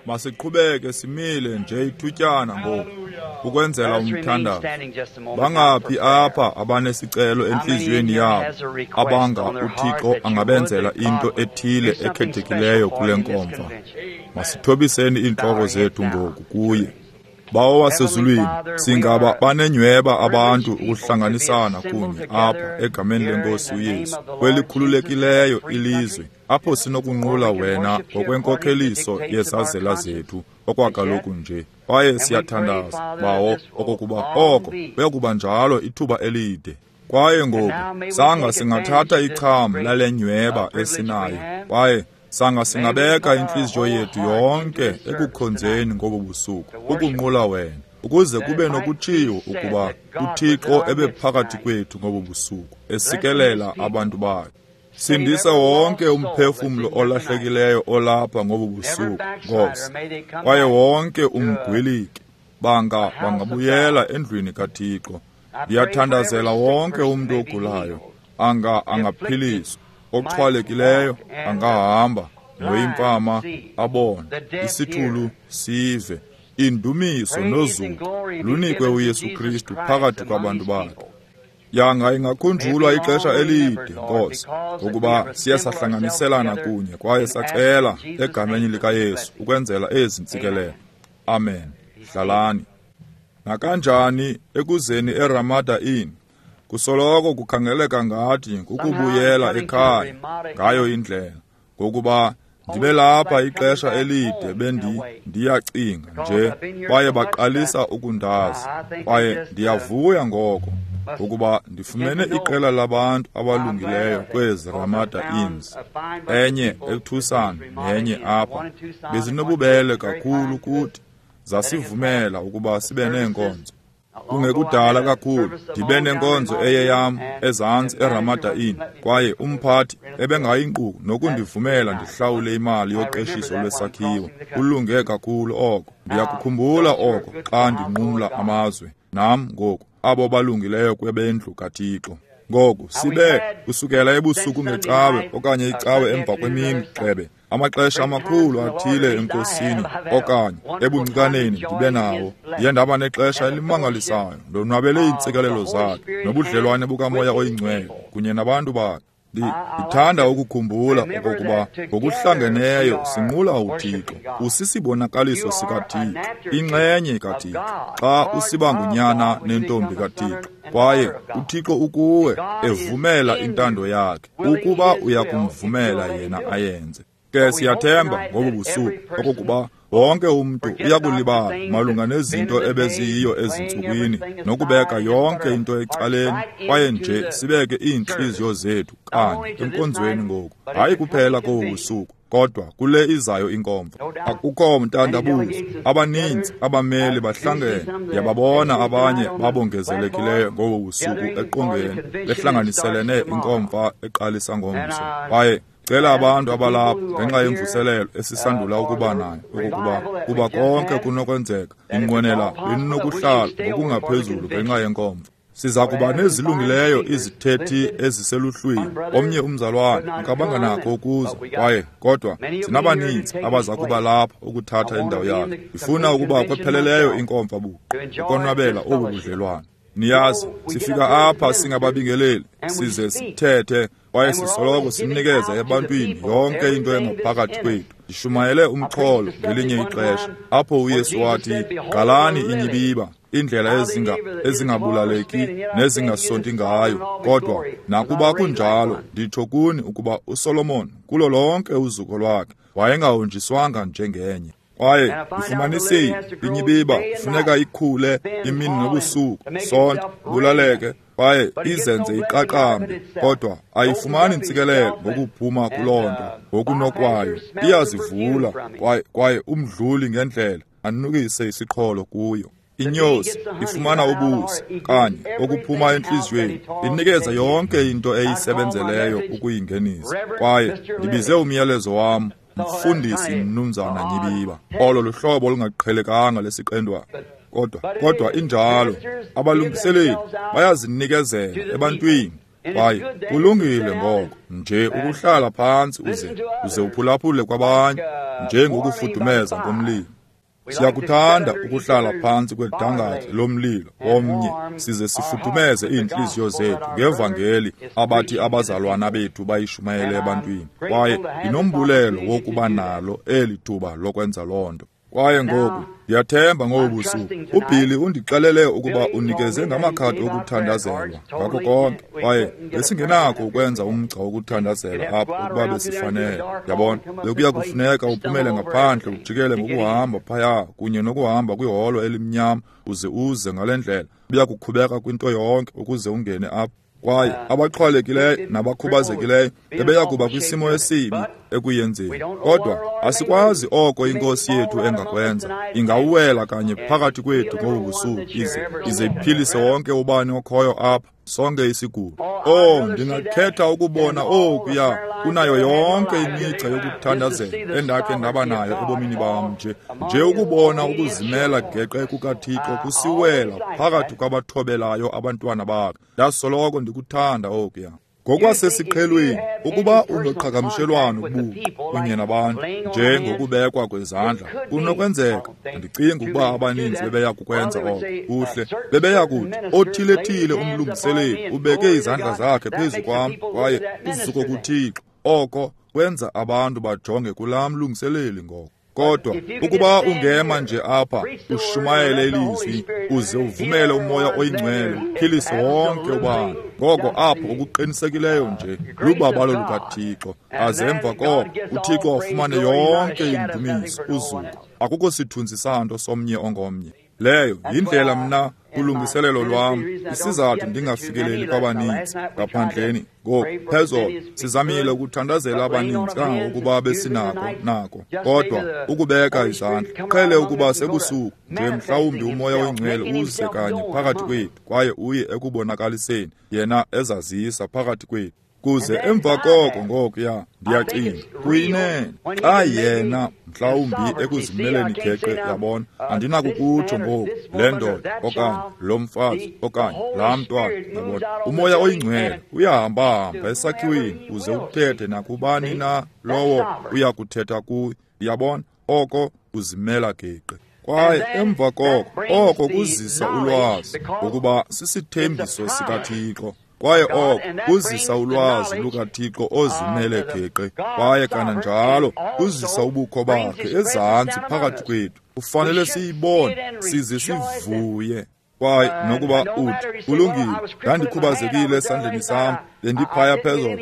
Masiqhubeke simile nje ithutyana ngoku ukwenzela umthandazo. Bangaphi apha abanesicelo entliziyweni yabo abanga uThixo angabenzela into ethile ekhethekileyo kule nkomfa? Masithobiseni iintloko zethu ngoku kuye. Bawo wasezulwini, singaba banenyhweba abantu ukuhlanganisana kunye apha egameni leNkosi uYesu kwelikhululekileyo ilizwe apho sinokunqula wena ngokwenkokheliso yezazela zethu okwakaloku nje. Kwaye siyathandaza, Bawo, okokuba oko kuyakuba njalo ithuba elide. Kwaye ngoku sanga singathatha icham lale nyweba esinayo, kwaye sanga singabeka intliziyo yethu yonke ekukhonzeni ngobu busuku, ukunqula wena, ukuze kube nokutshiwo ukuba uThixo ebephakathi kwethu ngobu busuku, esikelela abantu bakhe. Sindisa wonke umphefumlo olahlekileyo olapha ngobu busuku, Nkosi, kwaye wonke umgwiliki banga bangabuyela endlwini kaThixo. Ndiyathandazela wonke umntu ogulayo, anga angaphiliswa, oxhwalekileyo angahamba, noyimfama abone, isithulu sive. Indumiso nozuko lunikwe uYesu Kristu phakathi kwabantu bakhe. Yanga ingakhunjulwa ixesha elide, Nkosi, ngokuba siye sahlanganiselana kunye kwaye sacela egameni likaYesu ukwenzela ezi ntsikelelo. Amen. Hlalani. Nakanjani ekuzeni eRamada Inn, kusoloko kukhangeleka ngathi kukubuyela ekhaya ngayo indlela, ngokuba ndibe lapha ixesha elide ndiyacinga nje, kwaye baqalisa ukundazi, kwaye ndiyavuya ngoko ngokuba ndifumene iqela labantu abalungileyo kwezi Ramada Inns, enye eTucson nenye apha. Bezinobubele kakhulu kuthi, zasivumela ukuba sibe neenkonzo. Kungekudala kakhulu ndibe nenkonzo eyeyam ezantsi eRamada Inn, kwaye umphathi ebengayinkqu nokundivumela ndihlawule imali yoqeshiso lwesakhiwo. Kulunge kakhulu oko. Ndiyakukhumbula oko xa ndinqumla amazwe nam ngoku, abo balungileyo kwebendlu kaThixo. Ngoku sibe kusukela ebusuku ngecawe okanye icawe emva kwemini xebe, amaxesha amakhulu athile enkosini okanye ebuncinkaneni ndibe nawo. Ndiye ndaba nexesha elimangalisayo, ndonwabele iintsikelelo zakhe nobudlelwane bukaMoya oyiNgcwele kunye nabantu bakhe. Ndithanda ukukhumbula okokuba ngokuhlangeneyo sinqula uThixo. Usisibonakaliso sikaThixo, inxenye kaThixo, xa usiba ngunyana nentombi kaThixo. Kwaye uThixo ukuwe evumela intando yakhe, ukuba uyakumvumela yena ayenze. Ke siyathemba ngobu busuku okokuba wonke umntu uyakulibala malunga nezinto ebeziyiyo ezintsukwini, nokubeka yonke into ecaleni, kwaye nje sibeke iintliziyo zethu kanye enkonzweni ngoku, hayi kuphela kobu busuku, kodwa kule izayo inkomfa. Akukho mntandabuzo, abaninzi abameli bahlangene. Ndiyababona abanye babongezelekileyo ngobu busuku eqongeni, behlanganiselene inkomfa eqalisa ngomso. Kwaye cela abantu abalapha ngenxa yemvuselelo esisandula ukuba nayo, okokuba kuba konke kunokwenzeka, ndinqwenela beninokuhlala ngokungaphezulu ngenxa yenkomfa. Siza kuba nezilungileyo izithethi eziseluhlwini. Omnye umzalwane akabanga nakho ukuza, kwaye kodwa sinabaninzi abaza kuba lapha ukuthatha indawo yakhe. Ndifuna ukuba kwepheleleyo inkomfa buqu, ukonwabela obu budlelwane. Niyazi, sifika apha singababingeleli, size sithethe, kwaye sisoloko sinikeza ebantwini yonke into engaphakathi kwethu. Ndishumayele umxholo ngelinye ixesha apho uYesu wathi, "Qalani inyibiba, indlela ezingabulaleki nezingasonti ngayo." Kodwa nakuba kunjalo, nditsho kuni ukuba uSolomon kulo lonke uzuko lwakhe wayengahonjiswanga njengenye. Kwaye ndifumanisile inyibiba kufuneka ikhule imini nobusuku, sonto, bulaleke, kwaye izenze iqaqambe, kodwa ayifumani ntsikelelo ngokuphuma kuloo nto ngokunokwayo. Iyazivula kwaye umdluli ngendlela anukise isiqholo kuyo. Inyosi ifumana ubusi kanye okuphuma entliziyweni, inikeza yonke into eyisebenzeleyo ukuyingenisa. Kwaye ndibize umyalezo wam Mfundisi Mnumzana Nyibiba. Olo luhlobo olungaqhelekanga lesiqendwana, kodwa injalo. Abalungiseleli bayazinikezela ebantwini. Kwaye kulungile ngoko nje ukuhlala phantsi uze uphulaphule kwabanye, njengokufudumeza ngomlilo. Siyakuthanda ukuhlala phantsi kwedangatye lomlilo omnye size sifudumeze iintliziyo zethu ngevangeli abathi abazalwana bethu bayishumayele ebantwini. Kwaye ndinombulelo wokuba nalo eli thuba lokwenza loo nto. Kwaye ngoku ndiyathemba ngobu busuku uBilly undixelele ukuba unikeze ngamakhadi okuthandazelwa ngako konke, kwaye besingenakho ukwenza umgca wokuthandazela apho ukuba besifanele. Yabona, bekuya kufuneka uphumele ngaphandle ujikele ngokuhamba phaya kunye nokuhamba kwiholo elimnyama uze uze ngale ndlela, uya kukhubeka kwinto yonke ukuze ungene apho. Kwaye abaxhwalekileyo nabakhubazekileyo bebeya kuba kwisimo esibi ekuyenzeni. Kodwa asikwazi oko inkosi yethu engakwenza. Ingawuwela kanye phakathi kwethu ngobu busuku ize iphilise wonke ubani okhoyo apha, sonke isigulo. Oh, ndingakhetha ukubona okuya kunayo yonke imigca yokuthandazela endakhe ndaba nayo ebomini bam, nje ukubona ukuzimela geqe kukaThixo kusiwela phakathi kwabathobelayo abantwana bakhe. Ndasoloko ndikuthanda okuya. Ngokwasesiqhelweni, ukuba unoqhagamshelwano buqu kunye nabantu, njengokubekwa kwezandla, kunokwenzeka. Andicingi ukuba abaninzi bebeya kukwenza oko. Kuhle, bebeya kuthi othile-thile umlungiseleli ubeke izandla zakhe phezu kwam kwaye uzuko kuThixo. Oko kwenza abantu bajonge kulaa mlungiseleli ngoko. Kodwa ukuba ungema nje apha ushumayele ilizwi uze uvumele uMoya oyiNgcwele uphilise wonke ubani, ngoko apho okuqinisekileyo nje lubabalo lukaThixo. Aze emva koko uThixo afumane yonke indumiso, uzuko. Akukho sithunzi santo somnye ongomnye. Leyo yindlela mna kulungiselelo lwam, isizathu ndingafikeleli kwabaninzi ngaphandleni. Ngoku phezolo sizamile ukuthandazela abaninzi kangangokuba besinako nako, kodwa ukubeka izandla qhele ukuba sebusuku nje, mhlawumbi uMoya oyiNgcwele uze kanye phakathi kwethu kwaye uye ekubonakaliseni yena ezazisa phakathi kwethu. Kuze emva koko ngokuya ndiyacinga kuyinene xa yena mhlawumbi ekuzimeleni geqe, yabona, andinakukutsho ngoku le ndoda okanye lo mfazi okanye laa mntwana, yabona. UMoya oyiNgcwele uyahamba-hamba esakhiweni uze uthethe nakubani na lowo uya kuthetha kuye, yabona, oko uzimela geqe. Kwaye emva koko oko kuzisa ulwazi ngokuba sisithembiso sikaThixo. Kwaye oko kuzisa ulwazi lukaThixo ozimele geqe, kwaye kananjalo kuzisa ubukho bakhe ezantsi phakathi kwethu. Kufanele siyibone size sivuye. Kwaye nokuba uthi kulungile, ndandikhubazekile esandleni sam, bendiphaya phezolo,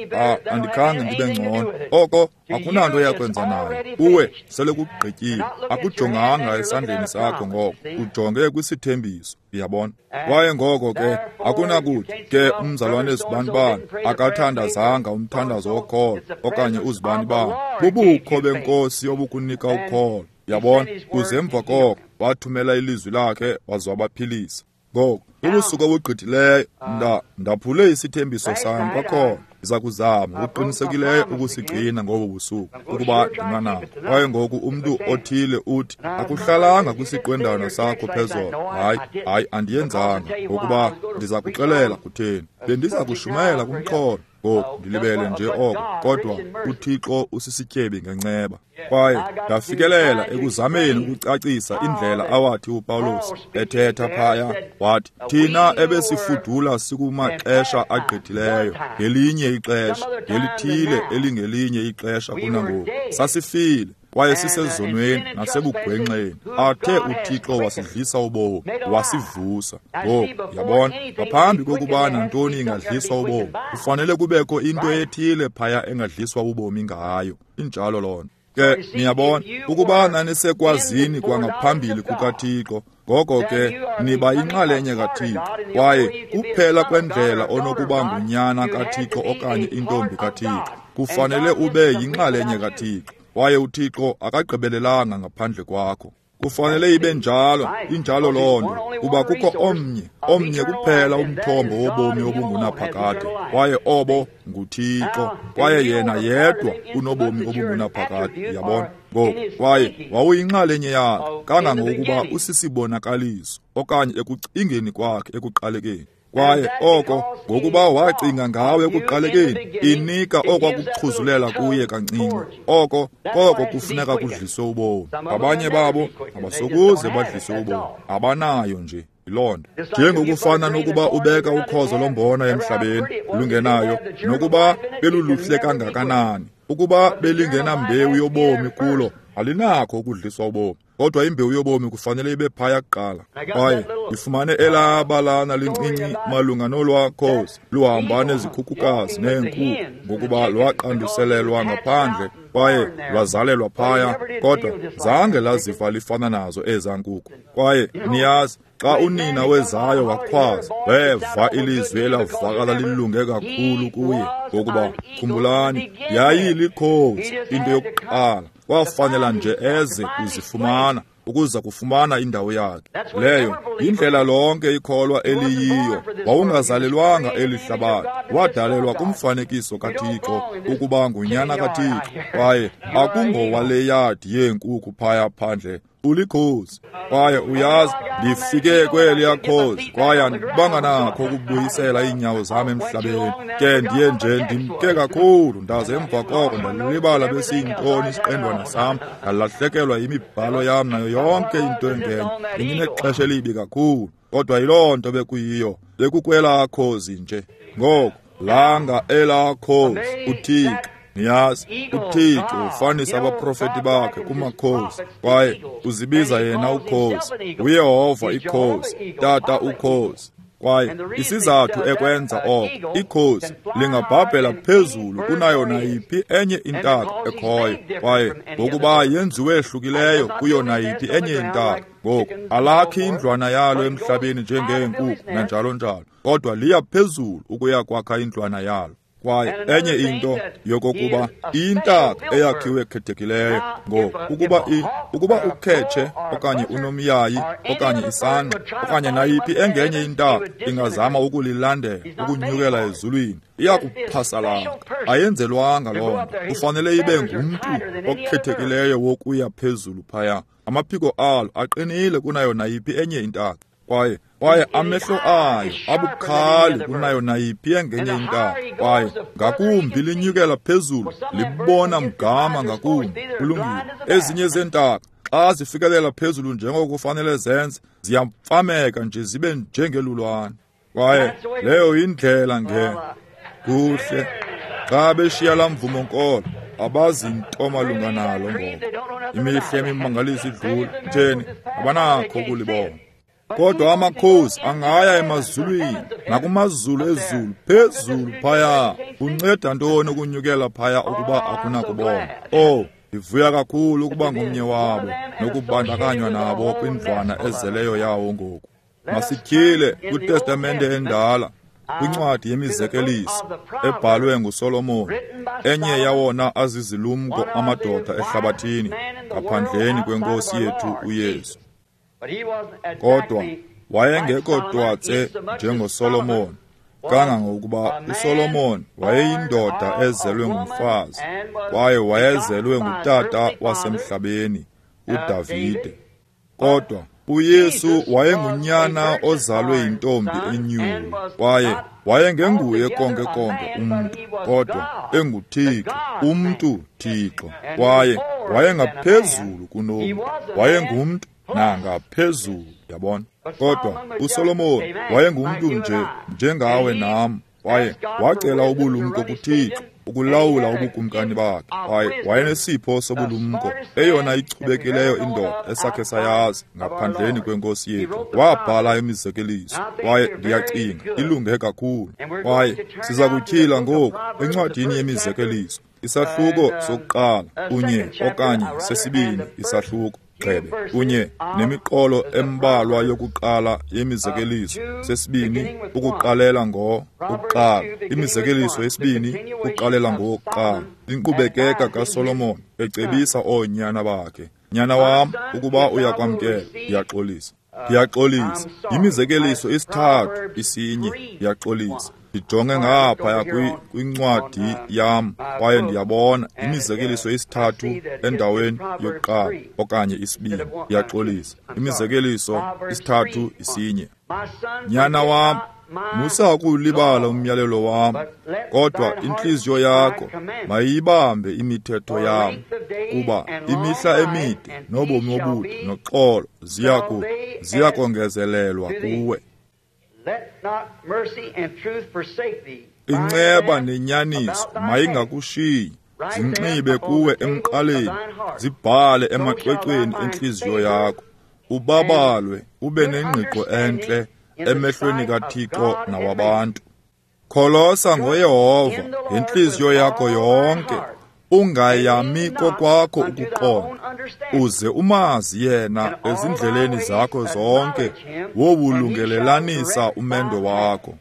andikhange ndibe ngcono, oko akunanto yakwenza nayo. Kuwe sele kugqityiwe. Akujonganga esandleni sakho ngoko, ujonge kwisithembiso, uyabona. Kwaye ngoko ke akunakuthi ke umzalwane uZibani-bani akathandazanga umthandazo wokholo okanye uZibani-bani. Bubukho benkosi obukunika ukholo, uyabona. Kuze emva koko wathumela ilizwi lakhe waze wabaphilisa. Ngoku ubusuku obugqithileyo ndaphule isithembiso sam kwakhona. Ndiza kuzama ngokuqinisekileyo ukusigcina ngobu busuku ukuba ndinganako. Kwaye ngoku umntu othile uthi akuhlalanga kwisiqwendana sakho phezolo. Hayi, andiyenzanga, ngokuba ndiza kuxelela kutheni. Bendiza kushumayela kumxholo. Ngoku ndilibele nje oko, kodwa uThixo usisityebi ngenceba. Kwaye ndafikelela ekuzameni ukucacisa indlela awathi uPawulos ethetha phaya, wathi thina ebesifudula sikumaxesha agqithileyo, ngelinye ixesha, ngelithile elingelinye ixesha kunangoku, sasifile kwaye sisezonweni nasebugwenxeni, athe uThixo wasidlisa ubomi, wasivusa. Ngoku yabona, ngaphambi kokuba nantoni ingadliswa ubomi, kufanele kubekho into ethile phaya engadliswa ubomi ngayo. Injalo loo nto. Ke niyabona, ukuba nanisekwazini kwangaphambili kukaThixo, ngoko ke niba yinxalenye kaThixo, kwaye kuphela kwendlela onokuba ngunyana kaThixo okanye intombi kaThixo, kufanele ube yinxalenye kaThixo, kwaye uThixo akagqibelelanga ngaphandle kwakho. Kufanele ibe njalo, injalo loo nto, kuba kukho omnye kuphela umthombo wobomi obungunaphakade, kwaye obo nguThixo, kwaye yena yedwa unobomi obungunaphakade, uyabona. Ngoku, kwaye wawuyinxalenye yakhe kangangokuba usisibonakaliso okanye ekucingeni kwakhe ekuqalekeni. Kwaye oko ngokuba wacinga ngawe ekuqalekeni, inika okwakuxhuzulela kuye kancinci. Oko koko kufuneka kudliswe ubomi. Abanye babo abasokuze badliswe ubomi, abanayo nje yiloo nto. Njengokufana nokuba ubeka ukhozo lombona emhlabeni lungenayo, nokuba beluluhle kangakanani, ukuba belingenambewu yobomi kulo, alinakho ukudliswa ubomi. Kodwa imbewu yobomi kufanele ibe phaya kuqala. Kwaye ndifumane elaa balana lincinci malunga nolwaa khozi luhamba nezikhukukazi neenkukhu, ngokuba lwaqanduselelwa ngaphandle kwaye lwazalelwa phaya, kodwa zange laziva lifana nazo ezaa nkukhu. Kwaye niyazi, xa unina wezayo wakhwaza, weva ilizwi elavakala lilunge kakhulu kuye, ngokuba khumbulani, yayilikhozi into yokuqala. Kwafanela nje eze kuzifumana, ukuza kufumana indawo yakhe. Leyo yindlela lonke ikholwa eliyiyo. Wawungazalelwanga eli hlabathi, wadalelwa kumfanekiso kaThixo, ukuba ngunyana kaThixo. Kwaye akungowale yadi yeenkukhu phaya phandle, ulikhozi. Kwaye uyazi, ndifike kweliya khozi, kwaye andibanga nakho ukubuyisela iinyawo zam emhlabeni. Ke ndiye nje ndimke kakhulu, ndaze emva koko ndalibala besiyintoni isiqendwana sam, ndalahlekelwa yimibhalo yam nayo yonke into engenye. Bendinexesha elibi kakhulu, kodwa yiloo nto bekuyiyo, bekukwelaa khozi nje. Ngoku langa elaa khozi, uThixo. Niyazi, uThixo ufanisa abaprofeti bakhe kumakhozi, kwaye uzibiza yena ukhozi, uYehova ikhozi, Tata ukhozi. Kwaye isizathu ekwenza oko, ikhozi lingabhabhela phezulu kunayo nayiphi enye intaka ekhoyo, kwaye ngokuba yenziwe ehlukileyo kuyo nayiphi enye intaka. Ngoku alakhi indlwana yalo emhlabeni njengeenkukhu nanjalo njalo, kodwa liya phezulu ukuya kwakha indlwana yalo. Kwaye enye into yokokuba iyintaka eyakhiwe khethekileyo. Ngoku ukuba ukhetshe okanye unomyayi okanye isangqa okanye nayiphi engenye intaka ingazama ukulilandela ukunyukela ezulwini, iyakuphasalaka. Ayenzelwanga loo nto. Kufanele ibe ngumntu okhethekileyo wokuya phezulu phaya. Amaphiko alo aqinile kunayo nayiphi enye intaka. Kwaye amehlo ayo abukhali kunayo nayiphi engenye intaka. Kwaye ngakumbi linyukela phezulu, libona mgama ngakumbi. Kulungile. Ezinye zeentaka xa zifikelela phezulu njengokufanele zenze, ziyamfameka nje zibe njengelulwane. Kwaye leyo yindlela nge kuhle xa beshiya laa mvumo nkolo, abazinto malunga nalo ngoku. Imihla emimangaliso idlula, theni abanakho ukulibona. Kodwa amakhozi angaya emazulwini nakumazulu ezulu phezulu phaya. Kunceda ntoni ukunyukela phaya ukuba akunakubona? Oh, ndivuya kakhulu ukuba ngomnye wabo nokubandakanywa nabo kwindlwana ezeleyo yawo ngoku. Masityhile kwiTestamente endala, kwincwadi yemizekeliso ebhalwe nguSolomon, enye yawona azizilumko amadoda ehlabathini ngaphandleni kwenkosi yethu uYesu. Kodwa wayengekho twatse njengoSolomon, kangangokuba uSolomon wayeyindoda ezelwe ngumfazi, kwaye wayezelwe ngutata wasemhlabeni, uDavide. Kodwa uYesu wayengunyana ozalwe yintombi enyulu, kwaye wayengenguye konke konke umntu, kodwa enguThixo, umntu Thixo. Kwaye wayengaphezulu kunomntu, wayengumntu nangaphezulu, yabona. Kodwa uSolomon wayengumntu nje njengawe nam, kwaye wacela ubulumko kuThixo ukulawula ubukumkani bakhe. Kwaye wayenesipho sobulumko, eyona ichubekileyo indoda esakhe sayazi ngaphandleni kwenkosi yethu. Wabhala imizekeliso, kwaye ndiyacinga ilunge kakhulu. Kwaye siza kutyhila ngoku encwadini yemizekeliso, isahluko sokuqala kunye okanye sesibini isahluko gxebe kunye nemiqolo embalwa yokuqala yemizekeliso sesibini ukuqalela ngo ukuqala, imizekeliso yesibini ukuqalela ngowokuqala. Inkqubekeka kaSolomon ecebisa oonyana bakhe. Nyana wam, ukuba uyakwamkela, ndiyaxolisa. Ndiyaxolisa. Yimizekeliso isithathu isinye, ndiyaxolisa. Ndijonge ngaphaya kwincwadi yam kwaye ndiyabona imizekeliso isithathu endaweni yokuqala okanye isibini. Ndiyaxolisa. Imizekeliso isithathu isinye. Nyana wam, Musa ukuwulibala umyalelo wam, kodwa intliziyo yakho mayiyibambe imithetho yam, kuba imihla emide nobomi obude noxolo ziya kongezelelwa kuwe. Inceba nenyaniso mayingakushiyi, zinxibe kuwe emqaleni, zibhale emacwecweni entliziyo yakho, ubabalwe ube nengqiqo entle emehlweni kaThixo nawabantu. Kholosa ngoYehova ngentliziyo yakho yonke, ungayami kokwakho ukuqonda, uze umazi yena ezindleleni zakho zonke, wowulungelelanisa umendo wakho.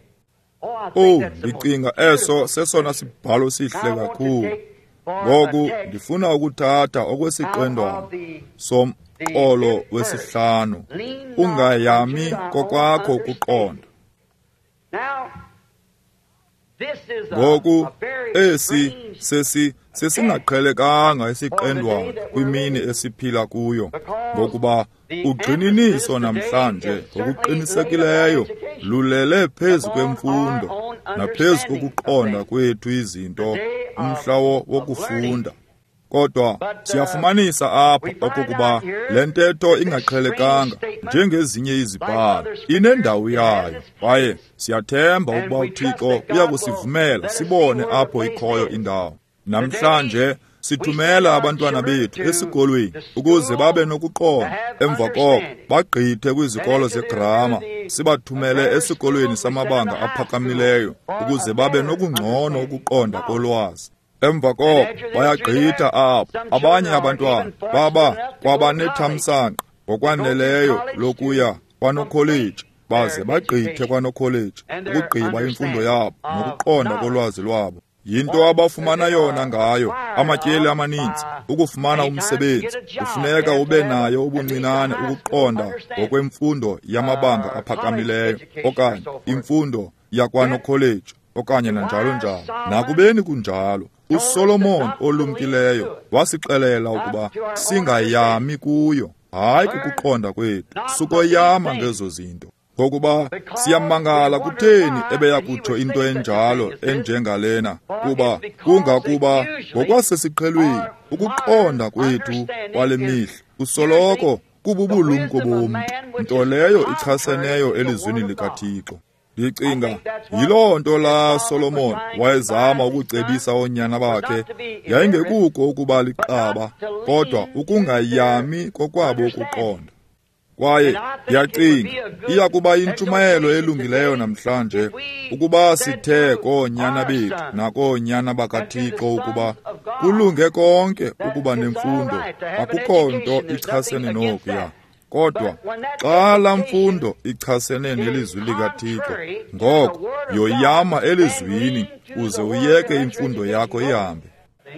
Owu, ndicinga eso sesona sibhalo sihle kakhulu. Ngoku ndifuna ukuthatha okwesiqendwana somqolo wesihlanu, ungayami kokwakho ukuqonda. Ngoku esi sesingaqhelekanga isiqendwana kwimini esiphila kuyo, ngokuba ugxininiso namhlanje ngokuqinisekileyo lulele phezu kwemfundo naphezu kokuqonda kwethu izinto, umhla wokufunda. Kodwa siyafumanisa apha okokuba le ntetho ingaqhelekanga njengezinye izibhalo inendawo yayo, kwaye siyathemba ukuba uThixo uya kusivumela sibone apho ikhoyo indawo. Namhlanje sithumela abantwana bethu esikolweni ukuze babe nokuqonda, emva koko bagqithe kwizikolo zegrama, sibathumele esikolweni samabanga aphakamileyo ukuze babe nokungcono ukuqonda kolwazi. Emva koko bayagqitha apho. Abanye abantwana baba kwabanethamsanqa ngokwaneleyo lokuya kwanokholeji, baze bagqithe kwanokholeji ukugqiba imfundo yabo nokuqonda kolwazi lwabo. Yinto abafumana yona ngayo amatyeli amaninzi. Ukufumana umsebenzi kufuneka ube nayo ubuncinane ukuqonda ngokwemfundo yamabanga aphakamileyo okanye imfundo yakwanokholeji okanye nanjalo njalo. Nakubeni kunjalo, uSolomon olumkileyo wasixelela ukuba singayami kuyo, hayi kukuqonda kwethu, sukoyama ngezo zinto. Ngokuba siyamangala kutheni ebeya kutsho into enjalo enjengalena, kuba kungakuba ngokwasesiqhelweni ukuqonda kwethu kwale mihla kusoloko kububulumko bomntu, nto leyo ichaseneyo elizwini likaThixo. Ndicinga yiloo nto laa Solomon wayezama ukucebisa oonyana bakhe, yayingekuko ukuba liqaba, kodwa ukungayami kokwabo ukuqonda. Kwaye ndiyacinga iya kuba yintshumayelo elungileyo namhlanje ukuba sithe koonyana bethu nakoonyana bakaThixo ukuba kulunge konke ukuba nemfundo, akukho nto ichasene nokuya. Kodwa xa laa mfundo ichasene nelizwi likaThixo, ngoko yoyama elizwini uze uyeke imfundo yakho ihambe.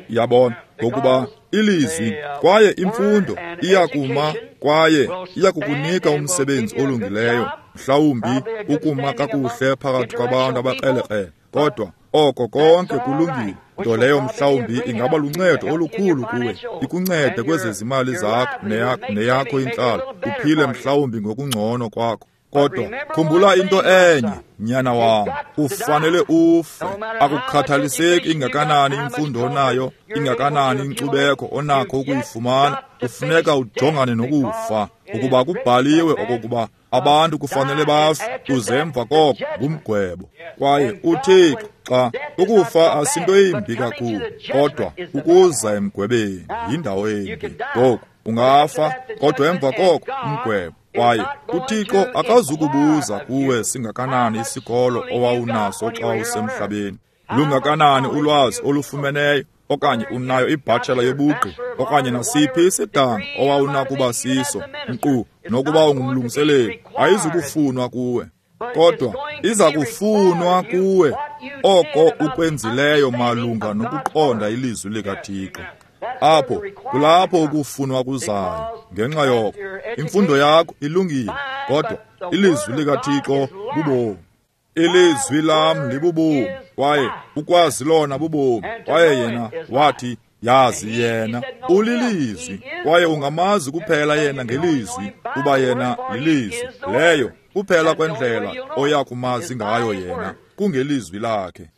Yabona, ngokuba ilizwi kwaye imfundo iyakuma kwaye iyakukunika umsebenzi olungileyo, mhlawumbi ukuma kakuhle phakathi kwabantu abakrelekrele, kodwa oko konke kulungile, nto leyo mhlawumbi ingaba luncedo olukhulu kuwe, ikuncede kwezezimali zakho neyakho intlalo, uphile mhlawumbi ngokungcono kwakho. Kodwa khumbula into enye, nyana wam, ufanele ufe. Akukhathaliseki ingakanani imfundo onayo, ingakanani inkcubeko onakho ukuyifumana, kufuneka ujongane nokufa, ukuba kubhaliwe okokuba abantu kufanele bafe, uze emva koko ngumgwebo. Kwaye uThixo, xa ukufa asinto imbi kakhulu, kodwa ukuza emgwebeni yindawo embi. Ngoku ungafa, kodwa emva koko umgwebo. Kwaye uThixo akazukubuza kuwe singakanani isikolo owawunaso xa usemhlabeni, lungakanani ulwazi olufumeneyo, okanye unayo ibhatshela yobugqi, okanye nasiphi isidanga owawunakuba siso, nkqu nokuba ungumlungiseleli, ayizukufunwa kuwe. Kodwa iza kufunwa kuwe oko ukwenzileyo malunga nokuqonda ilizwi likaThixo. Apho kulapho ukufunwa kuzayo. Ngenxa yoko imfundo yakho ilungile, kodwa ilizwi likaThixo bubomi. Ilizwi lam libubomi, kwaye ukwazi lona bubomi. Kwaye yena wathi, yazi yena ulilizwi, kwaye ungamazi kuphela yena ngelizwi, kuba yena lilizwi. Leyo Kuphela kwendlela oya kumazi ngayo yena kungelizwi lakhe.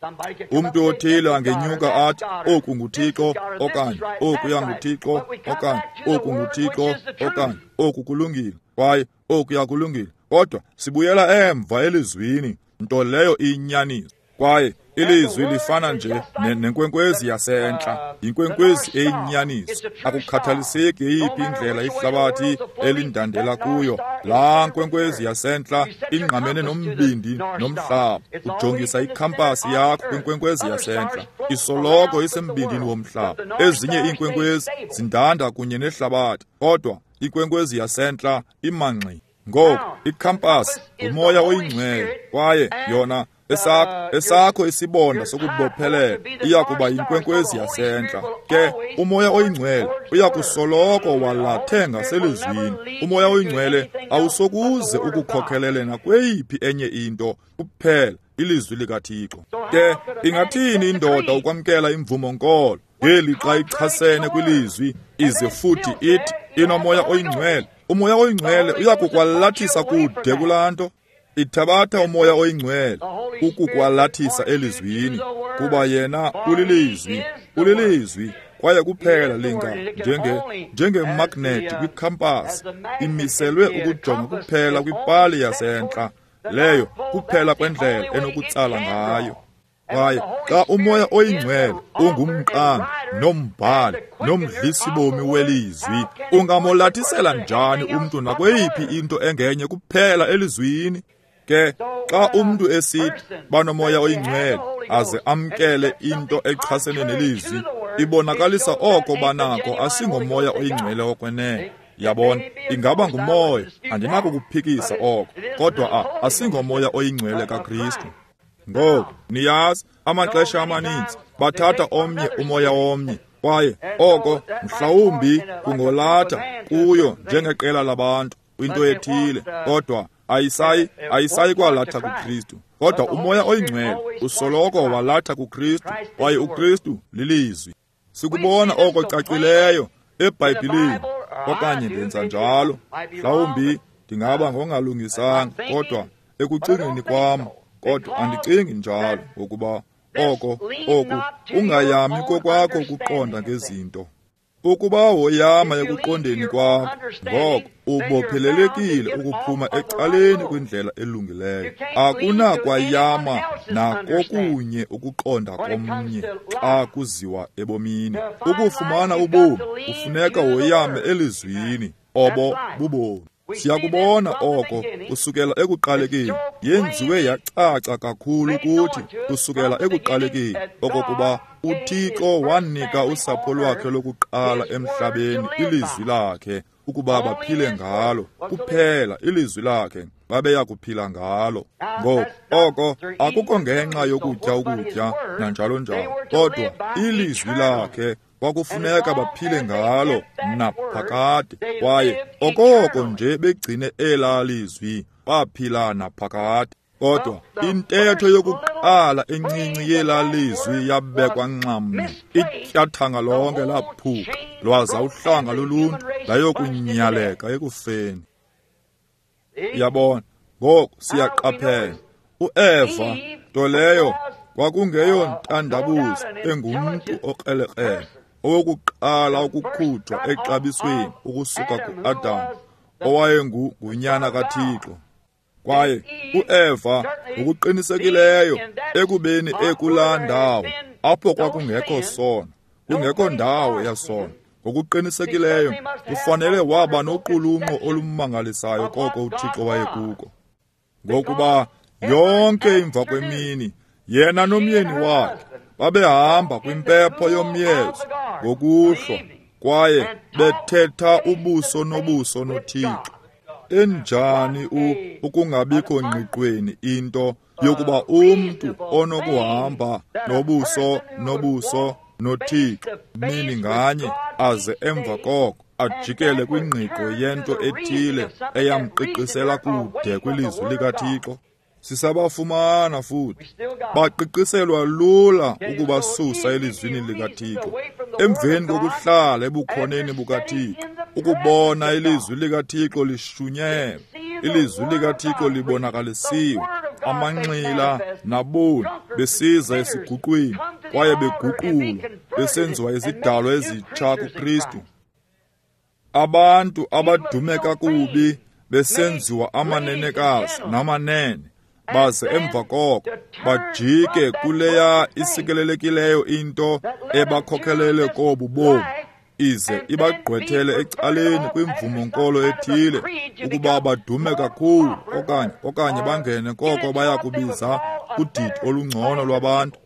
Umntu othile angenyuka athi oku nguThixo okanye okuya nguThixo okanye oku nguThixo okanye oku kulungile kwaye okuya kulungile, kodwa sibuyela emva elizwini, nto leyo iyinyaniso. Kwaye ilizwi lifana nje nenkwenkwezi yasentla, yinkwenkwezi eyinyaniso. Akukhathaliseki eyiphi indlela ihlabathi elindandela kuyo, laa nkwenkwezi yasentla ingqamene nombindi nomhlaba. Ujongisa ikhampasi yakho kwinkwenkwezi yasentla, isoloko isembindini womhlaba. Ezinye iinkwenkwezi zindanda kunye nehlabathi, kodwa inkwenkwezi yasentla imangxi. Ngoku ikhampasi ngumoya oyingcwele, kwaye yona esakho isibonda sokubophelela iya kuba yinkwenkwezi yasentla. Ke umoya oyingcwele uya kusoloko walathe ngaselizwini. Umoya oyingcwele awusokuze ukukhokhelele nakweyiphi enye into, kuphela ilizwi likaThixo. Ke ingathini indoda ukwamkela imvumo-nkolo ngelixa ichasene kwilizwi, ize futhi ithi inomoya oyingcwele? Umoya oyingcwele uya kukwalathisa kude kulaa nto. Ithabatha umoya oyingcwele ukukwalathisa elizwini, kuba yena ulilizwi, ulilizwi, kwaye kuphela linga njengemagnethi kwikhampasi, imiselwe ukujonga kuphela kwipali yasentla, leyo kuphela kwendlela enokutsala ngayo. Kwaye xa umoya oyingcwele ungumqambi nombhali nomdlisibomi welizwi, ungamolathisela njani umntu nakweyiphi into engenye kuphela elizwini? Ke xa umntu esithi banomoya oyingcwele aze amkele into echasene nelizwi, ibonakalisa oko banako asingomoya oyingcwele okwenene. Yabona, ingaba ngumoya, andinako kuphikisa oko, kodwa asingomoya oyingcwele kaKristu. Ngoku niyazi, amaxesha amaninzi bathatha omnye umoya omnye, kwaye oko mhlawumbi kungolatha kuyo njengeqela labantu kwinto ethile, kodwa ayisayi kwalatha kuKristu. Kodwa umoya oyingcwele usoloko walatha kuKristu, kwaye uKristu lilizwi. Sikubona oko cacileyo eBhayibhileni, okanye ndenza njalo. Mhlawumbi ndingaba ngongalungisanga, kodwa ekucingeni kwam, kodwa andicingi njalo, ngokuba oko oku ungayami kokwakho ukuqonda ngezinto. Ukuba woyama ekuqondeni kwakho, ngoko ubophelelekile ukuphuma ecaleni kwindlela elungileyo. Akunakwayama nakokunye ukuqonda komnye xa kuziwa ebomini. Ukufumana ubomi kufuneka woyame elizwini, obo bubomi. Siyakubona oko kusukela ekuqalekeni, yenziwe yacaca kakhulu kuthi kusukela ekuqalekeni okokuba uThixo wanika usapho lwakhe lokuqala emhlabeni ilizwi lakhe ukuba baphile ngalo. Kuphela ilizwi lakhe babeya kuphila ngalo. Ngoku oko akukho ngenxa yokutya ukutya nanjalo njalo, kodwa ilizwi lakhe kwakufuneka baphile ngalo naphakade. Kwaye okoko nje begcine elaa lizwi, baphila naphakade. Kodwa intetho yokuqala encinci yelaa lizwi yabekwa nxamnye, ityathanga lonke laphuka, lwaza uhlanga loluntu layokunyaleka ekufeni. Yabona, ngoku siyaqaphela uEva, nto leyo kwakungeyontandabuzo engumntu okrelekrele, owokuqala ukukhutshwa exabisweni ukusuka kuAdam, owayengunyana kaThixo. Kwaye uEva ngokuqinisekileyo ekubeni ekulaa ndawo apho kwakungekho sono, kungekho ndawo yasono, ngokuqinisekileyo kufanele waba noqulunqo olumangalisayo koko uThixo wayekuko. Ngokuba yonke imva kwemini yena nomyeni wakhe babehamba kwimpepho yomyezo ngokuhlwa, kwaye bethetha ubuso nobuso noThixo. Enjani ukungabikho ngqiqweni into yokuba umntu onokuhamba nobuso nobuso noThixo mini nganye, aze emva koko ajikele kwingqiqo yento ethile eyamqiqisela kude kwilizwi likaThixo. Sisabafumana futhi baqiqiselwa lula ukubasusa elizwini likaThixo emveni kokuhlala ebukhoneni bukaThixo, ukubona ilizwi likaThixo lishunyelwa, ilizwi likaThixo libonakalisiwe, amanxila naboni besiza esiguqweni kwaye beguqulwa, besenziwa izidalwa ezitsha kuKristu. Abantu abadume kakubi besenziwa amanenekazi namanene, baze emva koko bajike kuleya isikelelekileyo into ebakhokelele kobu bomi, ize ibagqwethele ecaleni kwimvumo-nkolo ethile ukuba badume kakhulu okanye bangene koko baya kubiza kudidi olungcono lwabantu.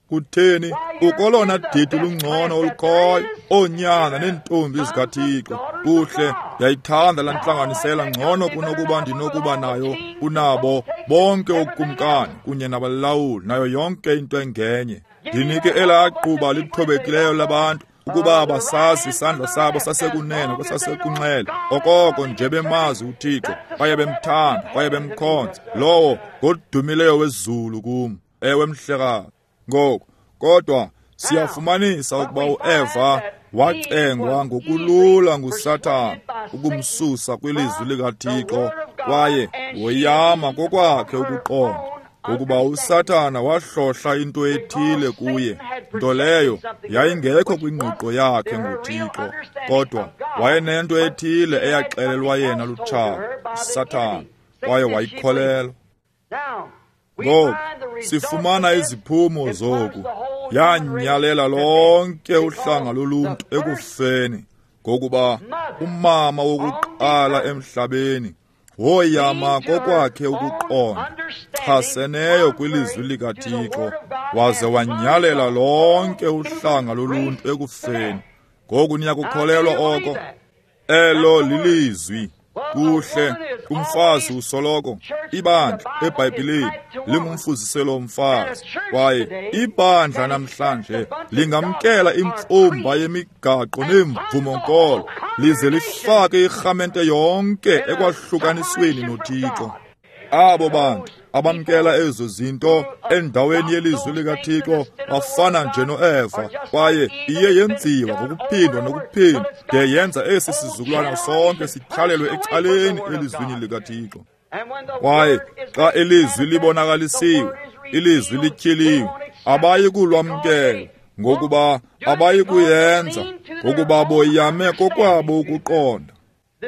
Kutheni? Ukolona didi lungcono olukhoyo, oonyana neentombi zikaThixo. Kuhle, ndiyayithanda laa ntlanganisela ngcono kunokuba ndinokuba nayo kunabo bonke ookumkani kunye nabalawuli nayo yonke into engenye. Ndinike elaa quba lithobekileyo labantu ukuba basazi isandla sabo sasekunene kwesasekunxele, okoko nje bemazi uThixo kwaye bemthanda kwaye bemkhonza lowo ngodumileyo wezulu kum. Ewe, mhlekazi. Ngoku kodwa siyafumanisa ukuba uEva wacengwa ngokulula nguSathana ukumsusa kwilizwi likaThixo, kwaye woyama kokwakhe ukuqonda, ngokuba uSathana wahlohla into ethile kuye, nto leyo yayingekho kwingqiqo yakhe ngoThixo, kodwa wayenento ethile eyaxelelwa yena lutshaba, uSathana, kwaye wayikholelwa. Ngoku sifumana iziphumo zoku. Yanyalela lonke uhlanga loluntu ekufeni, ngokuba umama wokuqala emhlabeni woyama kokwakhe ukuqonda chaseneyo kwilizwi likaThixo, waze wanyalela lonke uhlanga loluntu ekufeni. Ngoku niyakukholelwa oko? Elo lilizwi. Kuhle, umfazi usoloko ibandla eBhayibhileni lingumfuziselo womfazi, kwaye ibandla namhlanje lingamkela imfumba yemigaqo neemvumo-nkolo lize lifake irhamente yonke ekwahlukanisweni noThixo. Abo bantu abamkela ezo zinto endaweni yelizwi likaThixo bafana nje noEva, kwaye iye yenziwa ngokuphindwa nokuphindwa de yenza esi sizukulwana sonke sityhalelwe ecaleni elizwini likaThixo. Kwaye xa ilizwi libonakalisiwe, ilizwi lityhiliwe, abayi kulwamkela, ngokuba abayi kuyenza, ngokuba boyame kokwabo ukuqonda.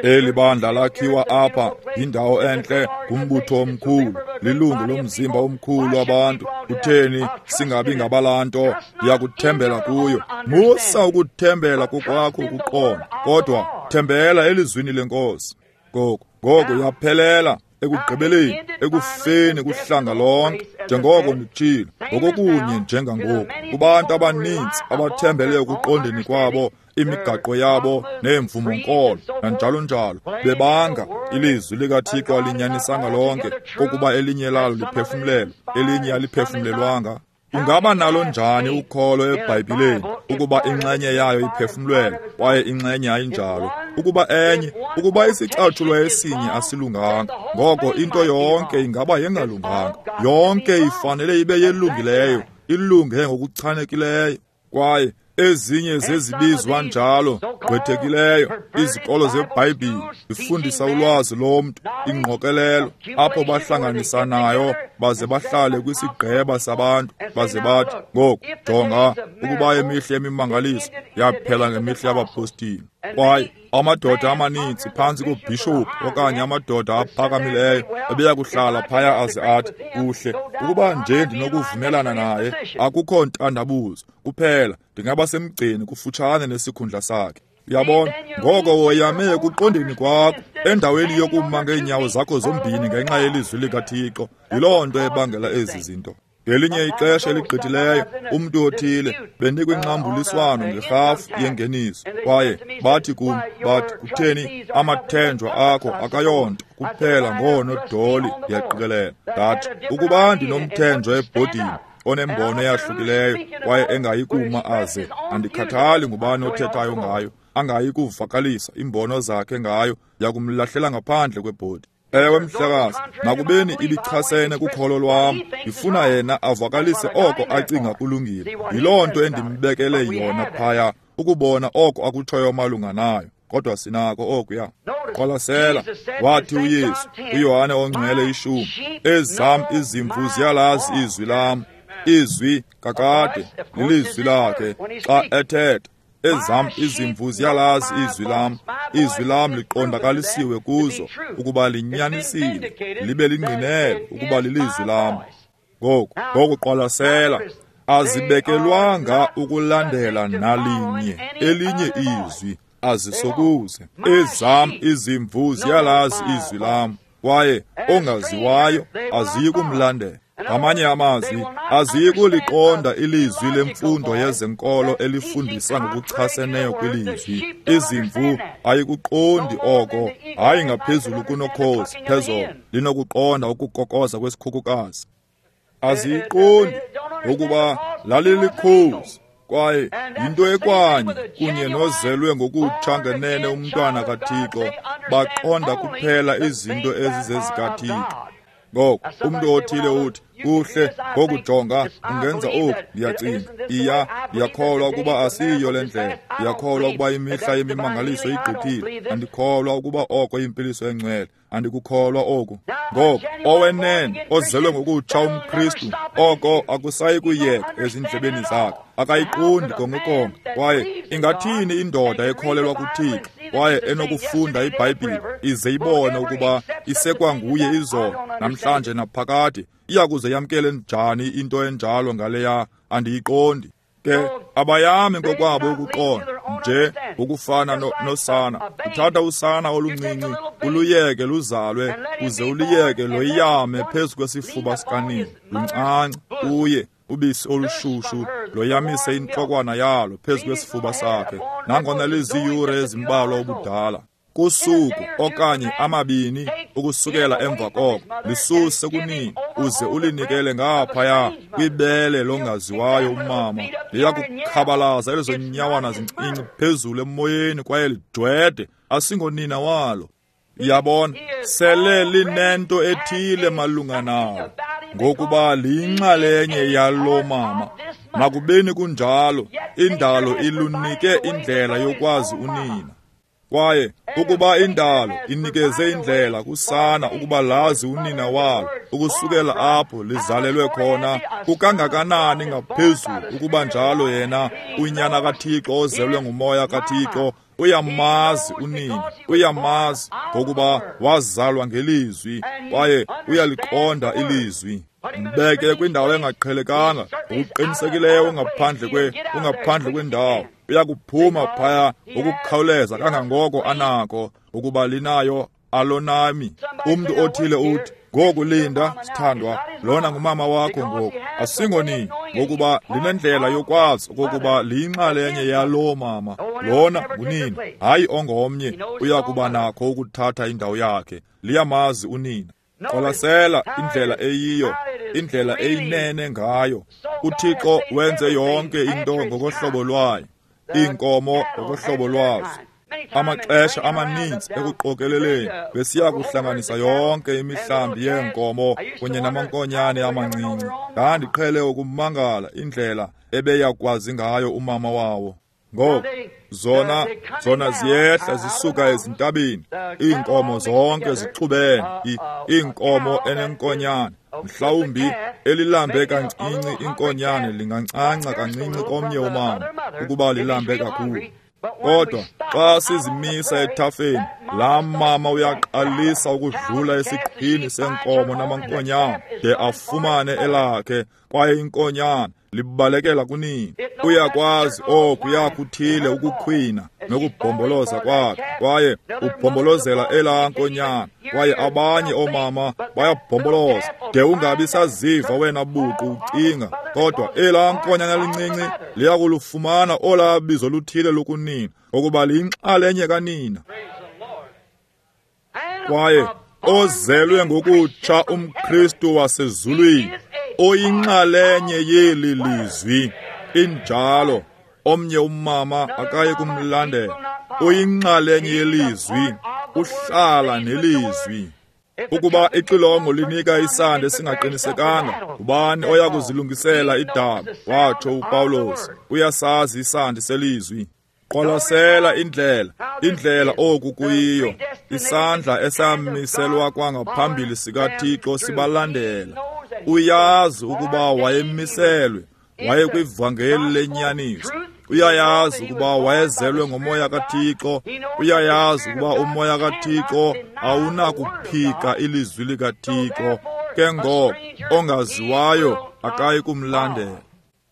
Eli bandla lakhiwa apha yindawo entle, ngumbutho omkhulu, lilungu lomzimba omkhulu wabantu. Kutheni singabi ngabalanto? Ndiyakuthembela kuyo. Musa ukuthembela kokwakho ukuqonda, kodwa thembela elizwini lenkosi. Ngoko yaphelela ekugqibeleni ekufeni kuhlanga lonke, njengoko nditshilo, ngokokunye njengangoku kubantu abaninzi abathembele ekuqondeni kwabo, imigaqo yabo neemvumo-nkolo nanjalo njalo, bebanga ilizwi likaThixo alinyanisanga lonke, kokuba elinye lalo liphefumlelwe, elinye aliphefumlelwanga. Ungaba nalo njani ukholo eBhayibhileni ukuba inxenye yayo iphefumlelwe kwaye inxenye ayinjalo? Ukuba isicatshulwa esinye asilunganga, ngoko into yonke ingaba yengalunganga. Yonke ifanele ibe yelungileyo, ilunge ngokuchanekileyo. Kwaye ezinye zezibizwa njalo gqwethekileyo izikolo zeBhayibhile zifundisa ulwazi lomntu, ingqokelelo apho bahlanganisanayo baze bahlale kwisigqeba sabantu baze bathi, ngoku jonga, ukuba imihla yemimangaliso yaphela ngemihla yabapostile. Kwaye amadoda amaninzi phantsi kobhishophu okanye amadoda aphakamileyo ebeya kuhlala phaya aze athi, kuhle, ukuba nje ndinokuvumelana naye, akukho ntandabuzo, kuphela ndingaba semgceni kufutshane nesikhundla sakhe. Uyabona, ngoko woyame ekuqondeni kwakho endaweni yokuma ngeenyawo zakho zombini ngenxa yelizwi likaThixo. Yiloo nto ebangela ezi zinto. Ngelinye ixesha eligqithileyo, umntu othile bendikwinxambuliswano ngerhafu yengeniso, kwaye bathi kum, bathi, kutheni, amathenjwa akho akayonto kuphela ngoonodoli, ndiyaqikelela. Ndathi, ukuba ndinomthenjwa ebhodini onembono eyahlukileyo kwaye engayi kuma aze, andikhathali ngubani othethayo ngayo, angayi kuvakalisa iimbono zakhe ngayo, ndiyakumlahlela ngaphandle kwebhodi. Ewe mhlekazi, nakubeni ibichasene kukholo lwam, ndifuna yena avakalise oko acinga kulungile. Yiloo nto endimbekele yona phaya, ukubona oko akutshoyo malunga nayo. kodwa sinako okuya. Qwalasela, wathi uYesu kuYohane oNgcwele 10, ezam izimvu ziyalazi izwi lam. Izwi kakade lilizwi lakhe xa ethetha. Ezam izimvu ziyalazi izwi lam. Izwi lam liqondakalisiwe kuzo ukuba linyanisile, libe lingqinele ukuba lilizwi lam. Ngoku qwalasela, azibekelwanga ukulandela nalinye elinye izwi, azisokuze. Ezam izimvu ziyalazi izwi lam, kwaye ongaziwayo aziyi kumlandela. Ngamanye amazwi, aziyi kuliqonda ilizwi lemfundo yezenkolo elifundisa ngokuchaseneyo kwilizwi. Izimvu ayikuqondi oko, hayi ngaphezulu kunokhozi phezolo linokuqonda ukukokoza kwesikhukukazi. Aziyiqondi ngokuba lalilikhozi, kwaye yinto ekwanye kunye nozelwe ngokutsha ngenene umntwana kaThixo, baqonda kuphela izinto ezizezikaThixo. Ngoku umntu othile uthi, kuhle, ngokujonga ungenza oku, ndiyacinga, iya, ndiyakholwa ukuba asiyiyo le ndlela, ndiyakholwa ukuba imihla yemimangaliso igqithile, andikholwa ukuba oko impiliso engcwele, andikukholwa oku. Ngoku owenene ozelwe ngokutsha umKristu, oko akusayi kuyeka ezindlebeni zakhe, akayiqondi konke. Kwaye ingathini indoda ekholelwa kuThixo kwaye enokufunda iBhayibhile ize ibone ukuba isekwanguye izolo, namhlanje naphakade, iyakuze yamkele njani into enjalo ngaleya? Andiyiqondi. Ke abayami ngokwabo ukuqonda, nje ngokufana nosana. Uthatha usana oluncinci uluyeke luzalwe, uze uluyeke loyame phezu kwesifuba sikanina, luncance kuye ubisi olushushu, loyamise intlokwana yalo phezu kwesifuba sakhe, nangona liziyure ezimbalwa ubudala. Kusuku okanye amabini ukusukela emva koko, lisuse kunini uze ulinikele ngaphaya kwibele longaziwayo umama. Liya kukhabalaza ezo nyawana zincinci phezulu emoyeni kwaye lidwede, asingonina walo. Yabona, sele linento ethile malunga nawo, ngokuba liyinxalenye yalo mama. Nakubeni kunjalo, indalo ilunike indlela yokwazi unina. Kwaye ukuba indalo inikeze indlela kusana ukuba lazi unina walo, ukusukela apho lizalelwe khona, kukangakanani ngaphezulu ukuba njalo yena unyana kaThixo ozelwe ngumoya kaThixo uyamazi unina, uyamazi ngokuba wazalwa ngelizwi, kwaye uyaliqonda ilizwi. Mbeke kwindawo engaqhelekanga, ngokuqinisekileyo ungaphandle kwendawo, uyakuphuma phaya ngokukhawuleza kangangoko anako, ukuba linayo alonami. Umntu othile uthi, ngoku linda, sithandwa, lona ngumama wakho ngoku, asingonini, ngokuba linendlela yokwazi okokuba liyinxalenye yaloo mama. Lona ngunina, hayi ongomnye uyakuba nakho ukuthatha indawo yakhe. Liyamazi unina. Qwalasela indlela eyiyo, indlela eyinene ngayo. uThixo wenze yonke into ngokohlobo lwayo, iinkomo ngokohlobo lwazo. Amaxesha amaninzi ekuqokeleleni besiya kuhlanganisa yonke imihlambi yeenkomo kunye namankonyane amancinci. Ndandiqhele ukumangala indlela ebeyakwazi ngayo umama wawo. Ngoku zona ziyehla zisuka ezintabeni, iinkomo zonke zixubene, iinkomo enenkonyane. Mhlawumbi elilambe kancinci inkonyane lingancanca kancinci komnye umama ukuba lilambe kakhulu. Kodwa xa sizimisa ethafeni, laa mama uyaqalisa ukudlula esiqhini senkomo namankonyane de afumane elakhe, kwaye inkonyane libalekela kunini. Uyakwazi oku yakuthile ukukhwina nokubhomboloza kwakhe, kwaye ubhombolozela elaa nkonyana, kwaye abanye oomama bayabhomboloza de ungabi saziva wena buqu ucinga, kodwa elaa nkonyana lincinci liyakulufumana olaa bizo luthile lokunina, ngokuba liyinxalenye kanina. Kwaye ozelwe ngokutsha umKristu wasezulwini, oyinxalenye yeli lizwi, injalo omnye umama akaye kumlandela, uyinxalenye yelizwi, uhlala nelizwi. Ukuba ixilongo linika isandi esingaqinisekanga, ubani oya kuzilungisela idaba? Watsho uPawulos. Uyasazi isandi selizwi. Qwalasela indlela oku kuyiyo. Isandla esamiselwa kwangaphambili sikaThixo sibalandela. Uyazi ukuba wayemiselwe, wayekwivangeli lenyaniso. Uyayazi ukuba wayezelwe ngomoya kaThixo. Uyayazi ukuba umoya kaThixo awunakuphika ilizwi likaThixo. Ke ngoko ongaziwayo akayi kumlandela.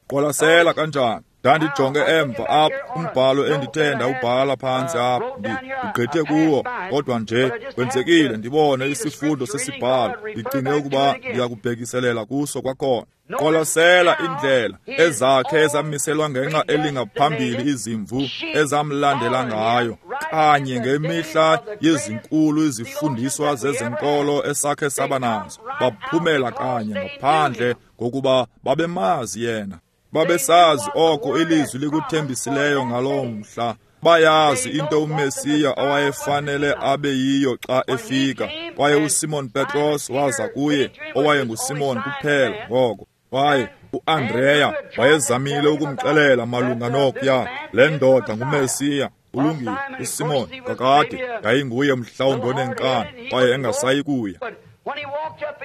Qwalasela kanjani. Ndandijonge emva apha umbhalo endithe ndawubhala phantsi apha, ndigqithe kuwo, kodwa nje kwenzekile ndibone isifundo sesibhalo, ndicinge ukuba ndiyakubhekiselela kuso kwakhona. Qwalasela indlela ezakhe ezamiselwa ngenxa elingaphambili izimvu ezamlandela ngayo, kanye ngemihla yezinkulu izifundiswa zezenkolo esakhe saba nazo. Baphumela kanye ngaphandle ngokuba babemazi yena. Babesazi oko ilizwi likuthembisileyo ngaloo mhla. Bayazi into uMesiya awayefanele abe yiyo xa efika. Kwaye uSimon Petros waza kuye, owayenguSimon kuphela ngoko. Kwaye uAndreya wayezamile ukumxelela malunga nokuya, le ndoda nguMesiya. Ulungile, uSimon kakade yayinguye mhlawumbi onenkani kwaye engasayi kuya.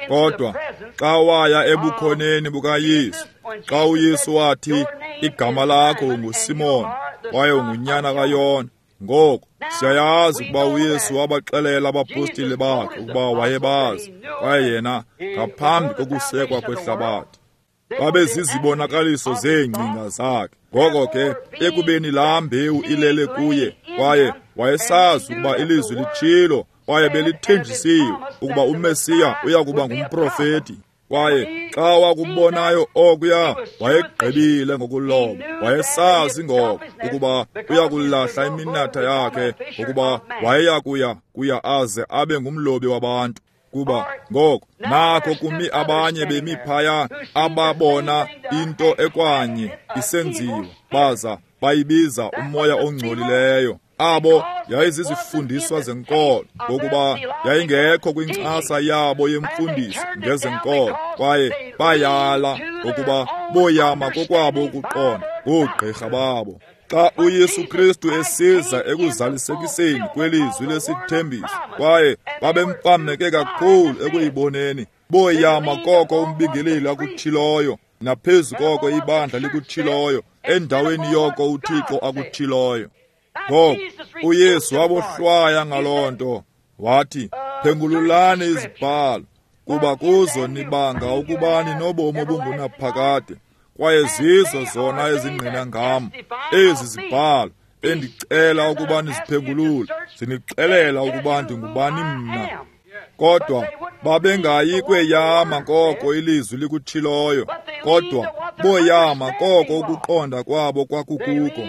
Kodwa xa waya ebukhoneni bukaYesu, xa uYesu wathi, igama lakho unguSimon kwaye ungunyana kaYona. Ngoku siyayazi ukuba uYesu wabaxelela abapostile bakhe ukuba wayebazi, kwaye yena ngaphambi kokusekwa kwehlabathi babezizibonakaliso zeengcinga zakhe. Ngoko ke ekubeni laa mbewu ilele kuye, kwaye wayesazi ukuba ilizwi litshilo kwaye belithenjisiwe ukuba uMesiya uya kuba ngumprofeti. Kwaye xa wakubonayo okuya, wayegqibile ngokuloba. Wayesazi ngoko ukuba uyakulahla iminatha yakhe, ngokuba wayeya kuya aze abe ngumlobi wabantu. Kuba ngoko nakho kumi abanye bemi phaya ababona into ekwanye isenziwa, baza bayibiza umoya ongcolileyo. Abo yayizizifundiswa zenkolo, ngokuba yayingekho kwinkxasa yabo yemfundiso ngezenkolo, kwaye bayala ngokuba boyama kokwabo ukuqonda ngoogqirha babo. Xa uYesu Kristu esiza ekuzalisekiseni kwelizwi lesithembiso, kwaye babemfameke kakhulu ekuyiboneni, boyama koko umbingeleli akutshiloyo, naphezu koko ibandla likutshiloyo, endaweni yoko uThixo akutshiloyo. Ngoko uYesu wabohlwaya ngaloo nto, wathi, phengululani izibhalo, kuba kuzo nibanga ukuba ninobomi obungunaphakade, kwaye zizo zona ezingqina ngam. Ezi zibhalo endicela ukuba niziphengulule, zinixelela ukuba ndingubani mna. Kodwa babengayi kweyama koko ilizwi likutshiloyo, kodwa boyama koko ukuqonda kwabo kwakukuko.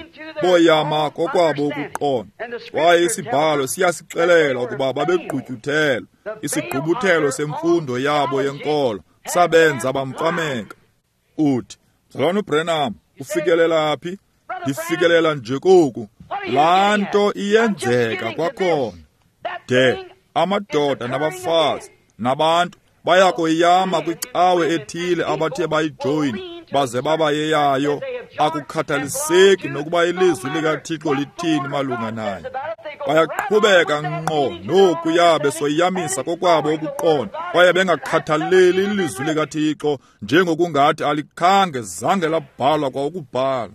Boyama kokwabo ukuqonda. Kwaye isibhalo siyasixelela ukuba babegqutyuthelwe. Isigqubuthelo semfundo yabo yenkolo sabenza bamfameka. Uthi, Mzalwana uBrenham, ufikelela phi? Ndifikelela nje koku. Laa nto iyenzeka kwakhona. De amadoda nabafazi nabantu bayakoyama kwicawe ethile abathe bayijoyina baze baba yeyayo. Akukhathaliseki nokuba ilizwi likaThixo lithini malunga naye. Bayaqhubeka ngqo nokuya besoyamisa kokwabo ukuqonda, kwaye bengakhathaleli ilizwi likaThixo njengokungathi alikhange zange labhalwa kwa ukubhala.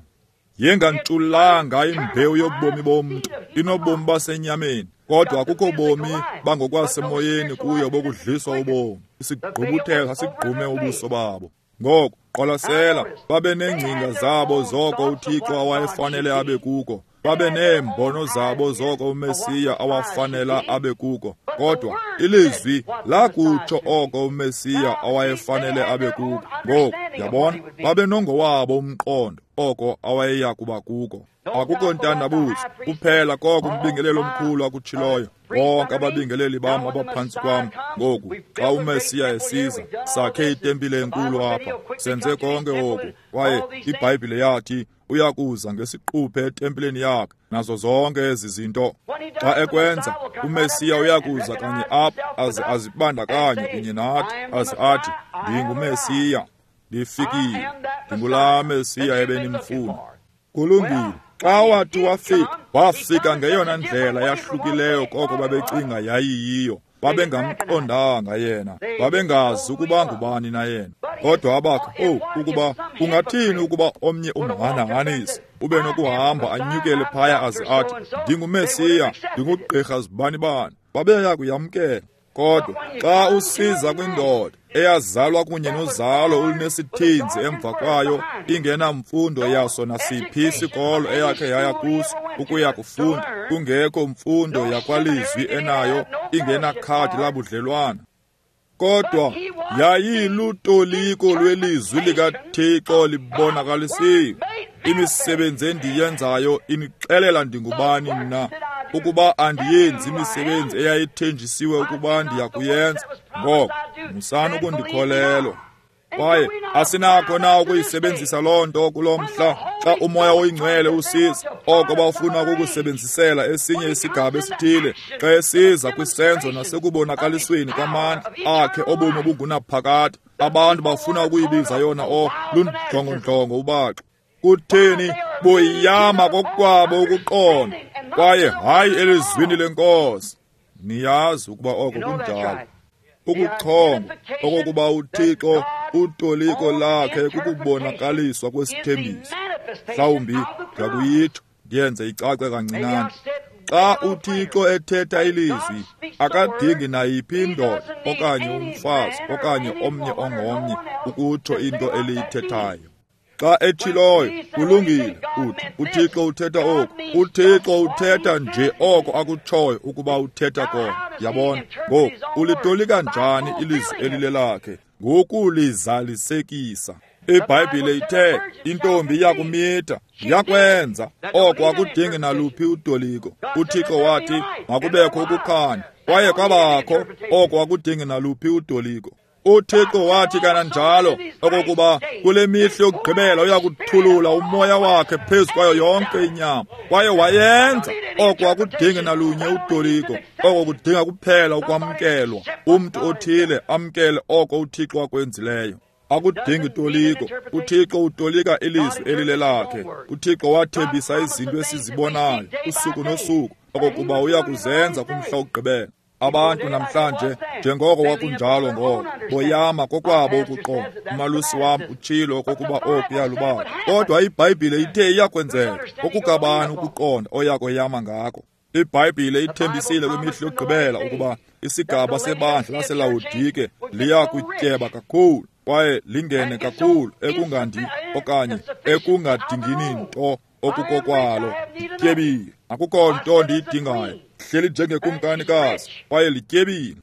Yengantshulanga imbewu yobomi bomntu, inobomi basenyameni, kodwa akukho bomi bangokwasemoyeni kuyo bokudliswa ubomi. Isigqubuthelo sasigqume ubuso babo. Ngoko qwalasela, babe neengcinga zabo zoko uThixo awayefanele abe kuko, babe neembono zabo zoko uMesiya awafanela abe kuko, kodwa ilizwi lakutsho oko uMesiya awayefanele abe kuko. Ngoku yabona, babe nongowabo umqondo oko awayeya kuba kuko. Akukho ntandabuzo kuphela koko umbingeleli omkhulu akutshiloyo. Bonke ababingeleli bam abaphantsi kwam. Ngoku xa uMesiya esiza, sakhe itempile enkulu apha, senze konke oku. Kwaye iBhayibhile yathi uyakuza ngesiquphe etempileni yakhe nazo zonke ezi zinto. Xa ekwenza, uMesiya uyakuza kanye apha aze azibandakanye kunye nathi, aze athi, ndinguMesiya, ndifikile, ndingulaa Mesiya ebenimfuna. Kulungile. Xa wathi wafika, wafika ngeyona ndlela yahlukileyo koko babecinga yayiyiyo. Babengamqondanga yena, babengazi ukuba ngubani na yena. Kodwa abakho, ukuba kungathini ukuba omnye umhanahanisi ube nokuhamba anyukele phaya aze athi, ndinguMesiya, ndingugqirha zibani-bani, babeya kuyamkela. Kodwa xa usiza kwindoda eyazalwa kunye nozalo olunesithinzi emva kwayo, ingenamfundo yaso nasiphi isikolo eyakhe yaya kuso ukuya kufunda, kungekho mfundo yakwalizwi enayo, ingenakhadi labudlelwana, kodwa yayilutoliko lwelizwi likaThixo libonakalisiwe. Imisebenzi endiyenzayo inixelela ndingubani mna. Ukuba andiyenzi imisebenzi eyayithenjisiwe ukuba ndiyakuyenza, ngoko musani ukundikholelwa. Kwaye asinakho na ukuyisebenzisa loo nto kulo mhla xa uMoya oyiNgcwele usiza, oko bafuna ukukusebenzisela esinye isigaba esithile, xa esiza kwisenzo nasekubonakalisweni kwamandla akhe obomi obungunaphakade. Abantu bafuna ukuyibiza yona lundlongondlongo ubaxo. Kutheni boyama kokwabo ukuqonda, kwaye hayi elizwini lenkosi. Niyazi ukuba oko kunjalo. Ukuchonga okokuba uThixo utoliko lakhe kukubonakaliswa kwesithembiso. Mhlawumbi ndiyakuyitsho ndiyenze icace kancinane. Xa uThixo ethetha ilizwi, akadingi nayiphi indoda okanye umfazi okanye omnye ongomnye ukutsho into eliyithethayo. Xa etshiloyo, kulungile, uthi uThixo uthetha oku. UThixo uthetha nje oko akutshoyo ukuba uthetha kona. Yabona? Ngoku ulitolika njani ilizwi elilelakhe? Ngokulizalisekisa. IBhayibhile ithe intombi iyakumitha, yakwenza oko akudingi naluphi utoliko. UThixo wathi makubekho ukukhanya, kwaye kwabakho, oko akudingi naluphi utoliko. UThixo wathi kananjalo okokuba kule mihla yokugqibela uyakuthulula umoya wakhe phezu kwayo yonke inyama, kwaye wayenza. Oko akudingi nalunye utoliko, oko kudinga kuphela ukwamkelwa, umntu othile amkele oko uThixo akwenzileyo. Akudingi toliko, uThixo utolika ilizwi elilelakhe. UThixo wathembisa izinto esizibonayo usuku nosuku okokuba uyakuzenza kumhla wokugqibela. Abantu namhlanje, njengoko kwakunjalo ngoko, boyama kokwabo ukuqonda. Umalusi wam utshilo okokuba oku yalubala, kodwa iBhayibhile ithe iyakwenzeka. Okukabani ukuqonda oyakoyama ngako? IBhayibhile ithembisile kwimihla yokugqibela ukuba isigaba sebandla laseLawodike liya kutyeba kakhulu kwaye lingene kakhulu ekungandi okanye ekungadingini nto okukokwalo. Lityebile, akukho nto ndiyidingayo. Hleli njengekumkanikazi kwaye lityebile.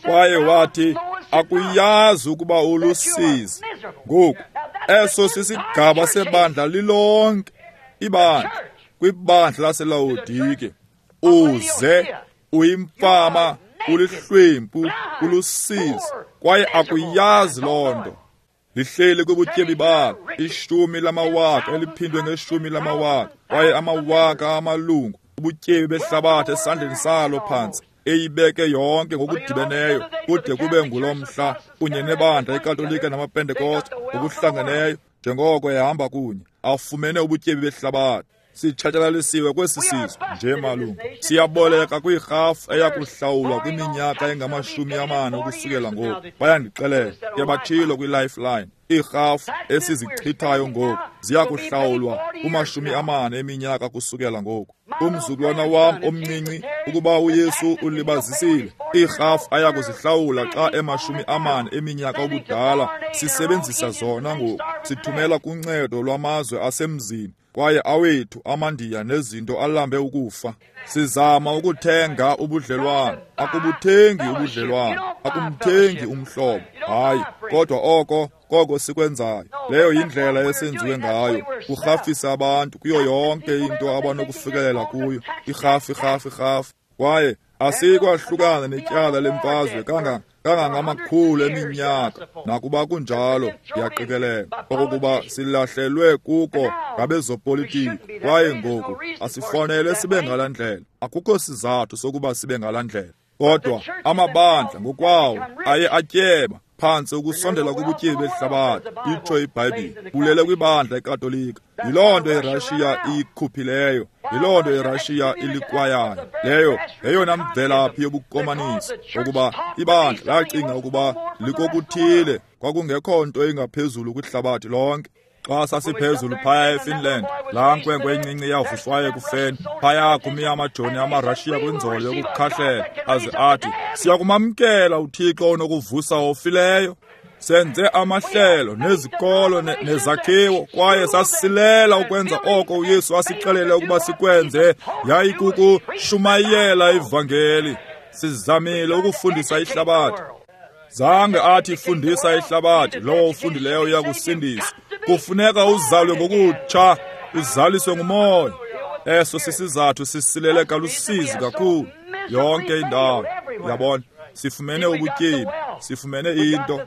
Kwaye wathi akuyazi ukuba ulusizi. Ngoku eso sisigaba sebandla lilonke, ibandla kwibandla laseLawodike. Uze uyimfama, ulihlwempu, ulusizi, kwaye akuyazi loo nto. Lihleli kubutyebi balo, 10 lamawaka eliphindwe nge10 lamawaka, kwaye amawaka amalungu, ubutyebi behlabathi esandleni salo phantsi, eyibeke yonke ngokudibeneyo kude kube ngulo mhla, kunye nebandla iKatolika namaPentekoste ngokuhlangeneyo, njengoko ehamba kunye, afumene ubutyebi behlabathi. Sitshatyalaliswe kwesi sizwe nje malungu. Siyaboleka kwirhafu eyakuhlawulwa kwiminyaka engama-40 ukusukela ngoku. Bayandixelela, ke batshilo kwi-Lifeline, iirhafu esizichithayo ngoku ziyakuhlawulwa kuma-40 eminyaka kusukela ngoku. Umzukulwana wam omncinci, ukuba uYesu ulibazisile, iirhafu ayakuzihlawula xa ema-40 eminyaka ubudala. Sisebenzisa zona ngoku, sithumela kuncedo lwamazwe asemzini, kwaye awethu amaNdiya nezinto alambe ukufa. Sizama ukuthenga ubudlelwane, akubuthengi ubudlelwane, akumthengi umhlobo, hayi, kodwa oko koko sikwenzayo. Leyo yindlela esenziwe ngayo, kurhafisa abantu kuyo yonke into abanokufikelela kuyo, irhafu, irhafu, irhafu. Kwaye asikwahlukana netyala lemfazwe kangangamakhulu eminyaka, nakuba kunjalo ndiyaqikelela okokuba silahlelwe kuko ngabezopolitiko. Kwaye ngoku asifanele sibe ngala ndlela, akukho sizathu sokuba sibe ngala ndlela. Kodwa amabandla ngokwawo aye atyeba Phantse ukusondela kubutyebi behlabathi, itsho iBhayibhile, bulele kwibandla eKatolika. Yiloo nto iRashiya iyikhuphileyo, yiloo nto iRashiya ilikwayayo. Leyo yeyona mvelaphi yobukomanisi, ukuba ibandla lacinga ukuba likokuthile, kwakungekho nto ingaphezulu kwihlabathi lonke. Xa sasiphezulu phaya eFinland, laa nkwenkwe incinci yavuswayo ekufeni, phaya kumi amajoni amaRashiya kwinzolo yokukhahlela, aze athi, siyakumamkela uThixo onokuvusa ofileyo. Senze amahlelo nezikolo nezakhiwo, kwaye sasilela ukwenza oko uYesu asixelele ukuba sikwenze, yayikukushumayela ivangeli. Sizamile ukufundisa ihlabathi. Zange athi fundisa ihlabathi, lowo ufundileyo uyakusindiswa. Kufuneka uzalwe ngokutsha, uzaliswe nguMoya. Eso sisizathu sisilele kalusizi kakhulu yonke indawo. Yabona, sifumene ubutyebi, sifumene into.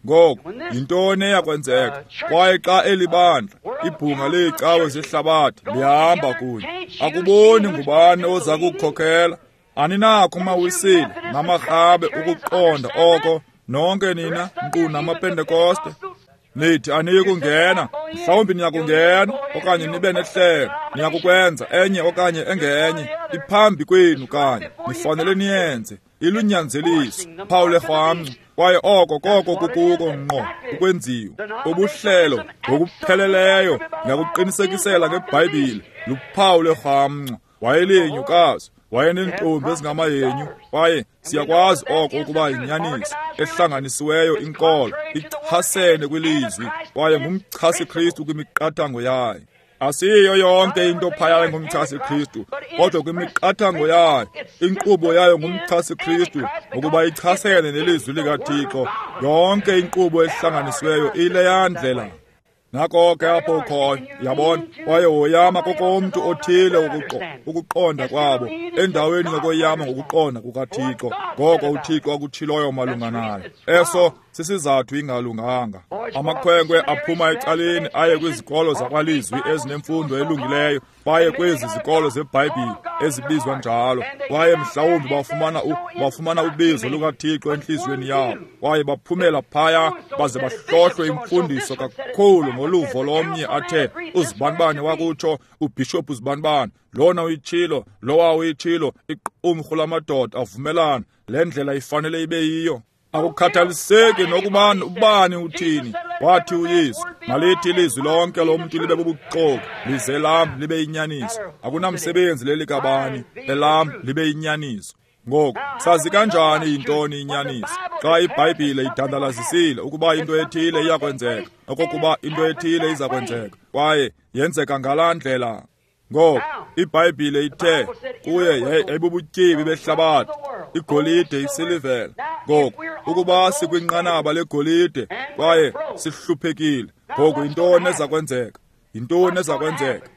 Ngoku yintoni eyakwenzeka? Kwaye xa eli bandla, ibhunga leecawe zehlabathi lihamba kunye, akuboni ngubani oza kukhokela. Aninakho mawisile namarhabe ukuqonda oko, nonke nina nkqu namaPentekoste. Nithi aniyi kungena, mhlawumbi niyakungena okanye nibe nehlelo, niyakukwenza enye okanye engenye, iphambi kwenu kanye, nifanele niyenze. Ilunyanzeliso, phawu lerhamncwa, kwaye oko koko kukuko ngqo ukwenziwa. Ubuhlelo ngokupheleleyo ngakuqinisekisela ngeBhayibhile, luphawu lerhamncwa. Wayelinyukazi, wayeneentombi ezingamahenyu, kwaye siyakwazi oko ukuba yinyaniso ehlanganisiweyo inkolo ichasene kwilizwi, kwaye ngumchasi-Kristu kwimiqathango yayo. Asiyo yonke into phaya ngumchasi-Kristu, kodwa kwimiqathango yayo, inkqubo yayo ngumchasi-Kristu, ngokuba ichasene nelizwi likaThixo. Yonke inkqubo ehlanganisiweyo ileya ndlela. Nako ke apho ukhoyo, yabona, kwaye woyama kokomntu othile ukuqonda kwabo, endaweni yokoyama ngokuqonda kukaThixo, ngoko uThixo akutshiloyo malunga nayo. Eso sisizathu ingalunganga. Amakhwenkwe aphuma ecaleni aye kwizikolo zakwalizwi ezinemfundo elungileyo, baye kwezi zikolo zeBhayibhile ezibizwa njalo, kwaye mhlawumbi bafumana ubizo lukaThixo entliziyweni yabo, kwaye baphumela phaya baze bahlohlwe imfundiso kakhulu ngoluvo lomnye athe uzibanibani wakutsho, ubhishophu uzibanibani, lona uyitshilo, lowa uyitshilo, iqumrhu lamadoda avumelana, le ndlela ifanele ibe yiyo. Akukhathaliseki nokuba ubani uthini, wathi uYesu, malithi ilizwi lonke lomntu libe bubuxoki, lize lam libe yinyaniso. Akunamsebenzi lelikabani, elam libe yinyaniso. Ngoku, sazi kanjani yintoni inyaniso? Xa iBhayibhile idandalazisile ukuba into ethile iyakwenzeka, okokuba into ethile iza kwenzeka, kwaye yenzeka ngalaa ndlela. Ngoku, iBhayibhile ithe kuye yayibubutyebi behlabathi, igolide, isilivela. Ngoku, ukuba sikwinqanaba legolide kwaye sihluphekile, ngoku yintoni eza kwenzeka? Yintoni eza kwenzeka?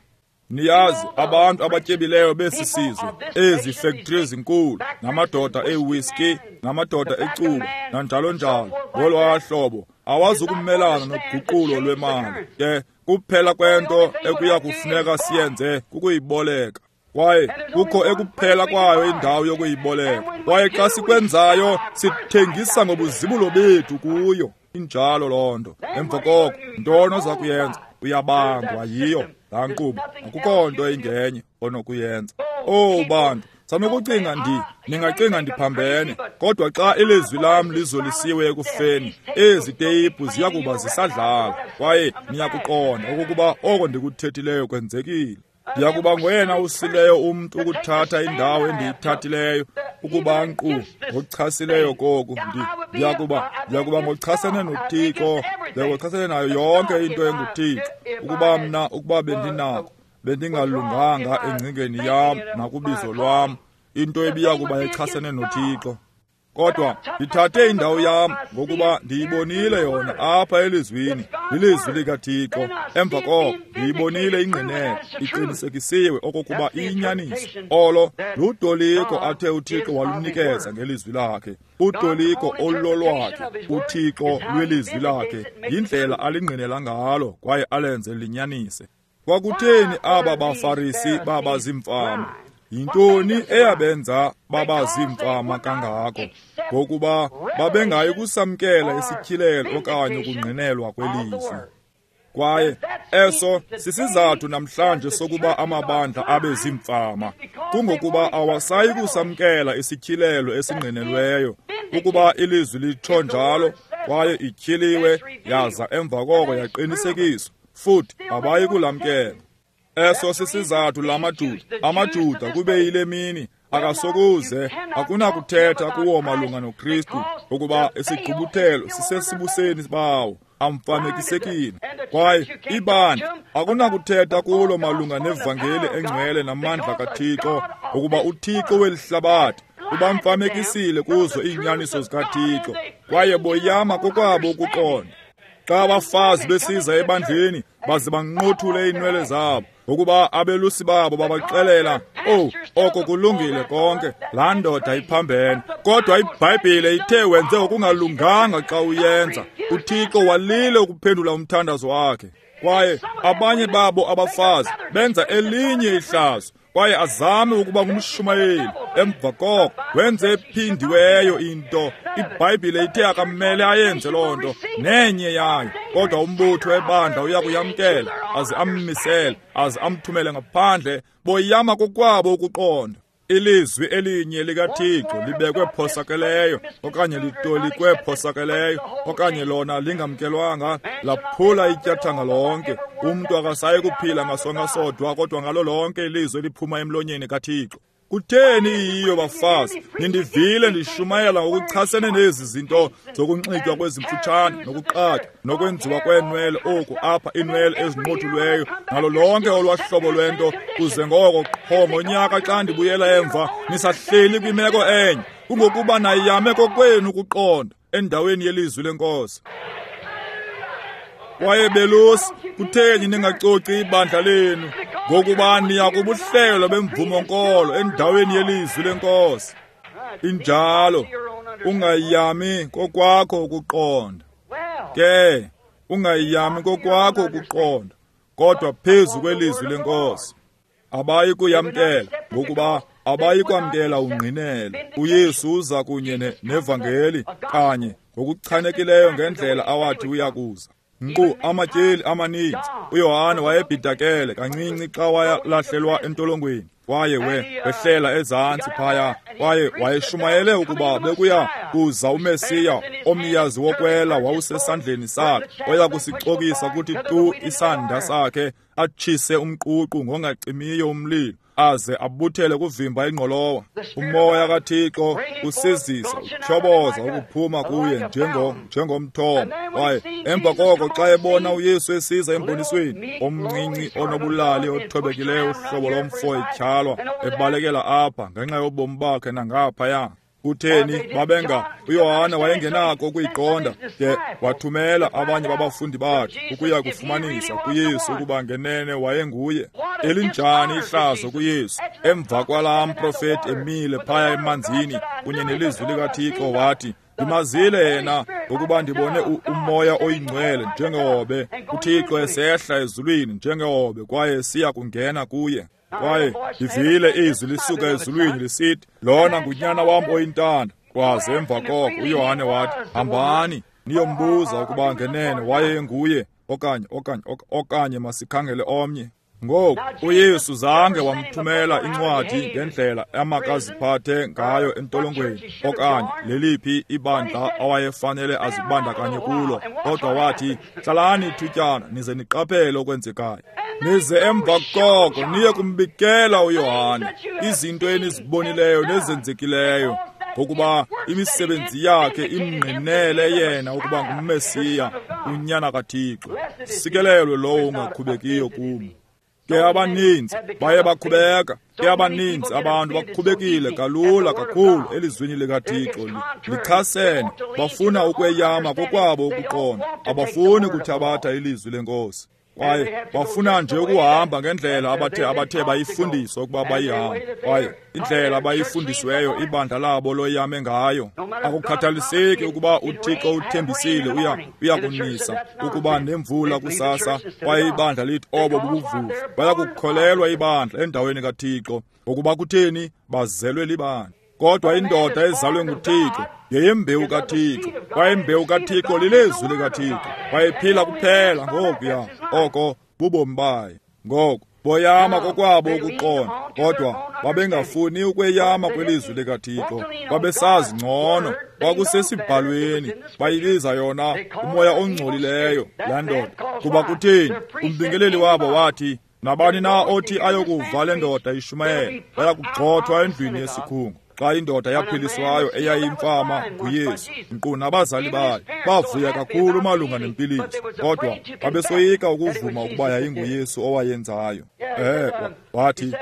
Niyazi, abantu abatyebileyo besi sizwe, ezi fektri ezinkulu, namadoda ewhiskey, namadoda ecuba, nanjalo njalo, ngolwaa hlobo, awazukumelana noguqulo lwemali. Ke kuphela kwento ekuya kufuneka siyenze kukuyiboleka. Kwaye kukho ekuphela kwayo indawo yokuyiboleka. Kwaye xa sikwenzayo, sithengisa ngobuzibulo bethu kuyo. Injalo loo nto. Emva koko, ntoni oza kuyenza? Uyabangwa yiyo laa nkqubo. Akukho nto ingenye onokuyenza. Owu bantu, sanokucinga ningacinga ndiphambene, kodwa xa ilizwi lam lizolisiwe ekufeni, ezi teyiphu ziya kuba zisadlala, kwaye niyakuqonda okokuba oko ndikuthethileyo kwenzekile. Ndiyakuba ngoyena usileyo umntu ukuthatha indawo endiyithathileyo, ukuba nkqu ngochasileyo koku. Ndiyakuba ngochasene noThixo, ndiyakuchasene nayo yonke into enguThixo, ukuba mna, ukuba bendinako, bendingalunganga engcingeni yam nakubizo lwam, into ebiya kuba echasene noThixo. Kodwa ndithathe indawo yam ngokuba ndiyibonile yona apha elizwini, lilizwi likaThixo. Emva koko ndiyibonile ingqinelo, iqinisekisiwe okokuba iyinyaniso. Olo lutoliko athe uThixo walunikeza ngelizwi lakhe, utoliko olulolwakhe uThixo lwelizwi lakhe, yindlela alingqinela ngalo kwaye alenze linyanise. Kwakutheni aba baFarisi baba ziimfama? Yintoni eyabenza baba ziimfama kangako? Ngokuba babengayi kusamkela isityhilelo okanye ukungqinelwa kwelizwi. Kwaye eso sisizathu namhlanje sokuba amabandla abe ziimfama, kungokuba awasayi kusamkela isityhilelo esingqinelweyo, ukuba ilizwi litsho njalo kwaye ityhiliwe yaza emva koko yaqinisekiswa, futhi abayi kulamkela. Eso sisizathu lamaJuda, amaJuda kube yile mini akasokuze akunakuthetha kuwo malunga noKristu, ukuba isigqubuthelo sisesibuseni bawo, amfanekisekile. Kwaye ibandla akunakuthetha kulo malunga nevangeli engcwele namandla kaThixo, ukuba uThixo weli hlabathi ubamfamekisile kuzo iinyaniso zikaThixo, kwaye boyama kokwabo ukuqonda. Xa abafazi besiza ebandleni baze banqothule iinwele zabo, ngokuba abelusi babo babaxelela, "Oh, oko kulungile konke, laa ndoda iphambene." Kodwa iBhayibhile ithe wenze okungalunganga xa uyenza. UThixo walile ukuphendula umthandazo wakhe. Kwaye abanye babo abafazi benza elinye ihlazo, kwaye azame ukuba ngumshumayeli. Emva koko wenze ephindiweyo into. IBhayibhile ithe akamele ayenze loo nto nenye yayo, kodwa umbutho webandla uya kuyamkela aze ammisele aze amthumele ngaphandle. Boyama kokwabo ukuqonda. Ilizwi elinye likaThixo libekwe phosakeleyo okanye litolikwe phosakeleyo okanye lona lingamkelwanga, laphula ityathanga lonke. Umntu akasayi kuphila ngasonka sodwa, kodwa ngalo lonke ilizwi eliphuma emlonyeni kaThixo. Kutheni iyiyo, bafazi? Nindivile ndishumayela ngokuchasene nezi zinto zokunxitywa kwezimfutshane nokuqatywa nokwenziwa kweenwele oku apha, iinwele ezinqothulweyo nalo lonke olwahlobo lwento, kuze ngoko qho ngonyaka xa ndibuyela emva nisahleli kwimeko enye. Kungokuba nayame kokwenu ukuqonda endaweni yelizwi lenkosi. Kwaye belusi, kutheni ningacoci ibandla lenu? Ngokuba niya kubuhlelo bemvumo-nkolo endaweni yelizwi lenkosi. Injalo, ungayami kokwakho ukuqonda. Ke, ungayami kokwakho ukuqonda, kodwa phezu kwelizwi lenkosi. Abayi kuyamkela, ngokuba abayi kwamkela ungqinelo. uYesu uza kunye nevangeli kanye ngokuchanekileyo ngendlela awathi uyakuza. Nkqu amatyeli amaninzi uYohane wayebhidakele kancinci xa wayalahlelwa entolongweni, kwaye wehlela ezantsi phaya, kwaye wayeshumayele ukuba bekuya kuza uMesiya omyazi wokwela wawusesandleni sakhe, oya kusicokisa kuthi tu isanda sakhe, atshise umququ ngongacimiyo umlilo, aze abuthele kuvimba ingqolowa. Umoya kaThixo usizisa utyhoboza ukuphuma kuye njengomthombo. Kwaye emva koko xa ebona uYesu esiza embonisweni, omncinci onobulali othobekileyo uhlobo lomfo etyhalwa ebalekela apha ngenxa yobomi bakhe nangaphaya. Kutheni babenga uYohane wayengenako ukuyiqonda, de wathumela abanye babafundi bakhe ukuya kufumanisa kuYesu ukuba ngenene wayenguye. Elinjani ihlazo kuYesu! Emva kwalaa mprofeti emile phaya emanzini kunye nelizwi likaThixo, wathi, "Ndimazile yena ngokuba ndibone umoya oyingcwele njengehobe, uThixo esehla ezulwini njengehobe, kwaye siya kungena kuye. Kwaye ndivile izwi lisuka ezulwini lisithi, lona ngunyana wam oyintanda." Kwaze emva koko uYohane wathi, "Hambani niyombuza ukuba ngenene wayenguye okanye masikhangele omnye." Ngoku uYesu zange wamthumela incwadi ngendlela amakaziphathe ngayo entolongweni okanye leliphi ibandla awayefanele azibandakanye kulo, kodwa wathi, "Hlalani ithutyana nize niqaphele okwenzekayo. Nize emva koko niye kumbikela uYohane izinto enizibonileyo nezenzekileyo, ngokuba imisebenzi yakhe imngqinele yena ukuba nguMesiya, unyana kaThixo. Sikelelwe lowo ungakhubekiyo kum." Ke abaninzi baye bakhubeka, ke abaninzi abantu bakhubekile kalula kakhulu elizwini likaThixo, lichasene, bafuna ukweyama kokwabo ukuqonda, abafuni kuthabatha ilizwi lenkosi. Kwaye bafuna nje ukuhamba ngendlela abathe bayifundiswa ukuba bayihambe, kwaye indlela abayifundisiweyo ibandla labo loyame ngayo. Akukhathaliseki ukuba uThixo uthembisile uyakunisa ukuba nemvula kusasa, kwaye ibandla lithi obo bubuvuvu. Bayakukholelwa ibandla endaweni kaThixo, ngokuba kutheni? Bazelwe libandla. Kodwa indoda ezalwe nguThixo yeyembewu kaThixo, kwaye imbewu kaThixo lilizwi likaThixo, kwaye iphila kuphela ngokuya oko bubomi bayo. Ngoko boyama kokwabo ukuqonda, kodwa babengafuni ukweyama kwelizwi likaThixo. Babesazi ngcono, kwakusesibhalweni. Bayibiza yona umoya ongcolileyo laa ndoda. Kuba kutheni? Umbingeleli wabo wathi, nabani na othi ayokuva le ndoda ishumayela, bayakugxothwa endlwini yesikhungo. Xa indoda yaphiliswayo eyayimfama nguYesu, nkqu nabazali bayo bavuya kakhulu malunga nempiliso, kodwa babesoyika ukuvuma ukuba yayinguYesu owayenzayo. Wathi,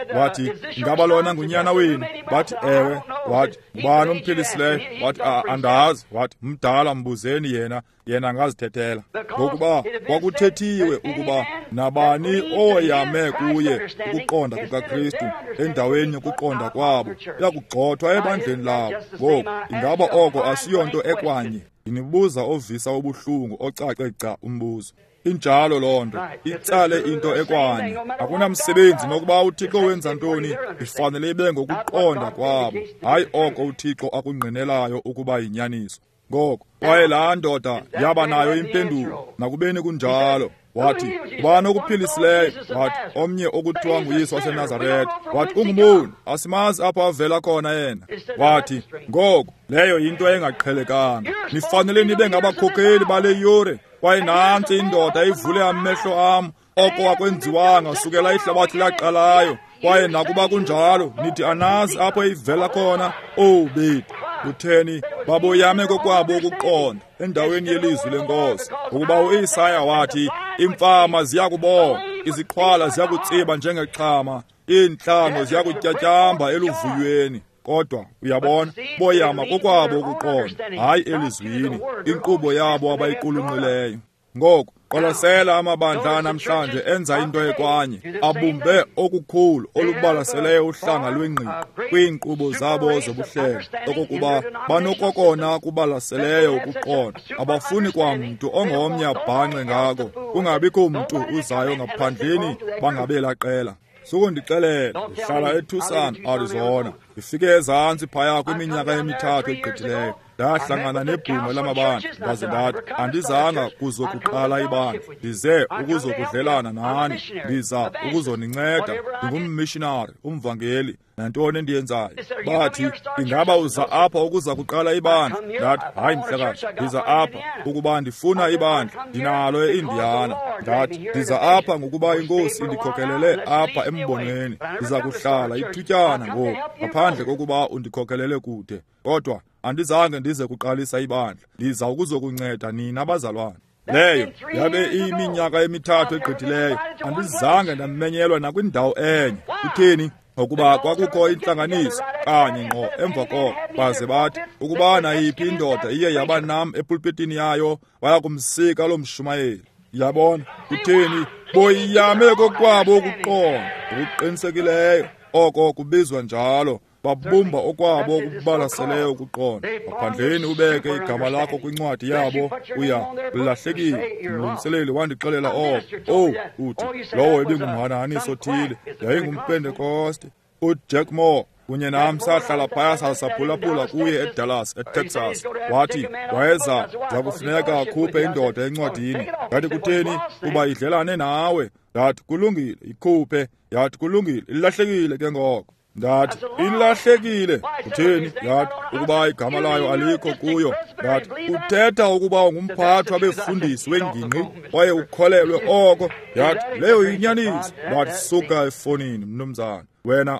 ingaba lona ngunyana wenu? Bathi, ewe. Wathi, ngubani omphilisileyo? Wathi, andazi. Wathi, mdala, mbuzeni yena, yena angazithethela. Ngokuba kwakuthethiwe ukuba nabani oyame kuye ukuqonda kukaKristu endaweni yokuqonda kwabo uyakugxothwa ebandleni labo. Ngoku ingaba oko asiyonto ekwanye? Ndinibuza ovisa ubuhlungu ocace gca umbuzo. Injalo loo nto, itsale into ekwanye. Akunamsebenzi nokuba uThixo wenza ntoni, ifanele ibe ngokuqonda kwabo, hayi oko uThixo akungqinelayo ukuba yinyaniso. Ngoko kwaye laa ndoda yaba nayo impendulo, nakubeni kunjalo. Wathi, ubani okuphilisileyo? Wathi, omnye okuthiwa nguYesu waseNazaretha. Wathi, ungumoni, asimazi apho avela khona yena. Wathi, ngoko leyo yinto engaqhelekanga. Nifanele nibe ngabakhokeli bale yure. Kwaye nantsi indoda ivule amehlo am, oko akwenziwanga sukela ihlabathi laqalayo. Kwaye nakuba kunjalo, nithi anazi apho ivela khona. Owu bethu, kutheni baboyame kokwabo ukuqonda endaweni yelizwi lenkosi? Ngokuba uIsaya wathi, imfama ziyakubona, iziqhwala ziyakutsiba njengexhama, iintlango ziyakutyatyamba eluvuyweni. Kodwa uyabona, boyama kokwabo ukuqonda, hayi elizwini, inkqubo yabo abayiqulunqileyo. Ngoku qwalasela amabandla namhlanje enza into ekwanye, abumbe okukhulu olubalaseleyo uhlanga lwengqiqo kwiinkqubo zabo zobuhlelo, okokuba banokokona kubalaseleyo ukuqonda. Abafuni kwamntu ongomnye abhanxe ngako, kungabikho mntu uzayo ngaphandleni bangabela qela. Sukundixelela, ndihlala eTucson, Arizona. Ndifike ezantsi phaya kwiminyaka emithathu egqithileyo. Ndahlangana nebhunga lamabandla, ndaze ndathi, andizanga kuzokuqala ibandla, ndize ukuzokudlelana nani, ndiza ukuzoninceda, ndingummishinari, umvangeli, nantoni endiyenzayo. Bathi, ingaba uza apha ukuza kuqala ibandla? Ndathi, hayi mhlekazi, ndiza apha ukuba ndifuna ibandla, ndinalo eIndiana. Ndathi, ndiza apha ngokuba iNkosi indikhokelele apha embonweni, ndiza kuhlala ithutyana ngoku, ngaphandle kokuba undikhokelele kude. Kodwa andizange ndize kuqalisa ibandla, ndiza ukuzokunceda nina bazalwane. Leyo yabe iyiminyaka emithathu egqithileyo, andizange ndamenyelwa nakwindawo enye. Kutheni? Ngokuba kwakukho intlanganiso kanye ngqo emva koko, baze bathi ukuba nayiphi indoda iye yaba nam epulpitini yayo, baya kumsika loo mshumayeli. Yabona? Kutheni? Boyame kokwabo ukuqonda ngokuqinisekileyo, oko kubizwa njalo. Babumba okwabo okubalaseleyo ukuqonda. Ngaphandleni ubeke igama lakho kwincwadi yabo, uya ulahlekile. Umlungiseleli wandixelela oko. Owu, uthi lowo ebingumhanahaniso othile, yayingumPentekoste. uJack Moore kunye nam sahlala phaya sasaphulaphula kuye eDallas, eTexas. Wathi wayeza kufuneka akhuphe indoda encwadini. Ndathi, kutheni? Kuba idlelane nawe. Ndathi, kulungile, ikhuphe. Yathi, kulungile, ilahlekile ke ngoko. Ndathi, ilahlekile. Kutheni? Yathi, ukuba igama layo alikho kuyo. Ndathi, uthetha ukuba ungumphathi wabefundisi wengingqi kwaye ukholelwe oko? Yathi, leyo yinyaniso. Ndathi, suka efonini, mnumzana.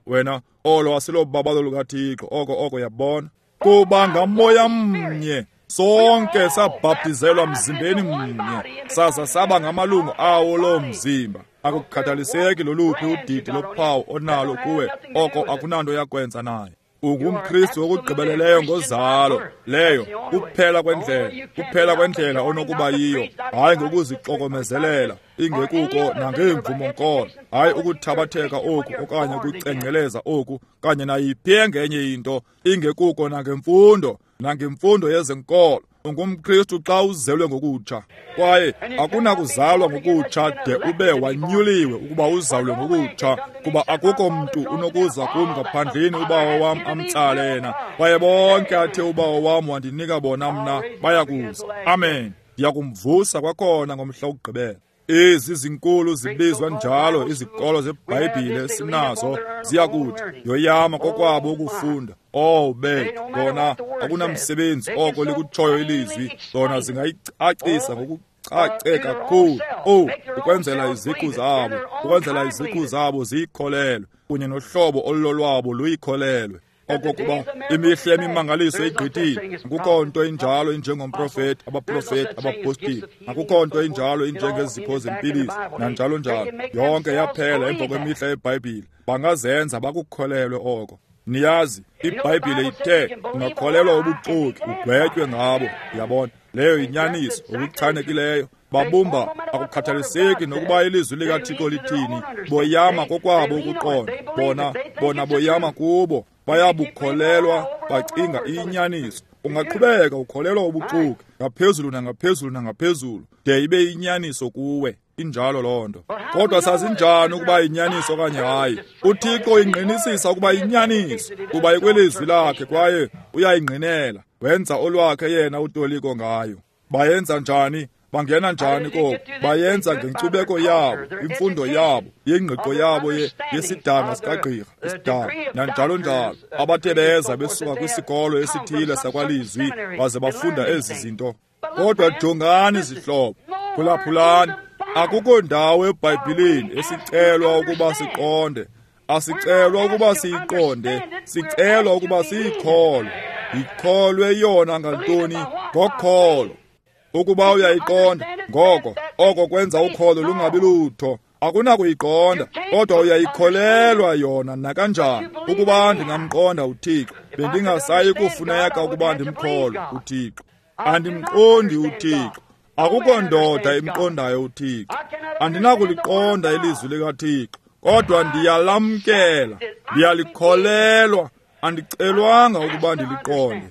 Wena, olo asilobabalo lukaThixo, oko yabona. Kuba ngamoya mnye sonke sabhaptizelwa mzimbeni mnye, saza saba ngamalungu awo loo mzimba. Akukhathaliseki loluphi udidi lophawu onalo kuwe, oko akunanto yakwenza naye. UngumKristu okugqibeleleyo ngozalo. Leyo kuphela kwendlela, kuphela kwendlela onokuba yiyo, hayi ngokuzixokomezelela, ingekuko nangeemvumo-nkolo, hayi ukuthabatheka oku okanye ukucengceleza oku kanye nayiphi engenye into, ingekuko nangemfundo, nangemfundo yezenkolo. UngumKristu xa uzelwe ngokutsha, kwaye akunakuzalwa ngokutsha de ube wanyuliwe ukuba uzalwe ngokutsha, kuba akukho mntu unokuza kum ngaphandleni uBawo wam amtsale yena, kwaye bonke athe uBawo wam wandinika bona mna bayakuza. Amen. Ndiyakumvusa kwakhona ngomhla wokugqibela. Ezi zinkulu zibizwa njalo izikolo zeBhayibhile sinazo ziyakuthi yoyama kokwabo ukufunda. Oh be, bona akunamsebenzi oko likutshoyo ilizwi, zona zingayicacisa ngokucace kakhulu. Oh, ukwenzela iziqu zabo, ukwenzela iziqu zabo ziyikholelwe, kunye nohlobo olulolwabo luyikholelwe. Okokuba imihla yemimangaliso igqithile, akukho nto injalo injengomprofeti, abaprofeti, abapostile, akukho nto injalo injengezipho zempiliso, nanjalo njalo. Yonke yaphela emva kwemihla yeBhayibhile. Bangazenza bakukholelwe oko. Niyazi, iBhayibhile ithe ungakholelwa ubuxoki ugwetywe ngabo. Uyabona, leyo yinyaniso okuchanekileyo. Babumba akukhathaliseki nokuba ilizwi likaThixo lithini, boyama kokwabo ukuqonda. Bona boyama kubo. Bayabukholelwa, bacinga inyaniso. Ungaqhubeka ukholelwa ubuxoki ngaphezulu nangaphezulu nangaphezulu de ibe inyaniso kuwe. Injalo loo nto. Kodwa sazinjani ukuba inyaniso okanye hayi? UThixo ingqinisisa ukuba inyaniso, kuba ikwilizwi lakhe kwaye uyayingqinela. Wenza olwakhe yena utoliko ngayo. Bayenza njani? Bangena njani koko? Bayenza ngenkcubeko yabo, imfundo yabo, ingqiqo yabo yesidanga sikagqirha, isidanga, nanjalo njalo. Abathe beza besuka kwisikolo esithile sakwalizwi baze bafunda ezi zinto. Kodwa jongani zihlobo, phulaphulani, akukho ndawo eBhayibhileni esicelwa ukuba siqonde. Asicelwa ukuba siyiqonde, sicelwa ukuba siyikholwe. Yikholwe yona ngantoni? Ngokholo. Ukuba uyayiqonda, ngoko oko kwenza ukholo lungabi lutho. Akunakuyiqonda, kodwa uyayikholelwa yona nakanjani. Ukuba ndingamqonda uThixo, bendingasayi kufuneka ukuba ndimkholwe uThixo. Andimqondi uThixo. Akukho ndoda imqondayo uThixo. Andinakuliqonda ilizwi likaThixo, kodwa ndiyalamkela, ndiyalikholelwa. Andicelwanga ukuba ndiliqonde.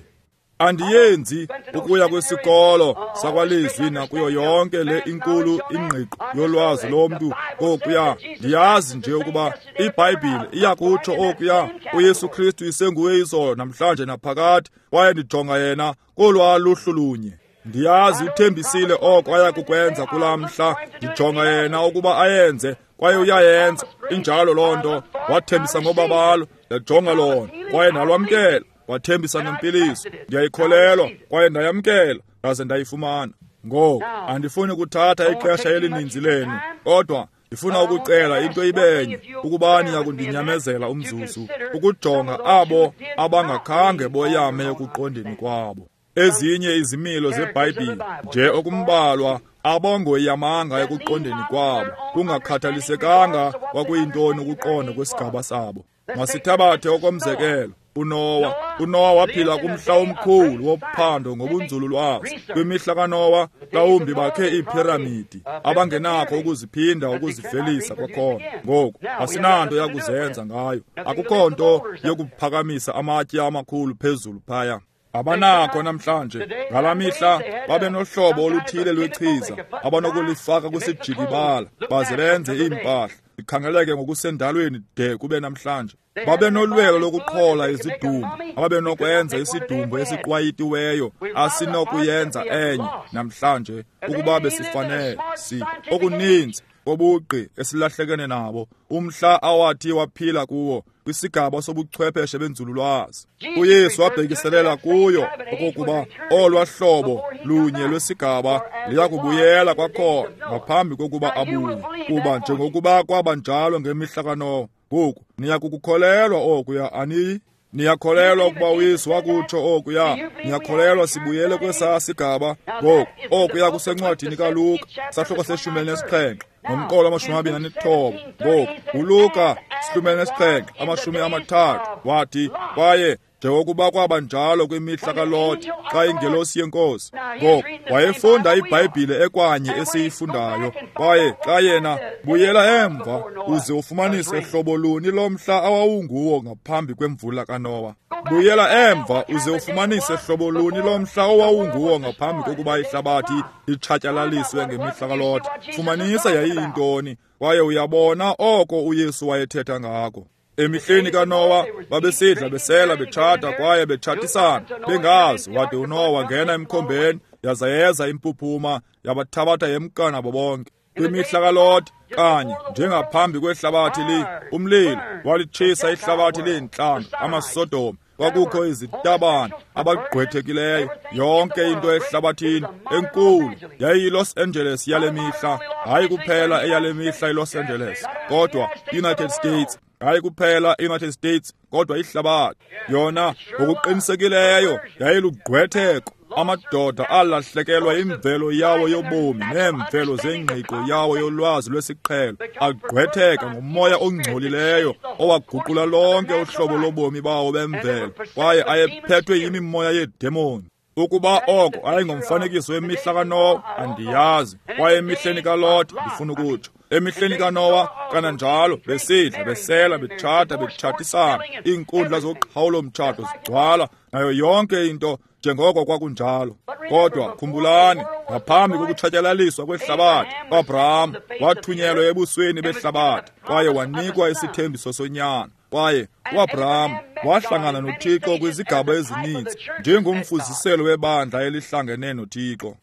Andiyenzi ukuya kwisikolo sakwalizwi nakuyo yonke le inkulu ingqiqo yolwazi lomntu kokuya. Ndiyazi nje ukuba iBhayibhile iyakutsho okuya, uYesu Kristu isenguye izolo namhlanje naphakade, kwaye ndijonga yena kolwa luhlu lunye. Ndiyazi uthembisile oko ayakukwenza kulaa mhla, ndijonga yena ukuba ayenze, kwaye uyayenza. Injalo loo nto. Wathembisa ngobabalo, ndajonga lona, kwaye ndalwamkela. Wathembisa ngempiliso, ndiyayikholelwa, kwaye ndayamkela, ndaze ndayifumana. Ngoku andifuni kuthatha ixesha elininzi lenu, kodwa ndifuna ukucela into ibenye, ukuba niyakundinyamezela umzuzu, ukujonga abo abangakhange boyame ekuqondeni kwabo. Ezinye izimilo zeBhayibhile nje okumbalwa abongoyamanga ekuqondeni kwabo, kungakhathalisekanga kwakuyintoni ukuqonda kwesigaba sabo. Masithabathe okomzekelo uNowa. uNowa waphila kumhla omkhulu wophando ngobunzululwazi. Kwimihla kaNowa, mhlawumbi bakhe iiphiramidi abangenakho ukuziphinda ukuzivelisa kwakhona. Ngoku asinanto yakuzenza ngayo, akukho nto yokuphakamisa amatye amakhulu phezulu phaya. Abanakho namhlanje. Ngalaa mihla babenohlobo oluthile lwechiza abanokulifaka kwisijikibala baze benze iimpahla ikhangeleke ngokusendalweni de kube namhlanje. Babenolwelo lokuqhola izidumbu, ababenokwenza isidumbu esiqwayitiweyo asinokuyenza enye namhlanje ukuba besifanele. Si okuninzi kobugqi esilahlekene nabo umhla awathi waphila kuwo kwisigaba sobuchwepheshe benzululwazi. uYesu wabhekiselela kuyo okokuba olwa hlobo lunye lwesigaba liyakubuyela kwakhona ngaphambi kokuba abuye, kuba njengokuba kwaba njalo ngemihla kaNowa, ngoku niyakukukholelwa okuya, aniyi? Niyakholelwa ukuba uYesu wakutsho okuya? Niyakholelwa sibuyele kwesaa sigaba? Ngoku okuya kusencwadini kaLuka, sahluko se-17 nomqolo 29. Ngoku uLuka 17:30 wathi, kwaye njengokuba kwaba njalo kwimihla kaLote xa ingelosi yeNkosi. Ngoku wayefunda iBhayibhile ekwanye esiyifundayo, kwaye xa yena buyela emva uze ufumanise hlobo luni lomhla awawunguwo ngaphambi kwemvula kaNowa. Buyela emva uze ufumanise hlobo luni lomhla owawunguwo ngaphambi kokuba ihlabathi litshatyalaliswe ngemihla kaLote. Fumanisa yayiyintoni, kwaye uyabona oko uYesu wayethetha ngako. Emihleni kaNowa babesidla, besela, betshata kwaye betshatisana, bengazi, wade uNowa wangena emkhombeni, yaza yeza impuphuma yabathabatha yemka nabo bonke. Kwimihla kaLote, kanye njengaphambi kwehlabathi umlilo walitshisa ihlabathi leentlanga, amaSodom. Kwakukho izitabane, abagqwethekileyo, yonke into ehlabathini enkulu yayiyiLos Angeles yale mihla. Hayi kuphela eyale mihla iLos Angeles, kodwa United States. Hayi kuphela iUnited States, kodwa ihlabathi. Yona ngokuqinisekileyo yayilugqwetheko. Amadoda alahlekelwa imvelo yawo yobomi neemvelo zengqiqo yawo yolwazi lwesiqhelo, agqwetheka ngomoya ongcolileyo owaguqula lonke uhlobo lobomi bawo bemvelo, kwaye ayephethwe yimimoya yeedemoni. Ukuba oko ayengomfanekiso wemihla kaNowa, andiyazi. Kwaye emihleni kaLote, ndifuna ukutsho, emihleni kaNowa kananjalo, besidla, besela, betshata, betshatisana, iinkundla zoqhawulo-mtshato zigcwala, nayo yonke into njengoko kwakunjalo. Kodwa khumbulani, ngaphambi kokutshatyalaliswa kwehlabathi, uAbraham wathunyelwa ebusweni behlabathi kwaye wanikwa isithembiso sonyana. Kwaye uAbraham wahlangana noThixo kwizigaba ezininzi njengomfuziselo webandla elihlangene noThixo.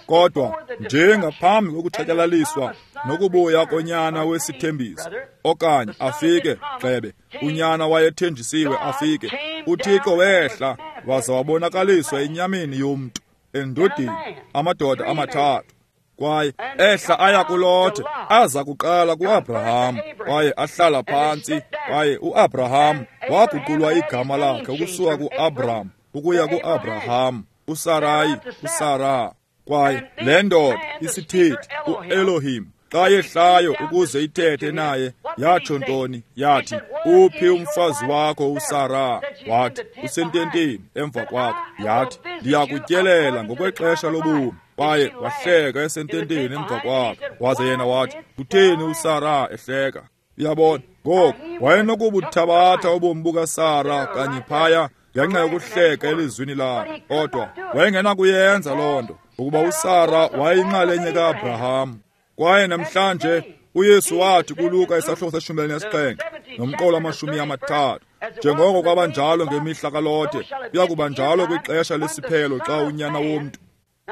Kodwa njengaphambi kokutshatyalaliswa nokubuya konyana wesithembiso, okanye afike gxebe, unyana wayethenjisiwe afike, uThixo wehla waza wabonakaliswa enyameni yomntu, endodeni, amadoda amathathu. Kwaye ehla aya kuLote, aza kuqala kuAbraham, kwaye ahlala phantsi. Kwaye uAbraham waguqulwa igama lakhe ukusuka kuAbram ukuya kuAbraham, uSarayi uSara. Kwaye le ndoda isithethi uElohim, xa yehlayo ukuze ithethe naye, yatsho ntoni? Yathi, uphi umfazi wakho uSara? Wathi, usententeni emva kwakho. Yathi, ndiyakutyelela ngokwexesha lobomi. Kwaye wahleka esententeni emva kwakhe. Waze yena wathi, kutheni uSara ehleka? Uyabona, ngoku wayenokubuthabatha ubomi bukaSara kanye phaya ngenxa yokuhleka elizwini lakhe, kodwa wayengenakuyenza loo nto, ukuba uSara wayeyinxalenye kaAbraham. Kwaye namhlanje uYesu wathi kuLuka isahluko se-17 nomqolo 30, njengoko kwabanjalo ngemihla kaLote, kuya njalo kwixesha lesiphelo xa unyana womntu.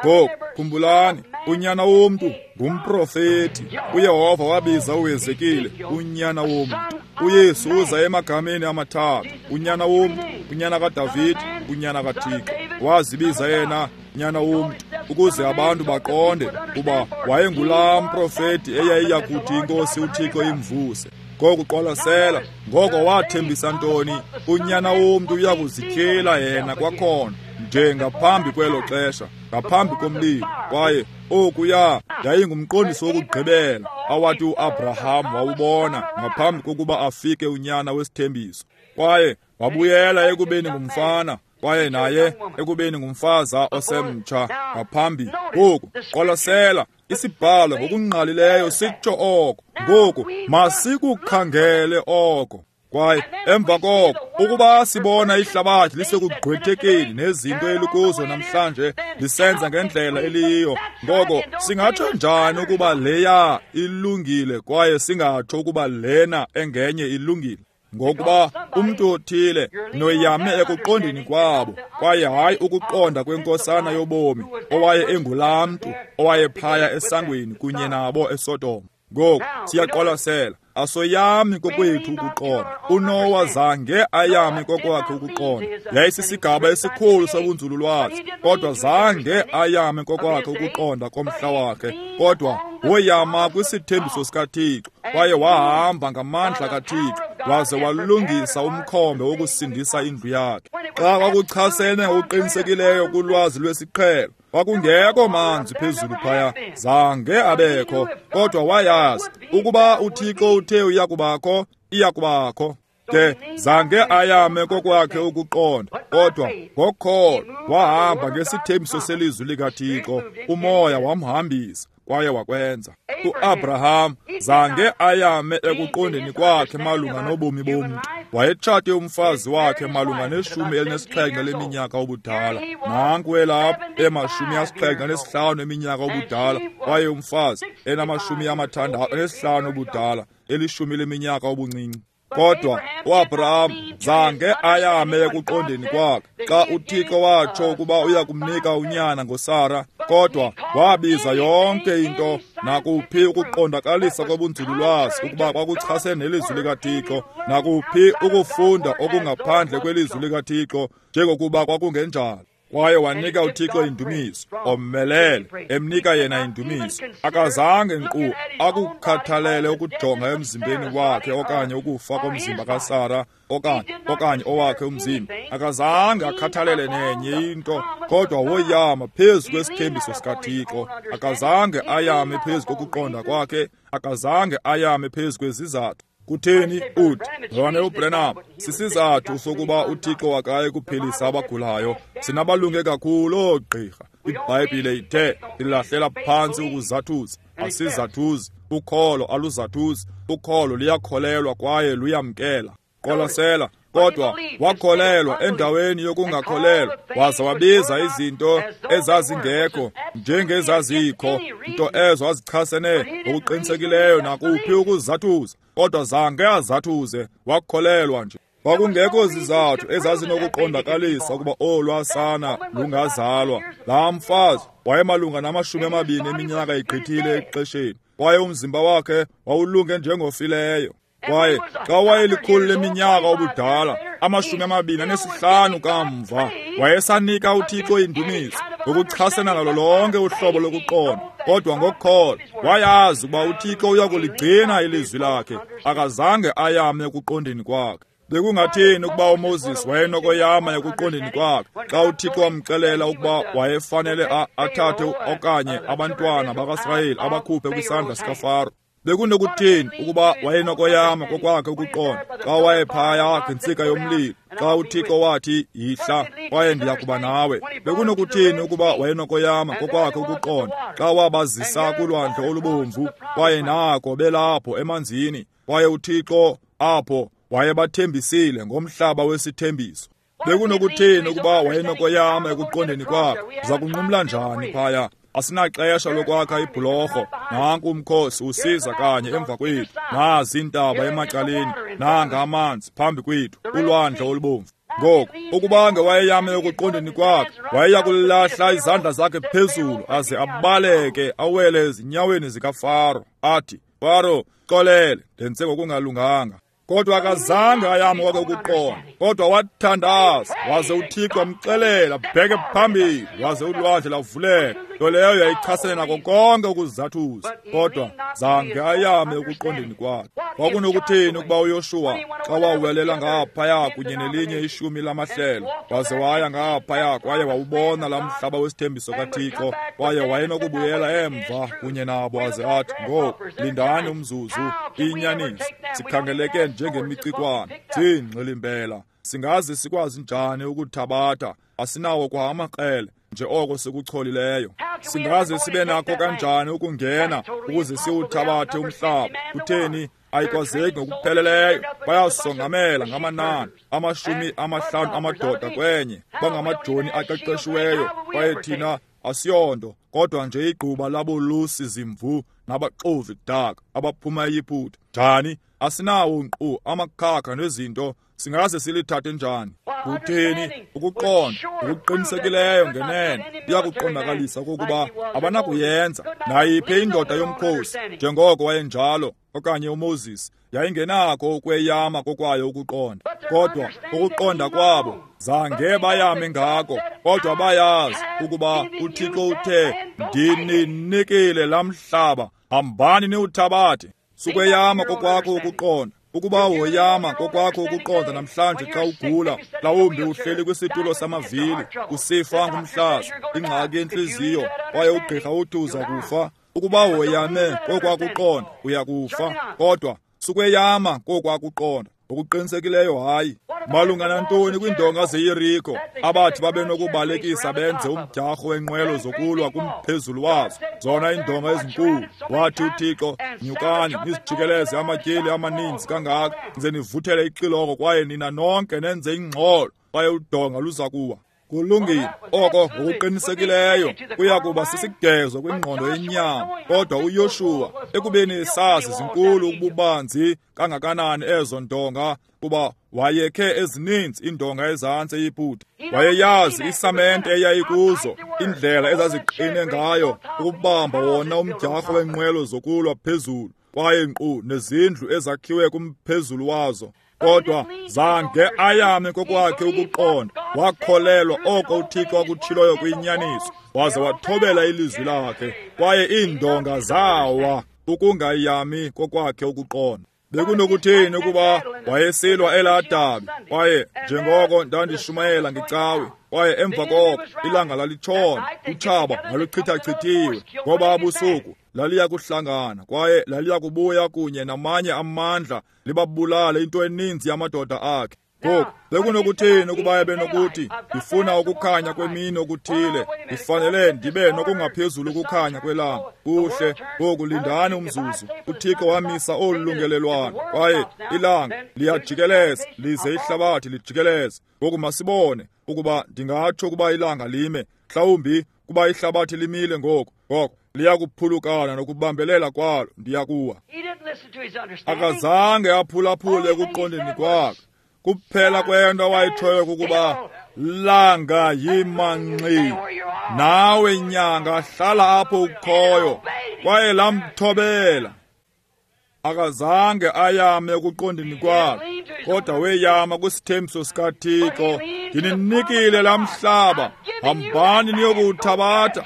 Ngoku khumbulani, unyana womntu ngumprofeti. uYehova wabiza uHezekile unyana womntu. uYesu uza emagameni amathathu: unyana womntu, unyana kaDavide, unyana kaThixo. Wazibiza yena nyana womntu ukuze abantu baqonde kuba wayengulaa mprofeti eyayiya kuthi iNkosi uThixo imvuse. Ngoku qwalasela, ngoko wathembisa ntoni? Unyana womntu uya kuzityhila yena kwakhona, nje ngaphambi kwelo xesha, ngaphambi komlilo. Kwaye okuya yayingumqondiso wokugqibela awathi uAbraham wawubona ngaphambi kokuba afike unyana wesithembiso. Kwaye wabuyela ekubeni ngumfana, kwaye naye ekubeni ngumfaza osemtsha ngaphambi. Ngoku qwalasela, isibhalo ngokungqalileyo sitsho oko. Ngoku masikukhangele oko. Kwaye emva koko, ukuba sibona ihlabathi lisekugqwethekeni nezinto elikuzo namhlanje lisenza ngendlela eliyiyo, ngoko singatsho njani ukuba leya ilungile kwaye singatsho ukuba lena engenye ilungile? Ngokuba umntu othile noyame ekuqondeni kwabo, kwaye hayi ukuqonda kwenkosana yobomi owaye engulaa mntu owayephaya esangweni kunye nabo eSodom. Ngoku siyaqwalasela, asoyami kokwethu ukuqonda. uNowa zange ayame kokwakhe ukuqonda. Yayisisigaba esikhulu sobunzululwazi, kodwa zange ayame kokwakhe ukuqonda komhla wakhe, kodwa woyama kwisithembiso sikaThixo, kwaye wahamba ngamandla kaThixo, waze walungisa umkhombe wokusindisa indlu yakhe. Xa kwakuchasene ngokuqinisekileyo kulwazi lwesiqhelo, kwakungekho manzi phezulu phaya, zange abekho, kodwa wayazi ukuba uThixo uthe uyakubakho, iyakubakho. Ke zange ayame kokwakhe ukuqonda, kodwa ngokholo wahamba ngesithembiso selizwi likaThixo. Umoya wamhambisa kwaye wakwenza. UAbraham zange ayame ekuqondeni kwakhe malunga nobomi bomntu. Wayetshate umfazi wakhe malunga ne-17 leminyaka ubudala. Nanku elapho ema-75 eminyaka ubudala, kwaye umfazi ena-65 ubudala, 10 leminyaka ubuncinci. Kodwa uAbraham zange ayame ekuqondeni kwakhe xa uThixo watsho ukuba uya kumnika unyana ngoSara, kodwa wabiza yonke into nakuphi ukuqondakalisa kobunzululwazi ukuba kwakuchasene nelizwi likaThixo, nakuphi ukufunda okungaphandle kwelizwi likaThixo njengokuba kwakungenjalo. Kwaye wanika uThixo indumiso, omelele, emnika yena indumiso. Akazange nkqu akukhathalele ukujonga emzimbeni wakhe okanye ukufa komzimba kaSara okanye owakhe umzimba. Akazange akhathalele nenye into, kodwa woyama phezu kwesithembiso sikaThixo. Akazange ayame phezu kokuqonda kwakhe, akazange ayame phezu kwezizathu. Kutheni uthi, Mzalwane uBranham, sisizathu sokuba uThixo akaye kuphilisa abagulayo. Sinabalunge kakhulu oogqirha. IBhayibhile ithe ilahlela phantsi ukuzathuza. Asizathuzi, ukholo aluzathuzi, ukholo luyakholelwa kwaye luyamkela. Qwalasela, kodwa wakholelwa endaweni yokungakholelwa, waza wabiza izinto ezazingekho njengezazikho, nto ezo azichasene ngokuqinisekileyo nakuphi ukuzathuza, kodwa zange azathuze, wakholelwa nje. Kwakungekho zizathu ezazinokuqondakalisa ukuba olwasana lungazalwa. Laa mfazi wayemalunga nama-20 eminyaka igqithile exesheni, kwaye umzimba wakhe wawulunge njengofileyo. Kwaye xa wayelikhulu leminyaka ubudala, 25 kamva, wayesanika uThixo indumiso ngokuchasene nalo lonke uhlobo lokuqonda, kodwa ngokholo wayazi ukuba uThixo uyakuligcina ilizwi lakhe. Akazange ayame ekuqondeni kwakhe. Bekungathini ukuba uMoses wayenokoyama ekuqondeni kwakhe xa uThixo wamxelela ukuba wayefanele athathe okanye abantwana bakaSirayeli abakhuphe kwisandla sikaFaro? Bekunokuthini ukuba wayenokoyama kokwakhe ukuqonda xa wayephaya ngentsika yomlilo, xa uThixo wathi, yihla kwaye ndiya kuba nawe? Bekunokuthini ukuba wayenokoyama kokwakhe ukuqonda xa wabazisa kulwandle olubomvu, kwaye nako belapho emanzini, kwaye uThixo apho wayebathembisile ngomhlaba wesithembiso? Bekunokuthini ukuba wayenokoyama ekuqondeni kwakhe? Uza kunqumla njani phaya? Asinaxesha lokwakha ibhulorho. Nanku umkhosi usiza kanye emva kwethu, nazi iintaba emacaleni, nanga amanzi phambi kwethu, ulwandle olubomvu. Ngoku ukuba ngewayeyame ekuqondeni kwakhe, wayeya kulahla izandla zakhe phezulu aze abaleke awele ezinyaweni zikaFaro, athi, Faro, xolele, ndenze ngokungalunganga. Kodwa akazange ayame kwakhe ukuqonda, kodwa wathandaza, waze uThixo wamxelela bheke phambili, waze ulwandle lwavuleka. Nto leyo yayichasene nako konke ukuzathuza, kodwa zange ayame ekuqondeni kwakhe. Kwakunokuthini ukuba uYoshuwa xa wawelela ngaphaya kunye nelinye 10 lamahlelo, waze waya ngaphaya kwaye wawubona laa mhlaba wesithembiso kaThixo, kwaye wayenokubuyela emva kunye nabo aze athi, ngoku lindani umzuzu, inyaniso, sikhangeleke njengemicikwane, ziingxilimbela, singaze sikwazi njani ukuthabatha? Asinawo kwa amakrele nje oko sikucholileyo. Singaze sibe nakho kanjani ukungena ukuze siwuthabathe umhlaba? Kutheni, ayikwazeki ngokupheleleyo. Bayasongamela ngamanani, 50 amadoda kwenye, bangamajoni aqeqeshiweyo, kwaye thina asiyonto kodwa nje igquba labolusi zimvu nabaxovi daka abaphuma eYiputa. Njani? Asinawo nkqu amakhakha nezinto, singaze silithathe njani? Kutheni, ukuqonda ngokuqinisekileyo ngenene iyakuqondakalisa okokuba abanakuyenza nayiphi indoda yomkhosi njengoko wayenjalo okanye uMoses yayingenako ukweyama kokwayo ukuqonda, kodwa ukuqonda kwabo zange bayame ngako, kodwa bayazi ukuba uThixo uthe, ndininikile laa mhlaba, hambani niwuthabathe. Sukweyama kokwakho ukuqonda, Ukuba woyama kokwakho ukuqonda namhlanje xa ugula, mhlawumbi uhleli kwisitulo samavili, usifa ngumhlaza, ingxaki yentliziyo, kwaye ugqirha uthi uza kufa. Ukuba woyame kokwakuqonda, uya kufa. Kodwa sukweyama kokwakuqonda. Ngokuqinisekileyo hayi. Malunga nantoni kwiindonga zeYeriko abathi babenokubalekisa benze umdyarho wenqwelo zokulwa kumphezulu wazo, zona iindonga ezinkulu. Wathi uThixo, nyukani nizijikeleze amatyeli amaninzi kangaka, nize nivuthele ixilongo kwaye nina nonke nenze ingxolo, kwaye udonga luza kuwa. Kulungile, oko ngokuqinisekileyo kuya kuba sisigezo kwingqondo yenyama. Kodwa uYoshuwa, ekubeni esazi zinkulu ububanzi kangakanani ezo ndonga, kuba wayekhe ezininzi iindonga ezantsi eYiputa, wayeyazi isamente eyayikuzo, indlela ezaziqine ngayo ukubamba wona umdyarho wenqwelo zokulwa phezulu, kwaye nkqu nezindlu ezakhiwe kumphezulu wazo. Kodwa zange ayame kokwakhe ukuqonda, wakholelwa oko uThixo akutshiloyo kuyinyaniso, waze wathobela ilizwi lakhe, kwaye iindonga zawa ukungayami kokwakhe ukuqonda. Bekunokuthini ukuba wayesilwa elaa dabi, kwaye njengoko ndandishumayela ngecawe, kwaye emva koko ilanga lalitshona, utshaba lwaluchithachithiwe, ngoba busuku laliya kuhlangana kwaye laliya kubuya kunye namanye amandla libabulale into eninzi yamadoda akhe. Ngoku bekunokuthini ukuba ebenokuthi, ndifuna ukukhanya kwemini okuthile, ndifanele ndibe nokungaphezulu ukukhanya kwelanga. Kuhle, ngoku lindani umzuzu. uThixo wamisa olu lungelelwano, kwaye ilanga liyajikeleza lize ihlabathi lijikeleze. Ngoku masibone ukuba ndingatsho ukuba ilanga lime, mhlawumbi kuba ihlabathi limile ngoku, ngoko liyakuphulukana nokubambelela kwalo, ndiyakuwa. Akazange aphulaphule ekuqondeni kwakhe. Kuphela kwento awayitshoyo kukuba, langa yimanxi, nawe nyanga hlala apho ukhoyo, kwaye lamthobela. Akazange ayame ekuqondeni kwakhe, kodwa weyama kwisithembiso sikaThixo, ndininikile laa mhlaba, hambani niyokuwuthabatha.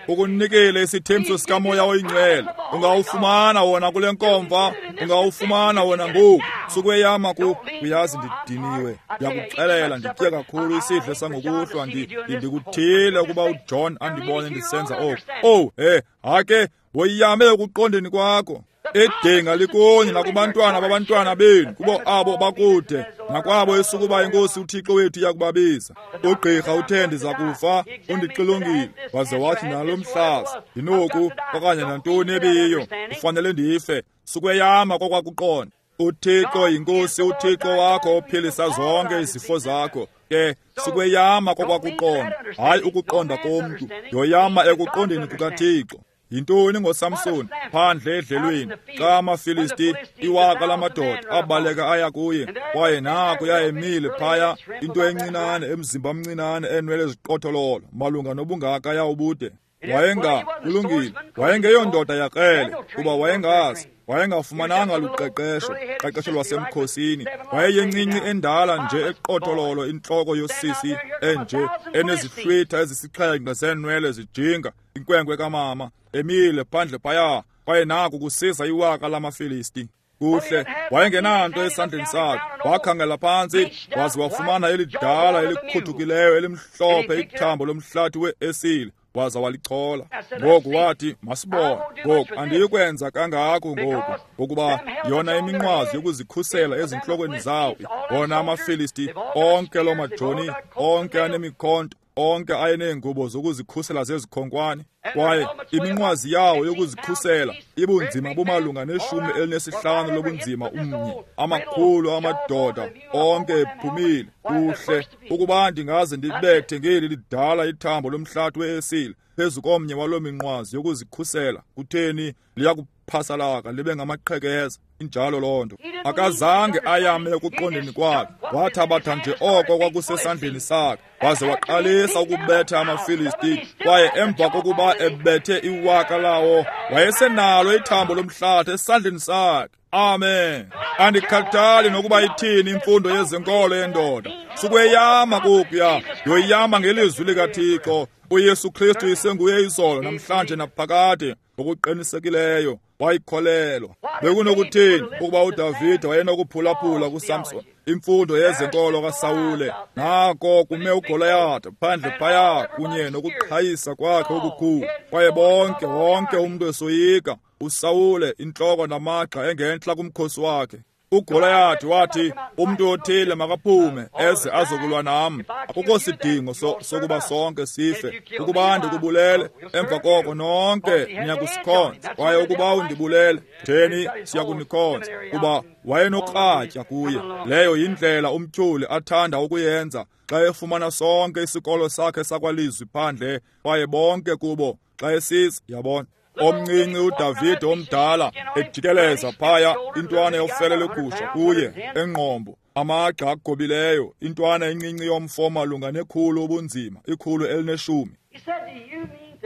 Ukunikile isithembiso sikaMoya oyiNgcwele, ungawufumana wona kule nkomfa, ungawufumana wona ngoku. Sukweyama ku, uyazi ndidiniwe, ndiyakuxelela nditye kakhulu isidlo sangokuhlwa, ndikuthile ukuba uJohn andibone ndisenza oku. Owu, he, hake, woyame ekuqondeni kwakho. Idinga likunye nakubantwana babantwana benu, kubo abo bakude, nakwabo esukuba inkosi uThixo wethu iyakubabiza. Ugqirha uthe ndiza kufa, undixilongile, waze wathi nalo mhlaza, ndinoku okanye nantoni ebiyiyo, kufanele ndife. Sukweyama kokwakuqonda. uThixo yinkosi uThixo wakho ophilisa zonke izifo zakho. Ke sukweyama kokwakuqonda, hayi ukuqonda komntu, yoyama ekuqondeni kukaThixo. Yintoni ngoSamson phandle edlelweni xa amaFilisti iwaka lamadoda abaleka aya kuye, kwaye naku yayemile phaya into encinane, emzimba mncinane, enwele eziqothololo malunga nobungaka yawubude. Wayenga kulungile, wayengeyondoda yakrele, kuba wayengazi, wayengafumananga luqeqesho, qeqesho lwasemkhosini. Wayeyencinci endala nje eqothololo, intloko yosisi enje enezihlwitha ezisixhenxe zeenwele zijinga, inkwenkwe kamama, emile phandle phaya, kwaye naku kusiza iwaka lamaFilisti. Kuhle, wayengenanto esandleni sakhe. Wakhangela phantsi waze wafumana elidala elikhuthukileyo elimhlophe ithambo lomhlathi we-esile, waza walichola. Ngoku wathi, masibone ngoku, andiyikwenza kangako ngoku, ngokuba yona iminqwazi yokuzikhusela ezintlokweni zawo, wona amaFilisti onke loo majoni onke anemikhonto, onke ayeneengubo zokuzikhusela zezikhonkwane, kwaye iminqwazi yawo yokuzikhusela ibunzima bumalunga ne-15 lobunzima umnye, amakhulu amadoda onke ephumile. Kuhle, ukuba ndingaze ndibethe ngeli lidala ithambo lomhlathi we-esile phezu komnye waloo minqwazi yokuzikhusela, kutheni, liyakuphasalaka libe ngamaqhekeza. Injalo loo nto. Akazange ayame ekuqondeni kwakhe, wathabatha nje oko kwakusesandleni sakhe, waze waqalisa ukubetha amaFilisti, kwaye emva kokuba ebethe iwaka lawo, wayesenalo ithambo lomhlathi esandleni sakhe. Amen. Andikhathali nokuba ithini imfundo yezenkolo yendoda. Sukweyama kokuya, yoyama ngelizwi likaThixo. uYesu Kristu isenguye izolo, namhlanje naphakade, ngokuqinisekileyo. Wayikholelwa. Bekunokuthini ukuba uDavide wayenokuphulaphula kuSamson, imfundo yezenkolo kaSawule? Nako kume uGoliath phandle phaya kunye nokuqhayisa kwakhe okukhulu, kwaye bonke wonke umntu esoyika uSawule, intloko namagxa engentla kumkhosi wakhe. uGoliath wathi, umntu othile makaphume eze azokulwa nam. Akukho sidingo sokuba sonke sife. Ukuba ndikubulele, emva koko nonke niyakusikhonza. Kwaye ukuba undibulele, theni siyakunikhonza. Kuba wayenokratya kuye. Leyo yindlela umtyholi athanda ukuyenza xa efumana sonke isikolo sakhe sakwalizwi phandle, kwaye bonke kubo xa esiza, yabona. Omncinci uDavide omdala ejikeleza phaya, intwana yofele legusha kuye engqombo, amagxa agobileyo, intwana encinci yomfo malunga ne-100 ubunzima, 110.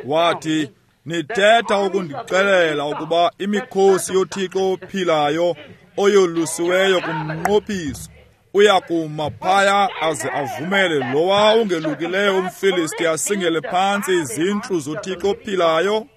Wathi, nithetha ukundixelela ukuba imikhosi yoThixo ophilayo oyolusiweyo kumnqophiso uyakuma phaya aze avumele lowa ungelukileyo umFilisti asingele phantsi izintlu zoThixo ophilayo?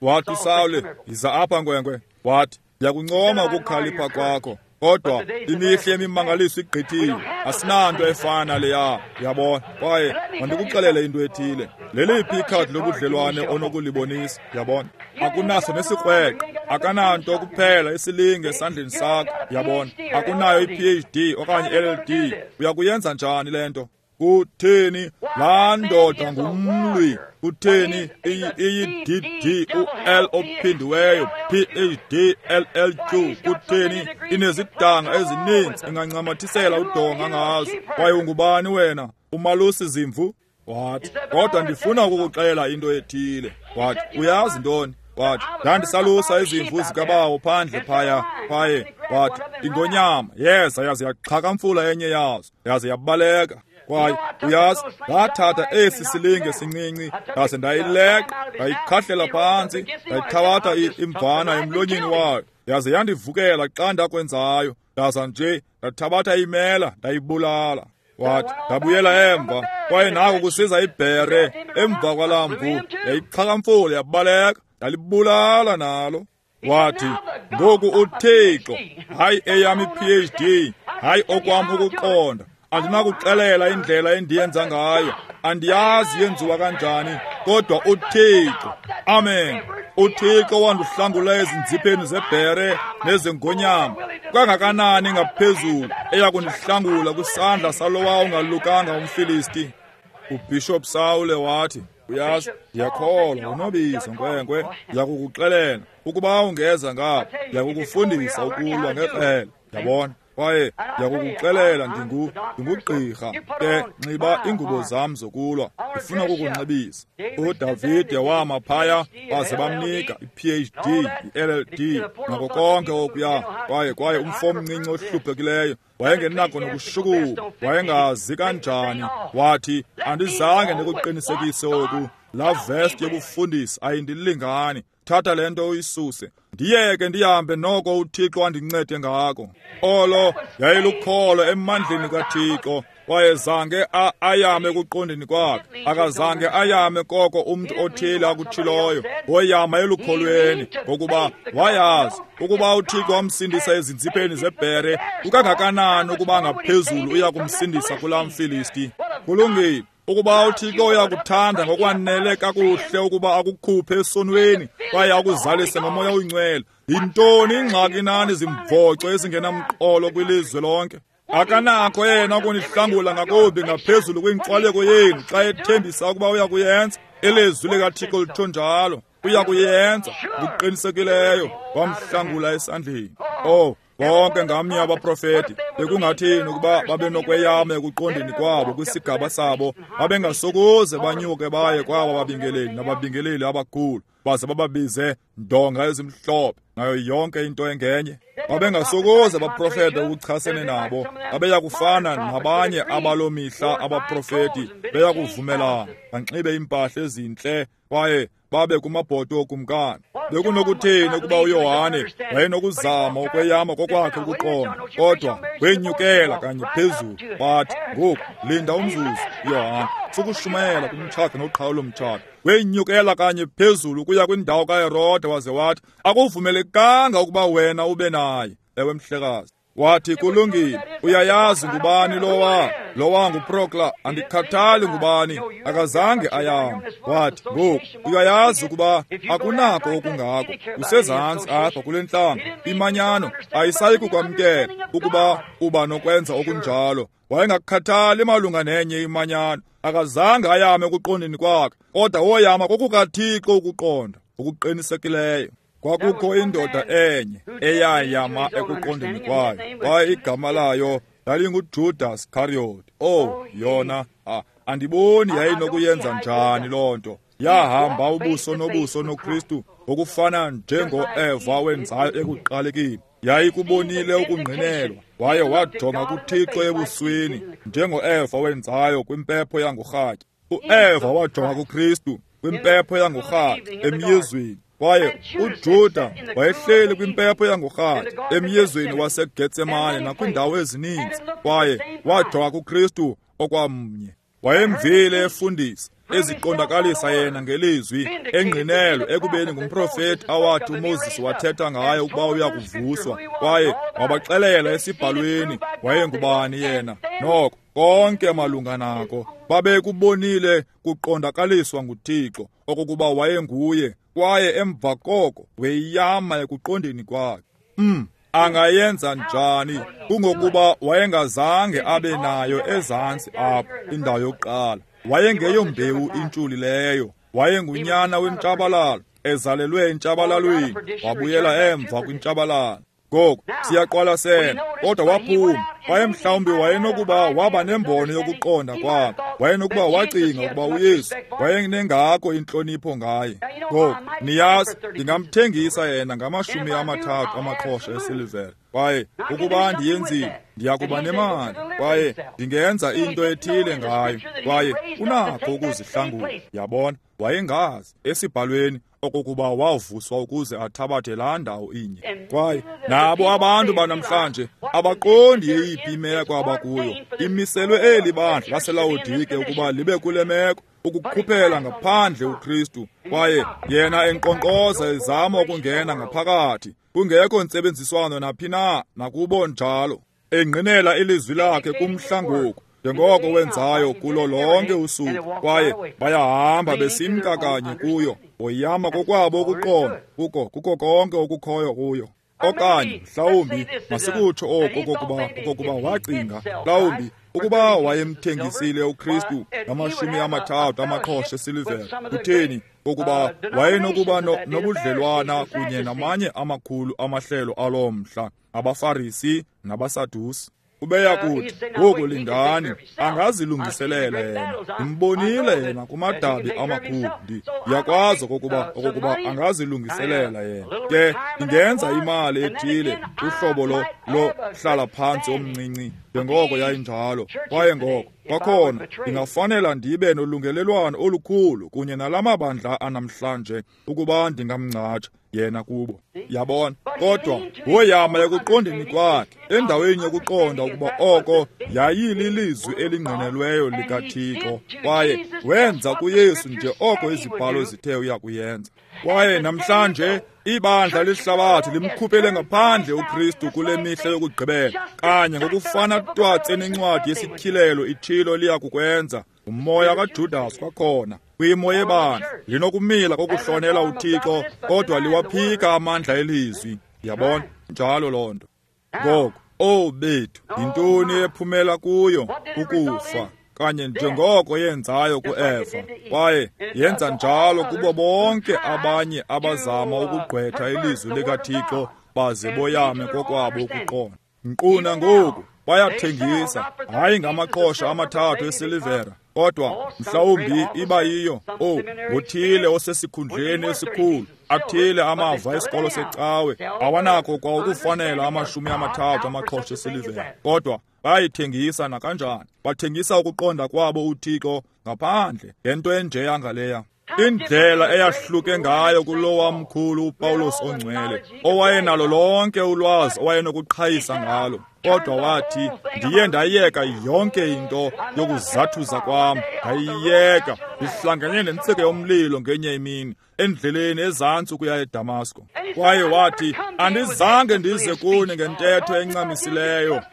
Wathi uSawule, yiza apha nkwenkwe. Wathi, ndiyakuncoma ukukhalipha kwakho, kodwa imihla yemimangaliso igqithile. Asinanto efana leya, yabona. Kwaye mandikuxelele into ethile. Leliphi ikhadi lobudlelwane onokulibonisa, yabona? Akunaso nesikrweqe, akananto kuphela isilinge esandleni sakho, yabona. Akunayo i-PhD okanye LLD. Uyakuyenza njani le nto? Kutheni laa ndoda ngumlwi? Kutheni iyi-DD u-L ophindiweyo PhD LLQ? Kutheni inezidanga ezininzi ingancamathisela udonga ngazo? Kwaye ungubani wena? Umalusi zimvu? Wathi, kodwa ndifuna ukukuxelela into ethile. Wathi, uyazi ntoni? Wathi, ndandisalusa izimvu zikabawo phandle phaya, kwaye wathi ingonyama yeza yaze yaxhakamfula enye yazo, yaze yabaleka. Kwaye uyazi, ndathatha esi silinge sincinci ndaze ndayileqa, ndayikhahlela phantsi, ndayithabatha imvana emlonyeni wayo, yaze yandivukela xa ndakwenzayo, ndaza nje ndathabatha imela ndayibulala. Wathi, ndabuyela emva, kwaye nako kusiza ibhere emva kwalaa mvu, yayixhakamfula yabaleka, ndalibulala nalo. Wathi, ngoku uThixo, hayi eyam i-PhD, hayi okwam ukuqonda, andinakuxelela indlela endiyenza ngayo, andiyazi yenziwa kanjani, kodwa uThixo, amen, uThixo wandihlangula ezinzipheni zebhere nezengonyama, kangakanani ngaphezulu eyakundihlangula kwisandla salowa ungalukanga umFilisti. UBishop Sawule wathi, uyazi, ndiyakholwa unobizo nkwenkwe, ndiyakukuxelela ukuba ungeza ngapha, ndiyakukufundisa ukulwa ngekrele, yabona. Kwaye ndiyakukuxelela ndingugqirha, ke nxiba ingubo zam zokulwa, ndifuna ukukunxibisa. uDavide wama phaya baze bamnika i-PhD, i-LLD nako konke okuya. Kwaye umfo omncinci ohluphekileyo wayengenako nokushukuma, wayengazi kanjani. Wathi, andizange ndikuqinisekise oku, laa vest yobufundisi ayindilingani. Thatha le nto uyisuse, ndiyeke ndihambe noko uThixo andincede ngako. Olo yayilukholo emandleni kaThixo, kwaye zange ayame ekuqondeni kwakhe, akazange ayame koko umntu othile akutshiloyo. Woyama elukholweni, ngokuba wayazi ukuba uThixo wamsindisa ezinzipheni zebhere, kukangakanani ukuba ngaphezulu uya kumsindisa kulaa mFilisti. Kulungile. Ukuba uThixo uyakuthanda ngokwanele kakuhle ukuba akukhuphe esonweni kwaye akuzalise ngoMoya oyiNgcwele, yintoni ingxaki nani zimvoco ezingenamqolo kwilizwe lonke? Akanakho yena ukunihlangula ngakumbi ngaphezulu kwinkxwaleko yenu xa ethembisa ukuba uyakuyenza. Ilizwi likaThixo litsho njalo, uyakuyenza ngokuqinisekileyo. Wamhlangula esandleni. Oh, bonke ngamnye abaprofeti bekungathini ukuba babenokweyama ekuqondeni kwabo kwisigaba sabo, babengasokuze banyuke baye kwaba babingeleli nababingeleli abakhulu baze bababize ndonga ezimhlophe nayo yonke into engenye. Babengasokuze baprofete ukuchasene nabo, babeyakufana nabanye abaloo mihla abaprofeti, beyakuvumelana banxibe iimpahla ezintle kwaye babe kumabhoto okumkani. Bekunokuthini ukuba uYohane wayenokuzama ukweyama kokwakhe ukuqonda, kodwa wenyukela kanye phezulu wathi, ngoku linda umzuzu Yohane, sukushumayela kumtshato noqhawulo mtshato. Wenyukela kanye phezulu ukuya kwindawo kaHerode waze wathi, akuvumelekanga ukuba wena ube naye. Ewe mhlekazi. Wathi, kulungile, uyayazi ngubani lowa? Lowa nguProkla, andikhathali ngubani, akazange ayame. Wathi, ngoku uyayazi ukuba akunako okungako, usezantsi apha kule ntlango, imanyano ayisayi kukwamkela ukuba uba nokwenza okunjalo. Wayengakhathali malunga nenye imanyano, akazange ayame ekuqondeni kwakhe, kodwa woyama kokukaThixo ukuqonda okuqinisekileyo. Kwakukho indoda enye eyayama ekuqondeni kwayo, kwaye igama layo lalinguJudas Iscariot. Oh, yona, andiboni yayinokuyenza njani loo nto. Yahamba ubuso nobuso noKristu ngokufana njengoEva wenzayo ekuqalekeni. Yayikubonile ukungqinelwa, waye wajonga kuThixo ebusweni njengoEva wenzayo kwimpepho yangorhatya. uEva wajonga kuKristu kwimpepho yangorhatya emyezweni. Kwaye uJuda wayehleli kwimpepho yangorhatya emyezweni waseGetsemane nakwindawo ezininzi, kwaye wajonga kuKristu okwamnye. Wayemvile efundisa, eziqondakalisa yena ngelizwi, engqinelwe ekubeni ngumprofeti awathi uMoses wathetha ngaye ukuba uya kuvuswa, kwaye wabaxelela esibhalweni wayengubani yena. Noko konke malunga nako babekubonile kuqondakaliswa nguThixo okokuba wayenguye, kwaye emva koko weyama ekuqondeni kwakhe. Angayenza njani? Kungokuba wayengazange abe nayo ezantsi apho indawo yokuqala. Wayengeyombewu intshulileyo, wayengunyana wentshabalalo, ezalelwe entshabalalweni, wabuyela emva kwintshabalalo. Ngoku siyaqwalasela, kodwa waphuma. Kwaye mhlawumbi wayenokuba waba nembono yokuqonda kwakhe, wayenokuba wacinga ukuba uYesu wayenengako intlonipho ngaye. Ngoku niyazi, ndingamthengisa yena nge-30 amaqhosha esilivere, kwaye ukuba ndiyenzile ndiya kuba nemali, kwaye ndingenza into ethile ngayo, kwaye unakho ukuzihlangula. Yabona, wayengazi esibhalweni okokuba wavuswa ukuze athabathe laa ndawo inye. Kwaye nabo abantu banamhlanje abaqondi yeyiphi imeko abakuyo. Imiselwe eli bandla laseLawodike ukuba libe kule meko, ukukhuphela ngaphandle uKristu, kwaye yena enkqonkqoza ezama ukungena ngaphakathi, kungekho ntsebenziswano naphi na nakubo njalo, engqinela ilizwi lakhe kumhla ngoku njengoko wenzayo kulo lonke usuku, kwaye bayahamba besimka kanye kuyo, boyama kokwabo ukuqonda kuko konke okukhoyo kuyo. Okanye mhlawumbi masikutsho oku okokuba wacinga mhlawumbi ukuba wayemthengisile uKristu nge-30 amaqhosha esilivere, kutheni ukuba wayenokuba nobudlelwana kunye namanye amakhulu amahlelo aloo mhla, abaFarisi nabaSadusi. Ubeya kuthi, ngoku lindani, angazilungiselela yena. Ndimbonile yena kumadabi amakhulu, ndiyakwazi okokuba angazilungiselela yena. Ke ndingenza imali ethile, uhlobo lo hlala phantsi omncinci, njengoko yayinjalo. Kwaye ngoko kwakhona ndingafanela ndibe nolungelelwano olukhulu kunye nala mabandla anamhlanje ukuba ndingamngcatsha yena kubo. Yabona, kodwa woyama ekuqondeni kwakhe, endaweni yokuqonda ukuba oko yayililizwi elingqinelweyo likaThixo, kwaye wenza kuYesu nje oko izibhalo zithe uya kuyenza. Kwaye namhlanje ibandla lehlabathi limkhuphele ngaphandle uKristu kule mihla yokugqibela, kanye ngokufana twatse nencwadi yesityhilelo itshilo liya kukwenza. Umoya kaJudas kwakhona kwimo yebandla linokumila kokuhlonela uThixo, kodwa liwaphika amandla elizwi. Yabona, njalo loo nto. Ngoku, owu bethu, yintoni ephumela kuyo? Ukufa, kanye njengoko yenzayo kuEva, kwaye yenza njalo kubo bonke abanye abazama ukugqwetha ilizwi likaThixo baze boyame kokwabo ukuqonda. Nkqu nangoku bayathengisa, hayi ngamaqhosha 3 esilivera, kodwa mhlawumbi iba yiyo ngothile osesikhundleni esikhulu, athile amava esikolo secawe awanakho kwa ukufanela 30 amaqhosha esilivera, kodwa bayithengisa nakanjani. Bathengisa ukuqonda kwabo uThixo ngaphandle ngento enjeya ngaleya. Indlela eyahluke ngayo kulowa mkhulu uPawulos ongcwele, owayenalo lonke ulwazi owayenokuqhayisa ngalo. Kodwa wathi, ndiye ndayeka yonke into yokuzathuza kwam, ndayiyeka, ndihlangene nentsika yomlilo ngenye imini, endleleni ezantsi ukuya eDamasko. Kwaye wathi, andizange ndize kuni ngentetho encamisileyo,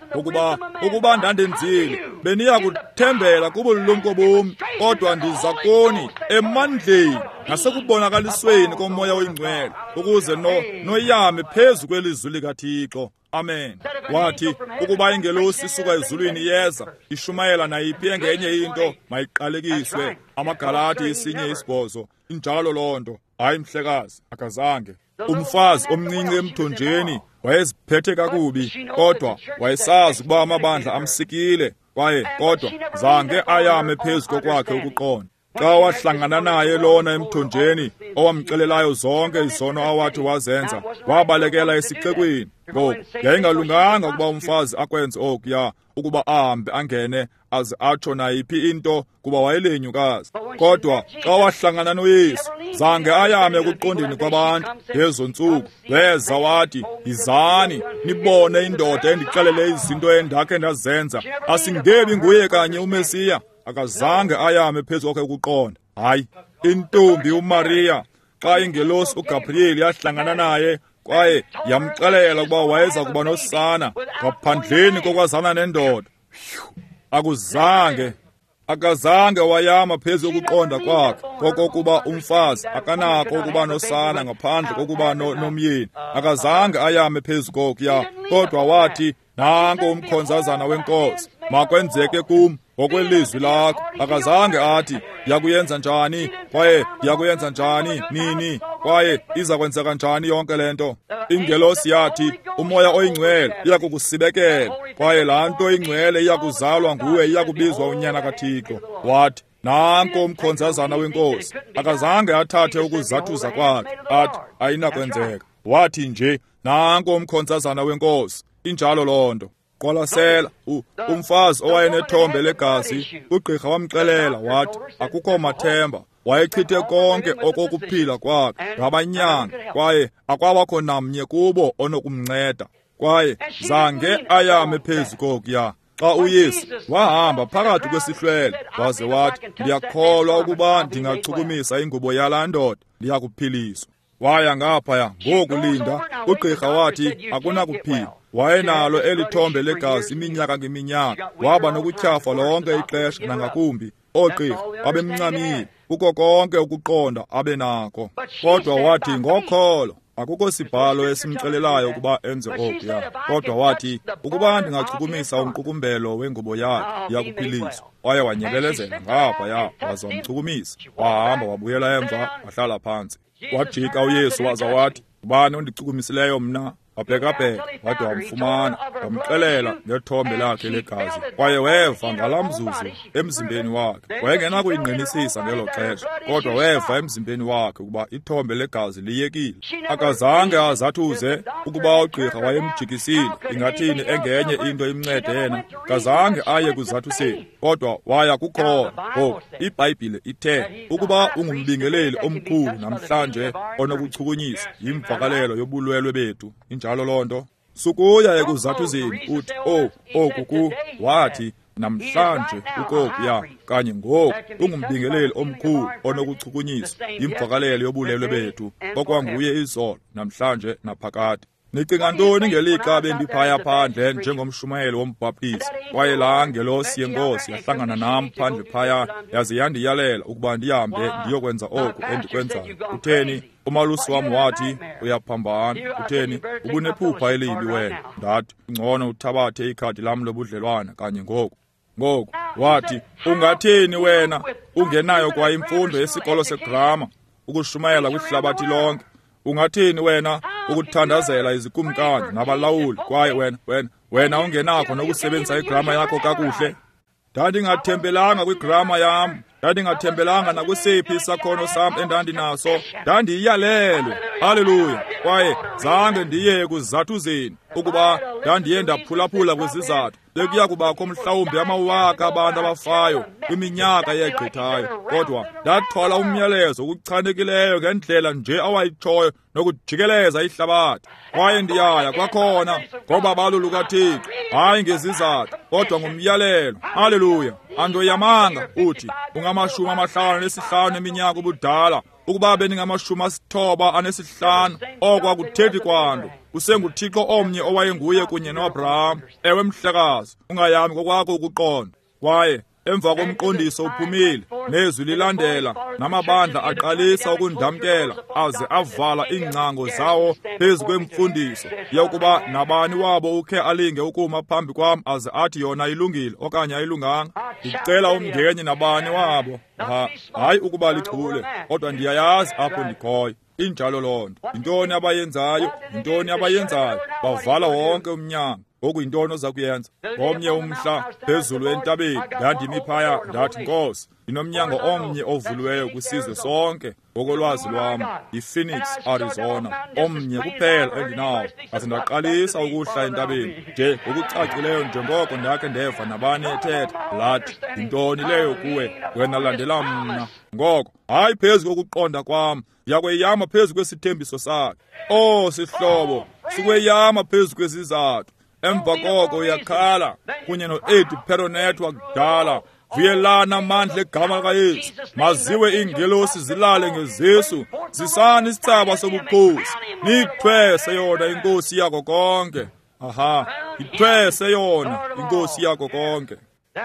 ukuba ndandenzile, beniya kuthembela kubulumko bom, kodwa ndiza kuni emandleni nasekubonakalisweni koMoya oyiNgcwele, ukuze noyame phezu kwelizwi likaThixo. Amen. Wathi, ukuba ingelosi isuka ezulwini iyeza, ishumayela nayiphi engenye into, mayiqalekiswe. AmaGalati 1:8. Injalo loo nto. Hayi mhlekazi, akazange. Umfazi omncinci emthonjeni wayeziphethe kakubi, kodwa wayesazi ukuba amabandla amsikile, kwaye kodwa zange ayame phezu kokwakhe ukuqonda. Xa wahlangana naye lona emthonjeni owamxelelayo zonke izono awathi wazenza, wabalekela esixekweni. Ngoku yayingalunganga ukuba umfazi akwenze okuya, ukuba ahambe angene aze atsho nayiphi into, kuba wayelenyukazi. Kodwa xa wahlangana noYesu, zange ayame ekuqondeni kwabantu ngezo ntsuku. Weza wathi, yizani nibone indoda endixelele izinto endakhe ndazenza. Asingebi nguye kanye uMesiya? Akazange ayame phezu kwakhe ukuqonda. Hayi, intombi uMaria, xa ingelosi uGabriel yahlangana naye kwaye yamxelela ukuba wayeza kuba nosana ngaphandleni kokwazana nendoda, akazange wayama phezu kokuqonda kwakhe kokokuba umfazi akanako ukuba nosana ngaphandle kokuba nomyeni. Akazange ayame phezu kokuya, kodwa wathi, nanko umkhonzazana wenkosi, makwenzeke kum ngokwelizwi lakho. Akazange athi, ndiyakuyenza njani, kwaye ndiyakuyenza njani, nini, kwaye iza kwenzeka njani yonke le nto. Ingelosi yathi, uMoya oyiNgcwele iyakukusibekela, kwaye laa nto ingcwele iyakuzalwa nguwe, iyakubizwa uNyana kaThixo. Wathi, nanko umkhonzazana wenkosi. Akazange athathe ukuzathuza kwakhe, athi ayinakwenzeka. Wathi nje, nanko umkhonzazana wenkosi. Injalo loo nto. Qwalasela, umfazi owayenethombe legazi, ugqirha wamxelela wathi akukho mathemba. Wayechithe konke okokuphila kwakhe ngabanyanga, kwaye akwabakho namnye kubo onokumnceda. Kwaye zange ayame phezu kokuya. Xa uYesu wahamba phakathi kwesihlwele, waze wathi, ndiyakholwa ukuba ndingachukumisa ingubo yalaa ndoda, ndiyakuphiliswa. Waya ngaphaya ngokulinda, ugqirha wathi akunakuphila. Wayenalo eli thombe legazi iminyaka ngeminyaka, waba nokutyhafa lonke ixesha nangakumbi. Oogqirha babemncamile kuko konke ukuqonda abe nako. Kodwa wathi ngokholo, akukho sibhalo esimxelelayo ukuba enze okuya. Kodwa wathi, ukuba ndingachukumisa umqukumbelo wengubo yakhe, ndiyakuphiliswa. Waye wanyebelezela ngaphaya, waza wamchukumisa. Wahamba wabuyela emva, wahlala phantsi. Wajika uYesu waza wathi, ubani ondichukumisileyo mna? Wabhekabheka, wade wamfumana, wamxelela ngethombe lakhe legazi. Kwaye weva ngalaa mzuzu emzimbeni wakhe. Wayengenakuyingqinisisa ngelo xesha, kodwa weva emzimbeni wakhe ukuba ithombe legazi liyekile. Akazange azathuze ukuba ugqirha wayemjikisile, ingathini engenye into imncede yena. Akazange aye kuzathuseni, kodwa waya kukhona. Ngoku iBhayibhile ithe ukuba ungumbingeleli omkhulu namhlanje onokuchukunyiswa yimvakalelo yobulwelwe bethu. Injalo loo nto. Sukuya ekuzathuzeni uthi, oku ku, wathi namhlanje ukokuya kanye ngoku ungumbingeleli omkhulu onokuchukunyiswa yimvakalelo yobulwelwe bethu, okwanguye izolo, namhlanje naphakade. Nicinga ntoni ngelixa bendiphaya phandle njengomshumayeli wombhaptizi, kwaye laa ngelosi yenkosi yahlangana nam phandle phaya, yaze yandiyalela ukuba ndihambe ndiyokwenza oku endikwenzayo? Utheni? Umalusi wam wathi, uyaphambana. Utheni? Ubunephupha elibi wena. Ndathi, ngcono uthabathe ikhadi lam lobudlelwane kanye ngoku. Ngoku wathi, ungathini wena ungenayo kwa imfundo yesikolo segrama ukushumayela kwihlabathi lonke? Ungathini wena ukuthandazela izikumkani nabalawuli, kwaye wena ungenakho nokusebenzisa igrama yakho kakuhle? Ndandingathembelanga kwigrama yam, ndandingathembelanga nakusiphi isakhono sam endandinaso, ndandiyalelwe. Haleluya! Kwaye zange ndiye ekuzathuzeni ukuba ndandiye ndaphulaphula kwizizathu. Bekuya kubakho mhlawumbi amawaka abantu abafayo kwiminyaka eyegqithayo, kodwa ndathwala umyalezo okuchanekileyo ngendlela nje awayitshoyo nokujikeleza ihlabathi. Kwaye ndiyaya kwakhona ngobabalo lukaThixo, hayi ngezizathu, kodwa ngomyalelo. Haleluya! Andoyamanga. Uthi ungama-55 eminyaka ubudala. Ukuba beninga-95, oko akuthethi kwanto. UsenguThixo omnye owayenguye kunye noAbraham. Ewe mhlekazi, ungayami ngokwakho ukuqonda. Kwaye emva komqondiso uphumile, nezwi lilandela, namabandla aqalisa ukundamkela aze avala iingcango zawo phezu kwemfundiso yokuba nabani wabo ukhe alinge ukuma phambi kwam aze athi yona ilungile okanye ayilunganga. Ndicela umngeni nabani wabo. Hayi ukuba lichule, kodwa ndiyayazi apho ndikhoyo. Injalo loo nto. Yintoni abayenzayo? Yintoni abayenzayo? Bavala wonke umnyango. Ngoku yintoni oza kuyenza? Ngomnye umhla phezulu entabeni ndandimi phaya, ndathi, Nkosi, ndinomnyango omnye ovuliweyo kwisizwe sonke ngokolwazi lwam, yiPhoenix, Arizona, omnye kuphela endinawo. Ndaze ndaqalisa ukuhla entabeni nje ngokucacileyo njengoko ndakhe ndeva nabani ethetha. Lathi, yintoni leyo kuwe? Wena landela mna. Ngoko hayi phezu kokuqonda kwam, ndiyakweyama phezu kwesithembiso sakhe. Oh sihlobo, sikweyama phezu kwezizathu. Emva koko uyakhala kunye no-Eddie Perronet wakudala. Vuyelana amandla egama likaYesu. Maziwe iingelosi zilale ngezisu. Zisani isithsaba sobukhosi, niyithwese yona inkosi yako konke. Aha, ithwese yona inkosi yako konke.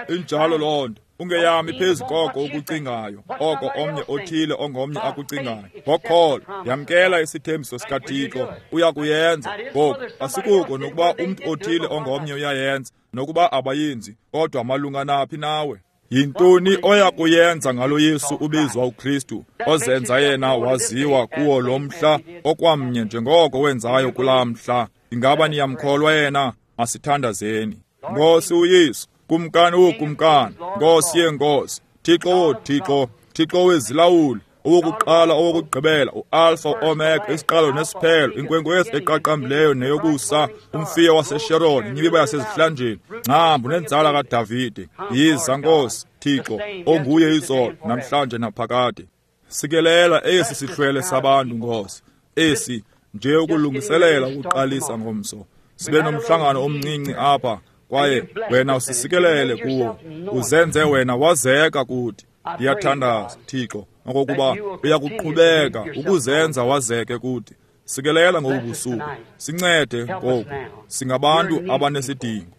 Injalo loo nto. Ungeyami phezu koko ukucingayo, oko omnye othile ongomnye akucingayo. Ngokholo yamkela isithembiso sikaThixo, uya kuyenza. Ngoku asikuko nokuba umntu othile ongomnye uyayenza, nokuba abayenzi, kodwa malunga naphi nawe? Yintoni oya kuyenza ngalo Yesu ubizwa uKristu, ozenza yena waziwa kuwo lo mhla okwamnye njengoko wenzayo kulaa mhla? Ingaba niyamkholwa yena? Masithandazeni. Nkosi uYesu, Kumkani wokumkani, Nkosi yeenkosi, Thixo woothixo, Thixo wezilawuli, owokuqala owokugqibela, uAlpha Omega, isiqalo nesiphelo, inkwenkwezi eqaqambileyo neyokusa, umfiyo waseSharon, inyibiba yasezihlanjeni, ngcambu nenzala kaDavide. Yiza Nkosi, Thixo, onguye izolo, namhlanje naphakade. Sikelela esi sihlwele sabantu, Nkosi, esi nje ukulungiselela ukuqalisa ngomso. Sibe nomhlangano omncinci apha, kwaye wena usisikelele kuwo, uzenze wena wazeka kuthi. Ndiyathandaza, Thixo, okokuba uyakuqhubeka ukuzenza wazeke kuthi. Sikelela ngobu busuku, sincede ngoku, singabantu abanesidingo.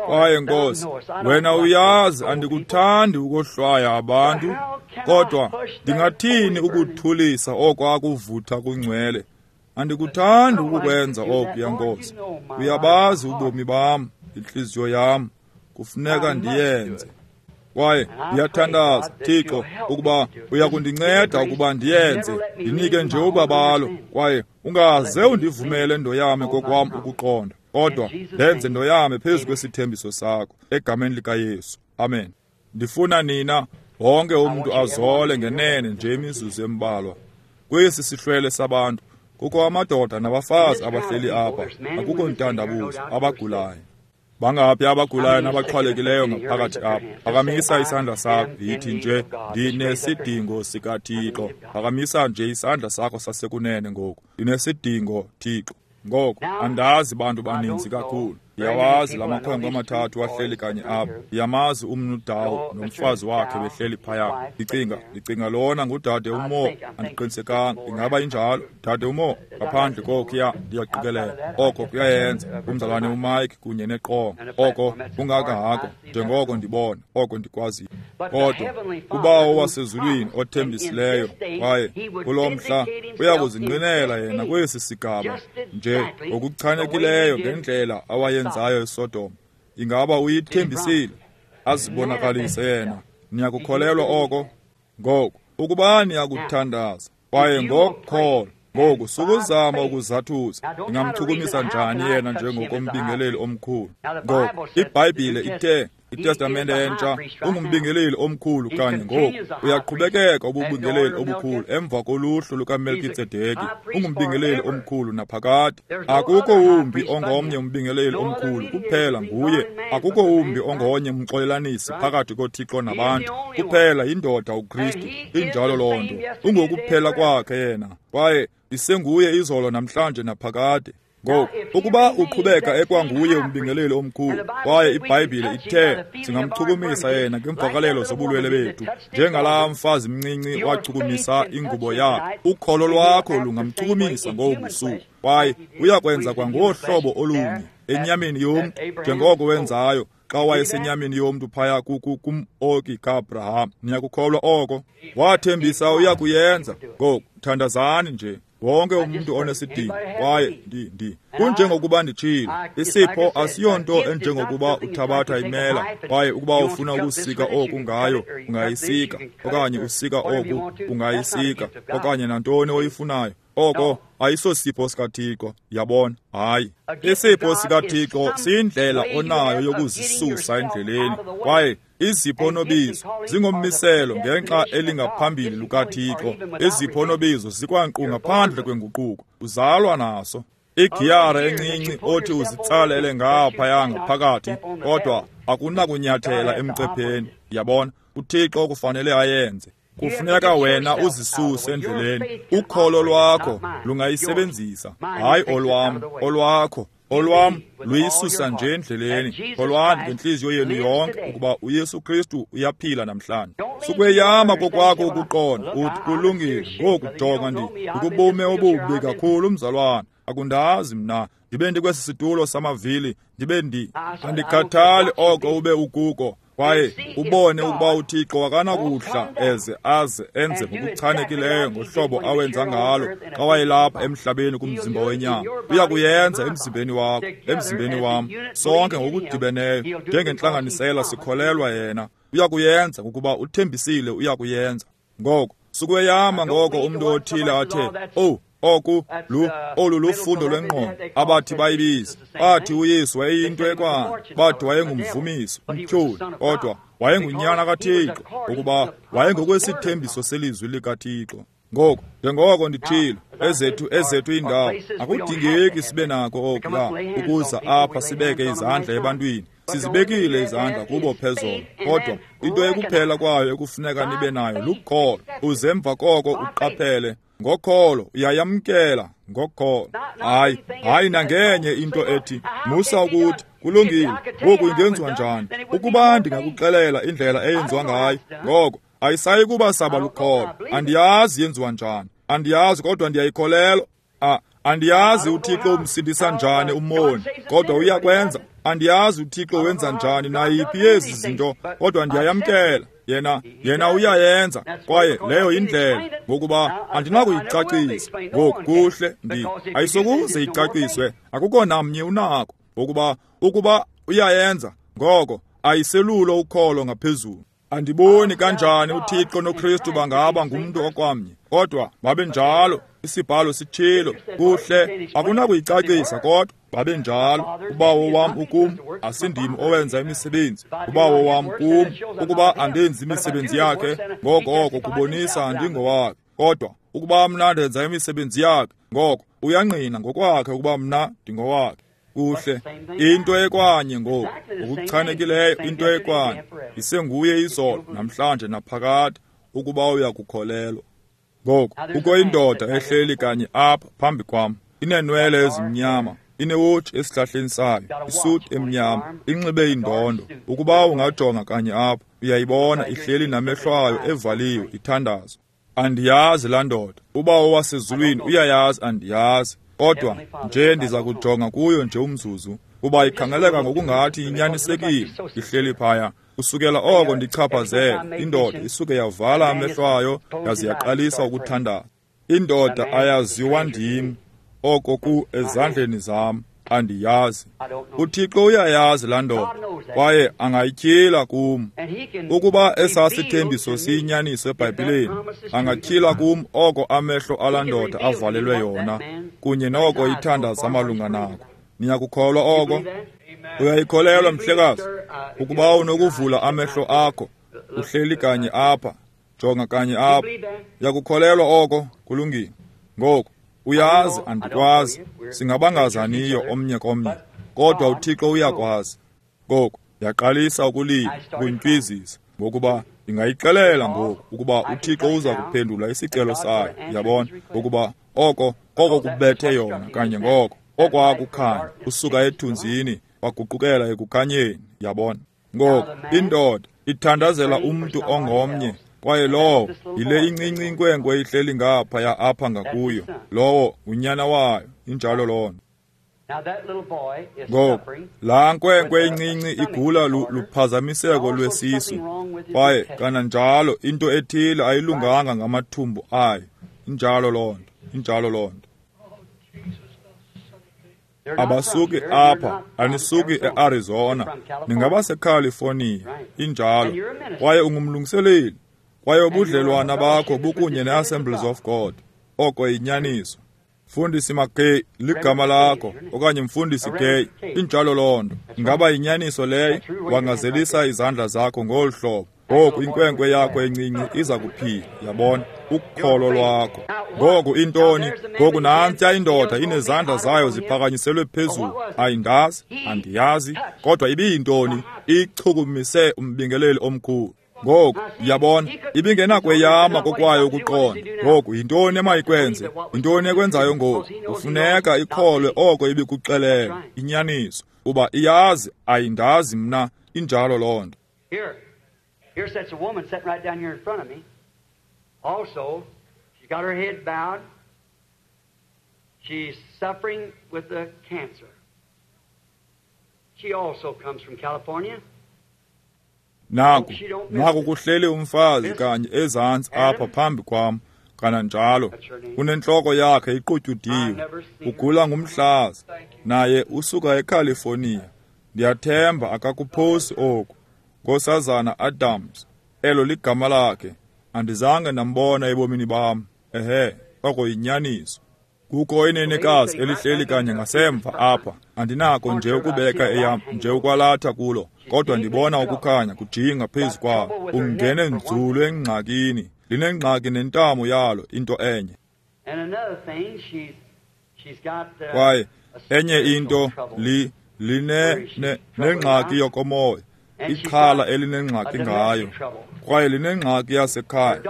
Kwaye Nkosi, wena uyazi andikuthandi ukohlwaya abantu, kodwa ndingathini ukuthulisa oko akuvutha kungcwele? Andikuthandi ukukwenza okuya, Nkosi. Uyabazi ubomi bam, intliziyo yam, kufuneka ndiyenze. Kwaye ndiyathandaza, Thixo, ukuba uyakundinceda ukuba ndiyenze, ndinike nje ubabalo, kwaye ungaze undivumele ndoyame kokwam ukuqonda, kodwa ndenze ndoyame phezu kwesithembiso sakho, egameni likaYesu. Amen. Ndifuna nina wonke umntu azole ngenene nje imizuzu embalwa. Kwesi sihlwele sabantu kukho amadoda nabafazi abahleli apha, akukho ntandabuzo, abagulayo. Bangaphi abagulayo nabaxhwalekileyo ngaphakathi apha? Phakamisa isandla sakho, yithi nje, ndinesidingo sikaThixo. Phakamisa nje isandla sakho sasekunene ngoku. Ndinesidingo, Thixo. Ngoku andazi bantu baninzi kakhulu. Ndiyawazi la makhwenkwe amathathu ahleli kanye apha. Ndiyamazi umnu Dawu nomfazi wakhe behleli phaya. Ndicinga lona ngudade uMo, andiqinisekanga. Ingaba injalo, dade uMo? Ngaphandle kokuya ndiyaqikelela. Oko kuyayenza umzalwane uMike kunye neqonga. Oko kungakahako njengoko ndibona, oko ndikwaziyo. Kodwa kuBawo wasezulwini othembisileyo, kwaye kulo mhla uyakuzinqinela yena kwesi sigaba nje ngokuchanekileyo ngendlela awayenzayo eSodom. Ingaba uyithembisile? Azibonakalise yena. Niyakukholelwa oko? Ngoku, ukuba niyakuthandaza kwaye ngokukholwa, ngoku sukuzama ukuzathuza, ndingamchukumisa njani yena njengokombingeleli omkhulu? Ngoku iBhayibhile ithe iTestamente entsha, ungumbingeleli omkhulu kanye ngoku. Uyaqhubekeka ububingeleli obukhulu emva koluhlu lukaMelkitsedeki. Ungumbingeleli omkhulu naphakade. Akukho wumbi ongomnye umbingeleli omkhulu, kuphela nguye. Akukho wumbi ongonye umxolelanisi phakathi koThixo nabantu, kuphela yindoda uKristu. Injalo loo nto. Ungokuphela kwakhe yena, kwaye isenguye izolo namhlanje naphakade. Ngoku, ukuba uqhubeka ekwanguye umbingeleli omkhulu, kwaye iBhayibhile ithe singamchukumisa yena ngeemvakalelo zobulwele bethu, njengalaa mfazi mncinci wachukumisa ingubo yakhe, ukholo lwakho lungamchukumisa ngobu busuku, kwaye uyakwenza kwangohlobo olunye enyameni yomntu njengoko wenzayo xa wayesenyameni yomntu phaya kum-oki kaAbraham. Niyakukholwa oko? Wathembisa uyakuyenza. Ngoku thandazani nje, wonke umuntu onesidingo. Kwaye kunjengokuba nditshilo, isipho asiyonto enjengokuba uthabatha imela, kwaye ukuba ufuna ukusika oku ngayo ungayisika, okanye usika oku ungayisika, okanye nantoni oyifunayo. Oko ayisosipho sikaThixo, yabona. Hayi, isipho sikaThixo siyindlela onayo yokuzisusa endleleni, kwaye izipho nobizo zingommiselo ngenxa elingaphambili lukaThixo. Izipho nobizo zikwankqu ngaphandle kwenguquko, uzalwa naso. Igiyara encinci othi uzitsalele ngaphaya ngaphakathi, kodwa akunakunyathela emcepheni, yabona. uThixo kufanele ayenze. Kufuneka wena uzisuse endleleni. Ukholo lwakho lungayisebenzisa, hayi olwam, olwakho. Olwam luyisusa nje endleleni. Kholwani ngentliziyo yenu yonke ukuba uYesu Kristu uyaphila namhlanje. Sukweyama kokwakho ukuqonda uthi kulungile ngoku, jonga ndikubume obubi kakhulu mzalwana, akundazi mna, ndibe ndikwesi situlo samavili, ndibe andikhathali oko ube ukuko. Kwaye ubone ukuba uThixo akanakuhla eze aze enze ngokuchanekileyo ngohlobo awenza ngalo xa wayelapha emhlabeni kumzimba wenyama. Uyakuyenza emzimbeni wakho, emzimbeni wam, sonke ngokudibeneyo njengentlanganisela sikholelwa yena. Uyakuyenza ngokuba uthembisile uyakuyenza. Ngoko sukweyama ngoko umntu othile athe, "Oh, oku olu lufundo lwengqondo abathi bayibiza." Bathi uYesu wayeyinto ekwana, bathi wayengumvumiso, umtyholi, kodwa wayengunyana kaThixo, ukuba wayengokwesithembiso selizwi likaThixo. Ngoku, njengoko ndithilo, ezethu iindawo akudingeki sibe nako okuya ukuza apha sibeke izandla ebantwini. Sizibekile izandla kubo phezolo, kodwa into ekuphela kwayo ekufuneka nibe nayo lukholo. Uze emva koko uqaphele ngokholo, uyayamkela ngokholo. Hayi nangenye into ethi musa ukuthi kulungile ngoku ingenziwa njani. Ukuba ndingakuxelela indlela eyenziwa ngayo, ngoko ayisayi kuba saba lukholo. Andiyazi yenziwa njani, andiyazi, kodwa ndiyayikholelwa. Andiyazi uThixo umsindisa njani umoni, kodwa uyakwenza. Andiyazi uThixo wenza njani nayiphi yezi zinto, kodwa ndiyayamkela. Yena uyayenza, kwaye leyo indlela, ngokuba andinakuyicacisa. Ngoku kuhle, ayisokuze icaciswe, akukho namnye unako, ngokuba ukuba uyayenza, ngoko ayiselulo ukholo ngaphezulu. Andiboni kanjani uThixo noKristu bangaba ngumntu okwamnye, kodwa babenjalo. Isibhalo sitshilo, kuhle, akunakuyicacisa, kodwa babenjalo. Ubawo wam ukum, asindim owenza imisebenzi. Ubawo wam kum, ukuba andenzi imisebenzi yakhe, ngoko oko kubonisa andingowakhe. Kodwa ukuba mna ndenza imisebenzi yakhe, ngoko uyangqina ngokwakhe ukuba mna ndingowakhe. Kuhle, into ekwanye ngoku, ngokuchanekileyo into ekwanye. Isenguye izolo, namhlanje naphakade, ukuba uyakukholelwa. Ngoku, kukho indoda ehleli kanye apha phambi kwam, ineenwele ezimnyama, inewotshi esihlahleni sayo, isuti emnyama, inxibe indondo. Ukuba ungajonga kanye apha, uyayibona ihleli namehlo ayo evaliwe, ithandaza. Andiyazi laa ndoda. Ubawo wasezulwini uyayazi, andiyazi. Kodwa nje ndiza kujonga kuyo nje umzuzu, kuba ikhangeleka ngokungathi inyanisekile, ihleli phaya. Kusukela oko ndichaphazele, indoda isuke yavala amehlo ayo yaze yaqalisa ukuthandaza. Indoda ayaziwa ndim, oko ku ezandleni zam, andiyazi. uThixo uyayazi laa ndoda, kwaye angayityhila kum. Ukuba esasithembiso siyinyaniso eBhayibhileni, angatyhila kum oko amehlo alaa ndoda avalelwe yona, kunye noko ithandaza malunga nako. Niyakukholwa oko? Uyayikholelwa mhlekazi ukuba unokuvula amehlo akho uhleli kanye apha, jonga kanye apha. Uyakukholelwa oko? Kulungile. Ngoku uyazi andikwazi, singabangazaniyo omnye komnye, kodwa uThixo uyakwazi. Ngoku yaqalisa ukulila, ukuntywizisa, ngokuba ndingayixelela ngoku ukuba uThixo uza kuphendula isicelo sayo. Yabona ukuba oko koko kubethe yona kanye ngoko okwakukhanya usuka ethunzini waguqukela ekukhanyeni. Yabona ngoku indoda ithandazela umntu ongomnye, kwaye lowo yile incinci inkwenkwe ihleli ngaphaya apha ngakuyo, lowo unyana wayo. Injalo loo nto. Ngoku laa nkwenkwe incinci igula luphazamiseko lwesisu, kwaye kananjalo into ethile ayilunganga ngamathumbu ayo. Injalo loo nto, injalo loo nto. Abasuki apha, anisuki e-Arizona, ningabaseCalifornia. Injalo. Kwaye ungumlungiseleli, kwaye ubudlelwana bakho bukunye ne-Assemblies of God. Oko yinyaniso. Mfundisi McKay ligama lakho, okanye Mfundisi Gay. Injalo loo nto. Ingaba yinyaniso leyo? Wangazelisa izandla zakho ngolu hlobo. Ngoku inkwenkwe yakho encinci iza kuphila. Yabona ukholo lwakho. Ngoku intoni? Ngoku nantya indoda inezandla zayo ziphakanyiselwe phezulu. Ayindazi, andiyazi, kodwa ibiyintoni? Ichukumise umbingeleli omkhulu. Ngoku yabona ibingenakweyama kokwayo ukuqonda. Ngoku yintoni emayikwenze? Yintoni ekwenzayo ngoku? Kufuneka ikholwe oko ibikuxelela, inyaniso, uba iyazi ayindazi mna. Injalo loo nto. Here sits a woman sitting right down here in front of me. Also, she's got her head bowed. She's suffering with a cancer. She also comes from California. Naku kuhleli umfazi kanye ezantsi apha phambi kwam, kananjalo unentloko yakhe iqutyudiwe, ugula ngumhlaza, naye usuka eCalifornia. Ndiyathemba akakuphosi oku. Nkosazana Adams, elo ligama lakhe. Andizange ndambona ebomini bam. Ehe, oko yinyaniso. Kukho inenekazi elihleli kanye ngasemva apha. Andinako nje ukubeka eyam nje ukwalatha kulo, kodwa ndibona ukukhanya kujinga phezu kwalo. Ungene nzulu engxakini, linengxaki nentamo yalo, into enye. Kwaye enye into linengxaki yokomoya, ixhala elinengxaki ngayo, kwaye linengxaki yasekhaya.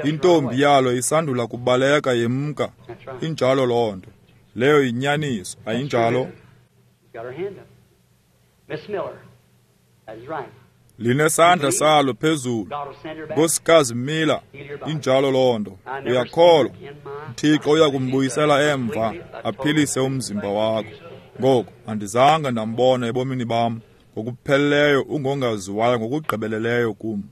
Intombi yalo isandula kubaleka yemka. Injalo loo nto. Leyo yinyaniso, ayinjalo? Linesandla salo phezulu. Nkosikazi Miller, injalo loo nto. Uyakholwa uThixo uyakumbuyisela emva aphilise umzimba wakho. Ngoku andizange ndambona ebomini bam ngokupheleleyo, ungongaziwayo ngokugqibeleleyo kum.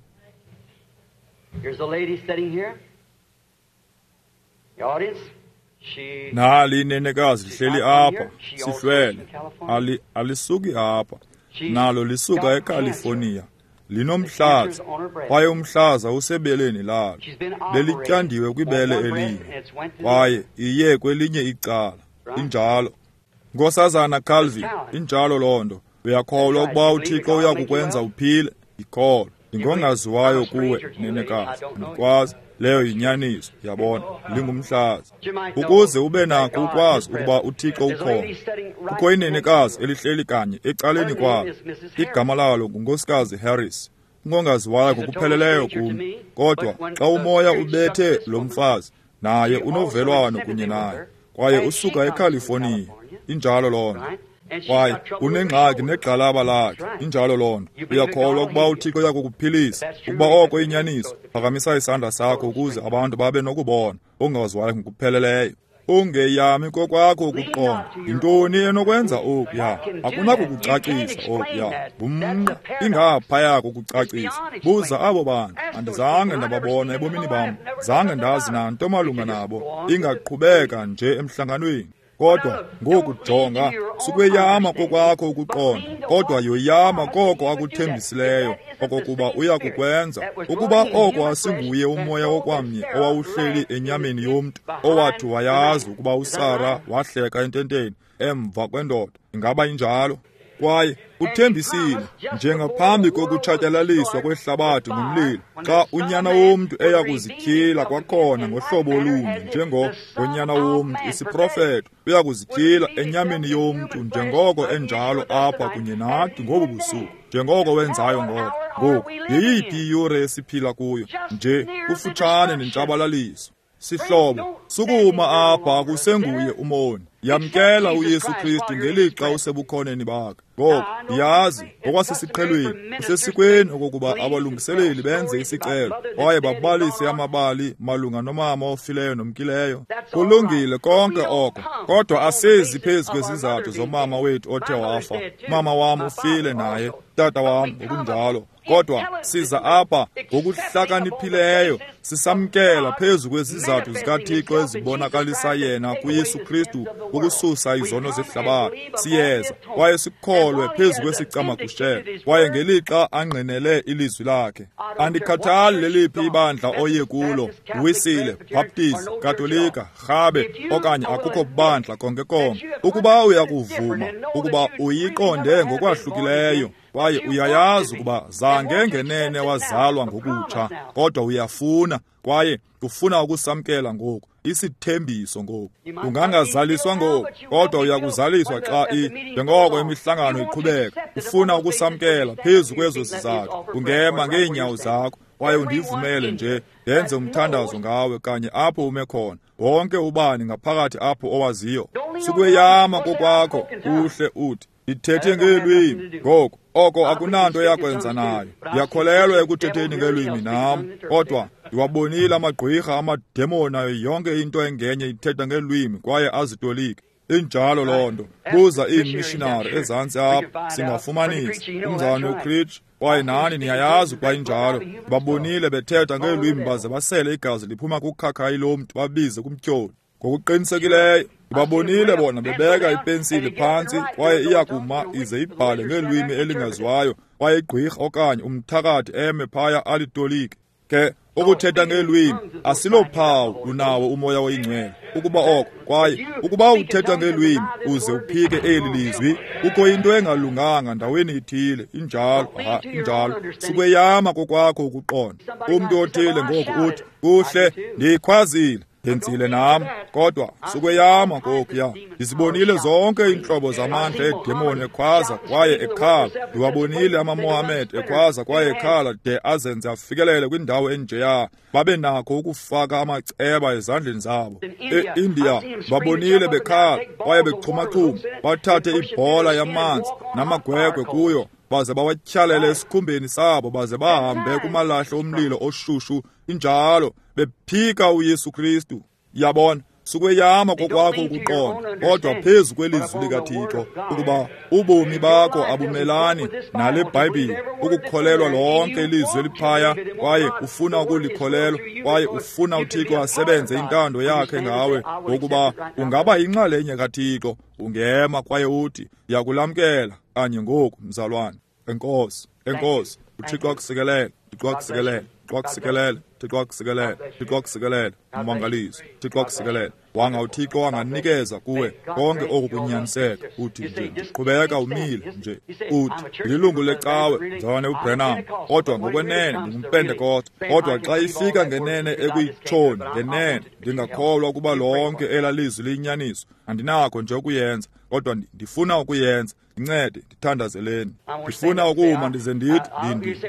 Nali inenekazi lihleli apha, sihlwele. Alisuki apha, nalo lisuka eCalifornia. Linomhlaza, kwaye umhlaza usebeleni lalo. Belityandiwe kwibele elinye, kwaye iye kwelinye icala. Injalo. Nkosazana Calvin, injalo loo nto. Uyakholwa ukuba uThixo uyakukwenza uphile? Ikholwa. Ndingongaziwayo kuwe, nenekazi. Andikwazi. Leyo yinyaniso, yabona, lingumhlaza. Ukuze ube nakho ukwazi ukuba uThixo ukhona. Kukho inenekazi elihleli kanye ecaleni kwalo. Igama lalo nguNkosikazi Harris. Ungongaziwayo ngokupheleleyo kum, kodwa xa umoya ubethe lo mfazi, naye unovelwano kunye naye, kwaye usuka eCalifornia. Injalo loo nto. Kwaye unengxaki negxalaba lakhe. Injalo loo nto. Uyakholwa ukuba uThixo uyakukuphilisa? Ukuba oko inyaniso, phakamisa isandla sakho ukuze abantu babe nokubona ongaziwayo ngokupheleleyo. Ungeyami kokwakho ukuqonda. Yintoni enokwenza okuya? Akunakukucacisa okuya. Ngumnqa, ingaphaya kokucacisa. Buza abo bantu. Andizange ndababona ebomini bam. Zange ndazi nanto malunga nabo. Ingaqhubeka nje emhlanganweni. Kodwa ngoku jonga, sukweyama kokwakho ukuqonda, kodwa yoyama koko akuthembisileyo okokuba uyakukwenza. Ukuba oko asinguye umoya okwamnye owawuhleli enyameni yomntu, owathi wayazi ukuba uSara wahleka ententeni emva kwendoda, ingaba injalo? Kwaye uthembisile njengaphambi kokutshatyalaliswa kwehlabathi ngumlilo, xa uNyana womntu eya kuzityhila kwakhona ngohlobo olunye njengonyana womntu, isiprofeto, uya kuzityhila enyameni yomntu njengoko enjalo apha kunye nathi ngobu busuku, njengoko wenzayo ngoko. Ngoku yeyiphi iyure esiphila kuyo? Nje kufutshane nentshabalaliso. Sihlobo, sukuma apha, akusenguye umoni. Yamkela uYesu Kristu ngelixa usebukhoneni bakhe. Ngoku ndiyazi ngokwasesiqhelweni kusesikweni okokuba abalungiseleli benze isicelo kwaye babalise amabali malunga nomama ofileyo nomkileyo. Kulungile konke oko, kodwa asezi phezu kwezizathu zomama wethu othe wafa. Mama wam ufile naye, tata wam ngokunjalo. Kodwa siza apha ngokuhlakaniphileyo, sisamkela phezu kwezizathu zikaThixo ezibonakalisa yena kuYesu Kristu ukususa izono zehlabathi. Siyeza kwaye sikholwe phezu kwesicamagushelo, kwaye ngelixa angqinele ilizwi lakhe. Andikhathali leliphi ibandla oye kulo, Wisile, Baptist, Katolika, Rhabe, okanye akukho bandla konke konke. Ukuba uyakuvuma ukuba uyiqonde ngokwahlukileyo, kwaye uyayazi ukuba zange ngenene wazalwa ngokutsha, kodwa uyafuna, kwaye ufuna ukusamkela ngoku isithembiso ngoku. Ungangazaliswa ngoku, kodwa uyakuzaliswa xa njengoko imihlangano iqhubeka. Ufuna ukusamkela phezu kwezo zizathu, ungema ngeenyawo zakho kwaye undivumele nje ndenze umthandazo ngawe kanye apho ume khona. Wonke ubani ngaphakathi apho owaziyo, sukweyama kokwakho uhle uthi, ndithethe ngeelwimi. Ngoku oko akunanto yakwenza nayo. Ndiyakholelwa ekuthetheni ngeelwimi nam, kodwa ndiwabonile amagqwirha, amademoni nayo yonke into engenye ithetha ngeelwimi kwaye azitolike. Injalo loo nto. Buza iimishinari ezantsi apha, singafumanisa umzalwane uCreech, kwaye nani niyayazi ukuba injalo. Babonile bethetha ngeelwimi baze basele igazi liphuma kukhakhayi lomntu, babize kumtyholi. Ngokuqinisekileyo ndibabonile bona bebeka ipensile phantsi kwaye iya kuma ize ibhale ngeelwimi elingaziwayo, kwaye igqwirha okanye umthakathi eme phaya alitolike. Ke ukuthetha ngeelwimi asilophawu lunawo umoya oyingcwele. Ukuba oko, kwaye ukuba uthetha ngeelwimi uze uphike eli lizwi, kukho into engalunganga ndaweni ithile. Injalo, injalo. Sukweyama kokwakho ukuqonda. Umntu othile ngoku uthi, kuhle, ndiyikhwazile, ndenzile nam, kodwa sukweyama kokuya. Ndizibonile zonke iintlobo zamandla eedemoni ekhwaza kwaye ekhala. Ndiwabonile amaMohammed ekhwaza kwaye ekhala de azenze afikelele kwindawo enjeya, babe nakho ukufaka amaceba ezandleni zabo. E-India babonile bekhala kwaye bexhuma-xhuma, bathathe ibhola yamanzi namagwegwe kuyo, baze bawatyhalele esikhumbeni sabo, baze bahambe kumalahle omlilo oshushu. Injalo, bephika uYesu Kristu. Yabona, sukweyama kokwakho ukuqonda, kodwa phezu kwelizwi likaThixo, ukuba ubomi bakho abumelani nale Bhayibhile, ukukholelwa lonke ilizwi eliphaya, kwaye ufuna ukulikholelwa, kwaye ufuna uThixo asebenze intando yakhe ngawe, ngokuba ungaba yinxalenye kaThixo. Ungema kwaye uthi, ndiyakulamkela kanye ngoku, mzalwane. Enkosi, enkosi. uThixo akusikelele, Thixo akusikelele, Thixo akusikelele, Thixo akusikelele, Thixo akusikelele. Ummangaliso, Thixo akusikelele. Wanga uThixo anganikeza kuwe konke oku kunyaniseka. Uthi nje, ndiqhubeka umile nje. Uthi, ndililungu lecawe, mzalwane uBrenham, kodwa ngokwenene ndingumPentekoste. Kodwa xa ifika ngenene ekuyitshoni, ngenene ndingakholwa ukuba lonke elaa lizwi liyinyaniso. Andinakho nje ukuyenza, kodwa ndifuna ukuyenza. Ndincede, ndithandazeleni. Ndifuna ukuma ndize ndithi,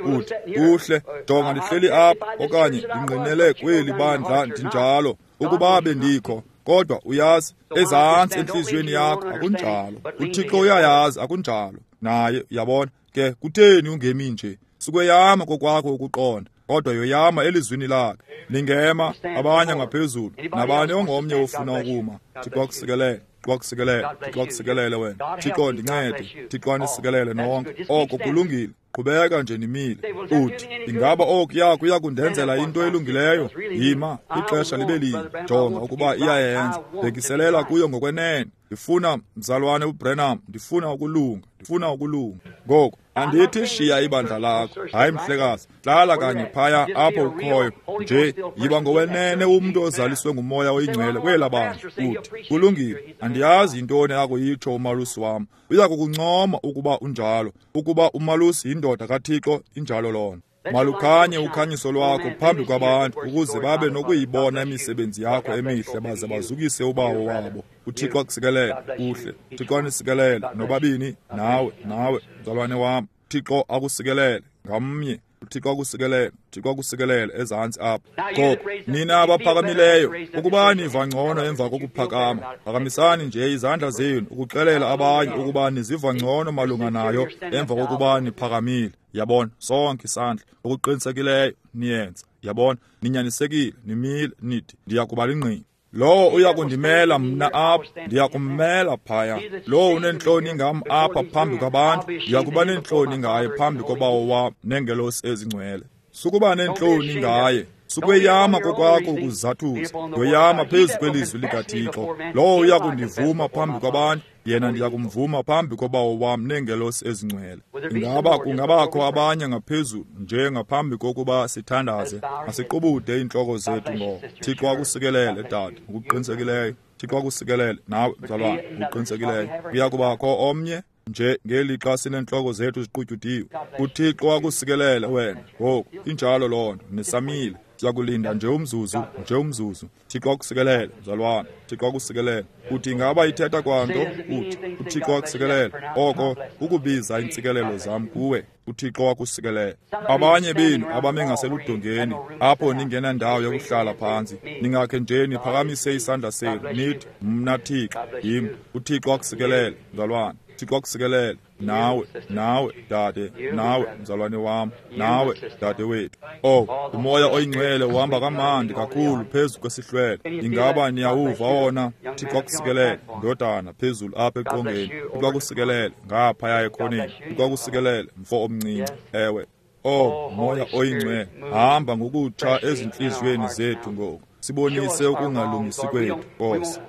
uthi, kuhle, jonga ndihleli apha, okanye ndingqinele kweli bandla ndinjalo, ukuba bendikho. Kodwa uyazi, ezantsi entliziyweni yakho akunjalo. uThixo uyayazi akunjalo. Naye uyabona ke, kutheni ungemi nje? Sukweyama kokwakho ukuqonda, kodwa yoyama elizwini lakhe. Ningema abanye ngaphezulu, nabani ongomnye ofuna ukuma. Thixo akusikelele, Thixo akusikelele, Thixo akusikelele wena. Thixo ndincede, Thixo anisikelele nonke. Oko kulungile. Qhubeka nje nimile. Uthi, ingaba okuya kuya kundenzela into elungileyo? Yima, ixesha libe linye. Jonga ukuba iyayenza. Bhekiselela kuyo ngokwenene. Ndifuna, mzalwane uBrenham, ndifuna ukulunga, ndifuna ukulunga. Ngoku, Andithi shiya ibandla lakho. Hayi mhlekazi, hlala kanye phaya apho ukhoyo. Nje yiba ngowenene umntu ozaliswe nguMoya oyiNgcwele kwela bandla. Uthi, kulungile, andiyazi yintoni akuyitsho umalusi wam. Uya kukuncoma ukuba unjalo, ukuba umalusi yindoda kaThixo, injalo lona. Malukhanye ukhanyiso lwakho phambi kwabantu ukuze babe nokuyibona imisebenzi yakho emihle baze bazukise uBawo wabo. UThixo akusikelele. Kuhle. Thixo anisikelele nobabini, nawe, nawe, mzalwane wam. Thixo akusikelele ngamnye. uThixo akusikelele, uThixo akusikelele ezantsi apha. Ngoku nina abaphakamileyo, ukuba niva ngcono emva kokuphakama, phakamisani nje izandla zenu ukuxelela abanye ukuba niziva ngcono malunga nayo emva kokuba niphakamile. Yabona, sonke isandla okuqinisekileyo niyenza. Yabona, ninyanisekile, nimile, nithi ndiya kuba lingqina. Lowo uya kundimela mna apha, ndiya kummela phaya. Lowo uneentloni ngam apha phambi kwabantu, ndiya kuba neentloni ngaye phambi koBawo wam neengelosi ezingcwele. Sukuba neentloni ngaye, sukweyama kokwakho ukuzathuza, yoyama phezu kwelizwi likaThixo. Lowo uya kundivuma phambi kwabantu, yena ndiya kumvuma phambi koBawo wam neengelosi ezingcwele. Ingaba kungabakho abanye ngaphezulu nje ngaphambi kokuba sithandaze? Masiqubude iintloko zethu ngoko. Thixo akusikelele, dade, ngokuqinisekileyo. Thixo akusikelele nawe, mzalwane, ngokuqinisekileyo. Kuya kubakho omnye nje ngelixa sineentloko zethu ziqutyudiwe. UThixo akusikelele wena. Ngoku injalo loo nto, nisamile. Siyakulinda nje umzuzu, nje umzuzu. Thixo akusikelele, mzalwane. Thixo akusikelele. Uthi ingaba ithetha kwanto? Uthi uThixo akusikelele. Oko ukubiza iintsikelelo zam kuwe. uThixo akusikelele. Abanye benu abame ngaseludongeni apho ningenandawo yokuhlala phantsi, ningakhe nje niphakamise isandla senu nithi, mna Thixo yim. uThixo akusikelele, mzalwane. Thixo akusikelele. Nawe, nawe, dade, nawe, mzalwane wam, nawe, dade wethu. Oh, uMoya oyiNgcwele uhamba kamandi kakhulu phezu kwesihlwele. Ingaba niyawuva wona? Thixo akusikelele, ndodana, phezulu apha eqongeni. Thixo akusikelele, ngaphaya ekhoneni. Thixo akusikelele, mfo omncinci. Ewe. Oh, Moya oyiNgcwele, hamba ngokutsha ezintliziyweni zethu ngoku. Sibonise ukungalungisi kwethu, Nkosi.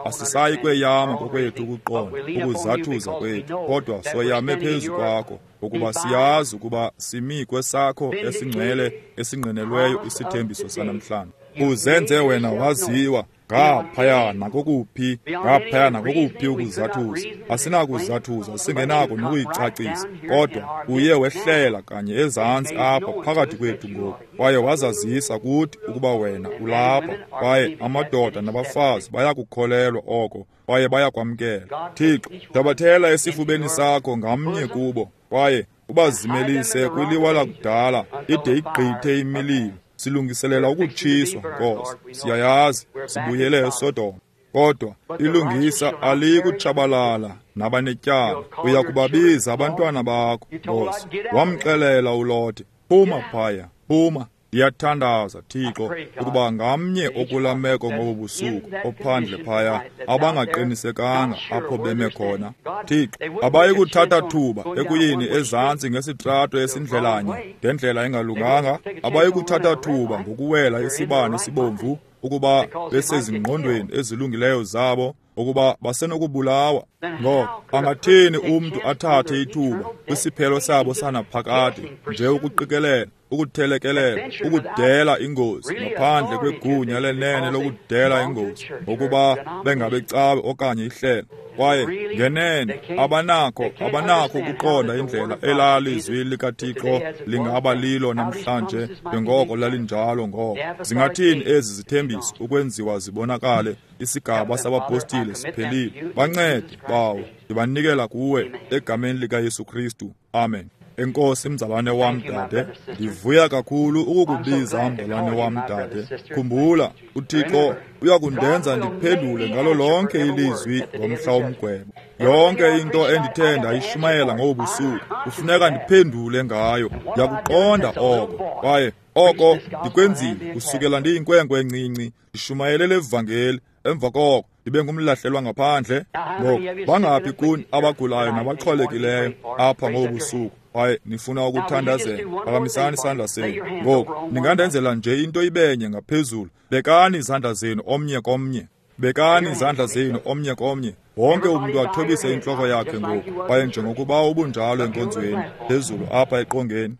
Asisayi kweyama ngokwethu ukuqonda, ukuzathuza kwethu, kodwa soyame phezu kwakho, ukuba siyazi ukuba simi kwesakho esingcwele esingqinelweyo isithembiso sanamhlanje. Uzenze wena waziwa ngaphaya nakokuphi, ngaphaya nakokuphi ukuzathuza. Asinakuzathuza, singenako nokuyicacisa, kodwa uye wehlela kanye ezantsi apha phakathi kwethu ngoku, kwaye wazazisa kuthi ukuba wena ulapha, kwaye amadoda nabafazi bayakukholelwa oko, kwaye bayakwamkela. Thixo, thabathela esifubeni sakho ngamnye kubo, kwaye ubazimelise kwiliwa lakudala ide igqithe imililo. Silungiselela ukutshiswa, Nkosi. Siyayazi sibuyele eSodoma, kodwa ilungisa aliyikutshabalala nabanetyala. Uya kubabiza abantwana bakho, Nkosi. Wamxelela uLote, phuma phaya, phuma. Ndiyathandaza, Thixo, ukuba ngamnye okula meko ngobu busuku ophandle phaya abangaqinisekanga apho beme khona, Thixo, abayi kuthatha thuba ekuyini ezantsi ngesitrato esindlelanye ngendlela engalunganga, abayi kuthatha thuba ngokuwela isibane esibomvu ukuba besezingqondweni ezilungileyo zabo, ukuba basenokubulawa. Ngoko angathini umntu athathe ithuba kwisiphelo sabo sanaphakade nje ukuqikelela, ukuthelekelela, ukudela ingozi ngaphandle kwegunya lenene lokudela ingozi, ngokuba bengabecawe okanye ihlelo. Kwaye ngenene abanakho ukuqonda indlela elalizwi likaThixo lingaba lilo namhlanje njengoko lalinjalo ngoko. Zingathini ezi zithembiso ukwenziwa zibonakale? Isigaba sabapostile siphelile. Bancede, Bawo, ndibanikela kuwe egameni likaYesu Kristu. Amen. Enkosi mzalwane wam dade, ndivuya kakhulu ukukubiza mzalwane wam dade. Khumbula, uThixo uyakundenza ndiphendule ngalo lonke ilizwi ngomhla womgwebo. Yonke into endithe ndayishumayela ngobu busuku kufuneka ndiphendule ngayo. Ndiyakuqonda oko, kwaye oko ndikwenzile kusukela ndiyinkwenkwe encinci, ndishumayele le vangeli. Emva koko ndibe ngumlahlelwa ngaphandle. Ngoku bangaphi kuni abagulayo nabaxhwalekileyo apha ngobu busuku kwaye nifuna ukuthandazela? Phakamisani isandla senu. Ngoku ningandenzela nje into ibenye ngaphezulu. Bekani izandla zenu omnye komnye. Bekani izandla zenu omnye komnye. Wonke umntu athobise intloko yakhe ngoku, kwaye njengokuba ubunjalo enkonzweni, phezulu apha eqongeni.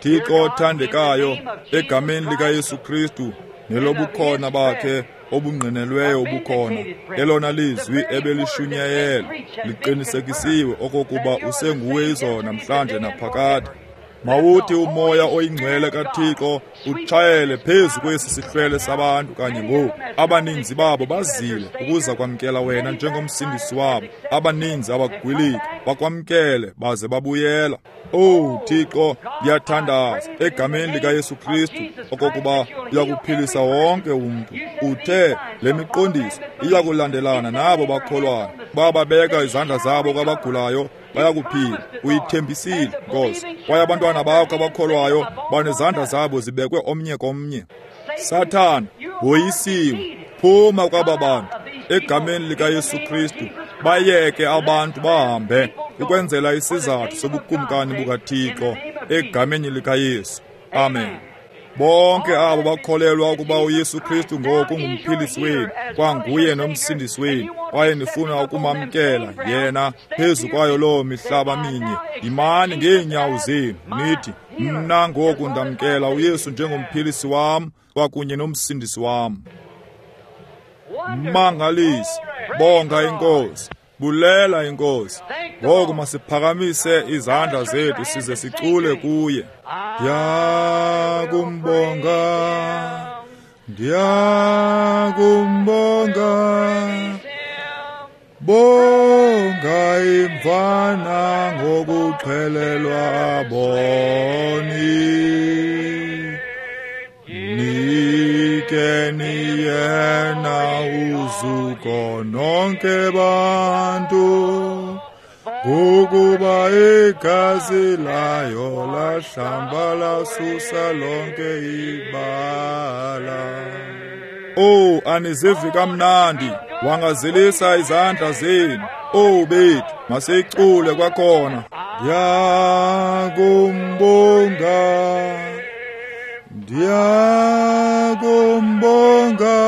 Thixo othandekayo, egameni likaYesu Kristu nelobukhona bakhe obungqinelweyo ubukhona, elona lizwi ebelishunyayelwe liqinisekisiwe okokuba usenguwe izolo namhlanje naphakade. Mawuthi umoya oyingcwele kaThixo utshayele phezu kwesi sihlwele sabantu kanye ngoku. Abaninzi babo bazile ukuza kwamkela wena njengomsindisi wabo. Abaninzi abagwiliki bakwamkele baze babuyela. Owu Thixo, ndiyathandaza egameni likaYesu Kristu okokuba uyakuphilisa wonke umntu. Uthe le miqondiso iyakulandelana nabo bakholwayo. Bababeka izandla zabo kwabagulayo bayakuphila. Uyithembisile, Nkosi. Kwaye abantwana bakho abakholwayo banezandla zabo zibekwe omnye komnye. Sathana, woyisiwe. Phuma kwaba bantu egameni likaYesu Kristu. Bayeke abantu bahambe ukwenzela isizathu sobukumkani bukaThixo egameni likaYesu. Amen. Bonke abo bakholelwa ukuba uYesu Kristu ngoku ngumphilisi wenu, kwanguye nomsindisi wenu, kwaye nifuna ukumamkela yena phezu kwayo loo mihlaba minye, yimani ngeenyawo zenu nithi, mna ngoku ndamkela uYesu njengomphilisi wam kwakunye nomsindisi wam. Mangaliso, bonga iNkosi, bulela iNkosi. Ngoku masiphakamise izandla zethu size sicule kuye. Ndiyakumbonga, ndiyakumbonga, bonga imvana ngokuxhelelwa boni. Nikeni yena uzuko nonke bantu, ngokuba igazi layo lahlamba lasusa lonke ibala. Oh, anizivi kamnandi, wangazelisa izandla zenu. Oh bethu, masiyicule kwakhona. Ndiyakumbonga, ndiyakumbonga,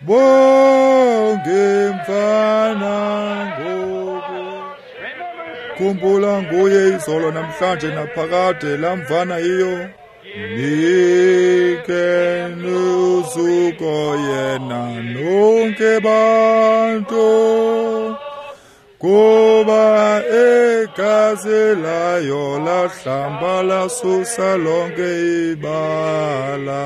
bonge mfana ngoku. Khumbula nguye izolo namhlanje naphakade, lamvana iyo. Nikeni uzuko yena nonke bantu, kuba igazi layo lahlamba lasusa lonke ibala.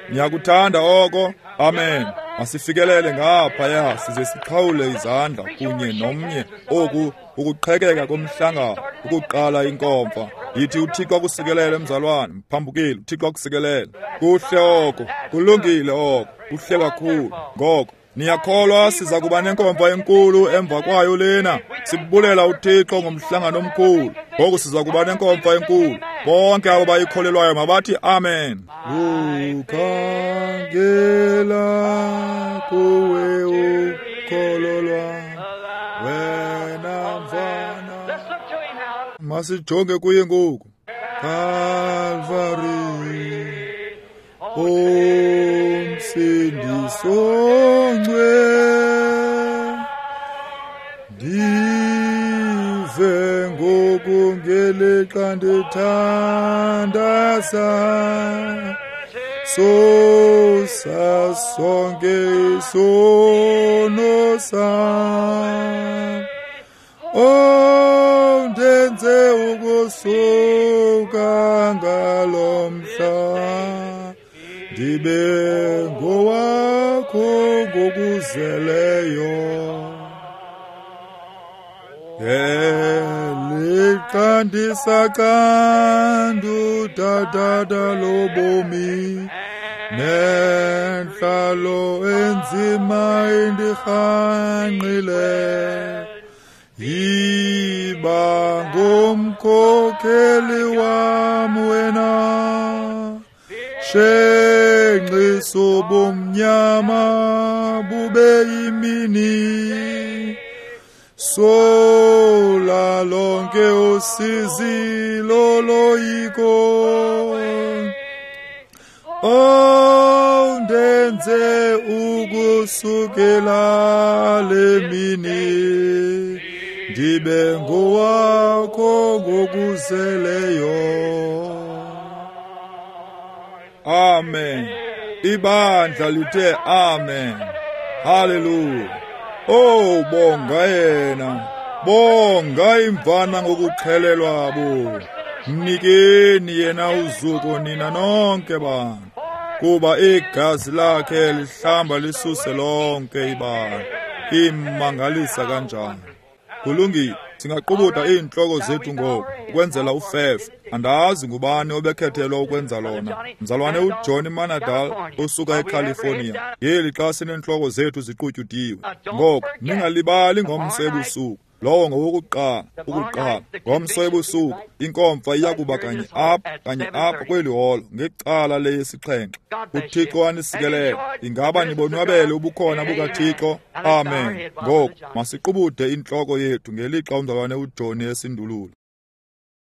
Niyakuthanda oko? Amen. Masifikelele ngaphaya size siqhawule izandla kunye nomnye. Oku ukuqhekeka komhlangano, ukuqala inkomfa. Yithi uThixo akusikelele mzalwane, mphambukeli, uThixo akusikelele. Kuhle oko, kulungile oko, kuhle kakhulu. Ngoko niyakholwa siza kuba nenkomfa enkulu emva kwayo lena. Sibulela uThixo ngomhlangano omkhulu. Ngoku siza kuba nenkomfa enkulu. Bonke abo bayikholelwayo mabathi amen. Ukhangela kuwe ukholo lwam, wena mfana. Masijonge kuye ngoku. Calvary, umsindisi ongcwele, ndive ngoku ngelixa ndithandaza, susa sonke isono sam. Oh, ndenze ukusuka ngalo mhla, ndibe ngowakho ngokuzeleyo. Elixa ndisaqandu lobomi, nentlalo enzima indirhangqile, yiba ngumkhokheli wam wena, shenxiso bomnyama bube yimini, sola lonke usizi loloyiko. Oh, ndenze ukusukela le mini ndibe ngowakho ngokuzeleyo. Amen. Ibandla lithe amen. Haleluya. Oh, bonga yena, bonga imvana ngokuxhelelwa bo. Mnikeni yena uzuko nina nonke bantu, kuba igazi lakhe lihlamba lisuse lonke ibala. Imangalisa kanjani! Kulungile, singaqubuda iintloko zethu ngoku ukwenzela ufefe. Andazi ngubani obekhethelwa ukwenza lona. Mzalwane uJohnny Manadal osuka eCalifornia. Ngeli xa sineentloko zethu ziqutyudiwe. Ngoku ningalibali ngomso ebusuku. Lowo ngowokuqala, ukuqala. Ngomso ebusuku inkomfa iya kuba kanye apha kweli holo ngecala leyesixhenxe. UThixo anisikelele. Ingaba nibonwabele ubukhona bukaThixo? Amen. Ngoku masiqubude intloko yethu ngelixa umzalwane uJohnny esindulula.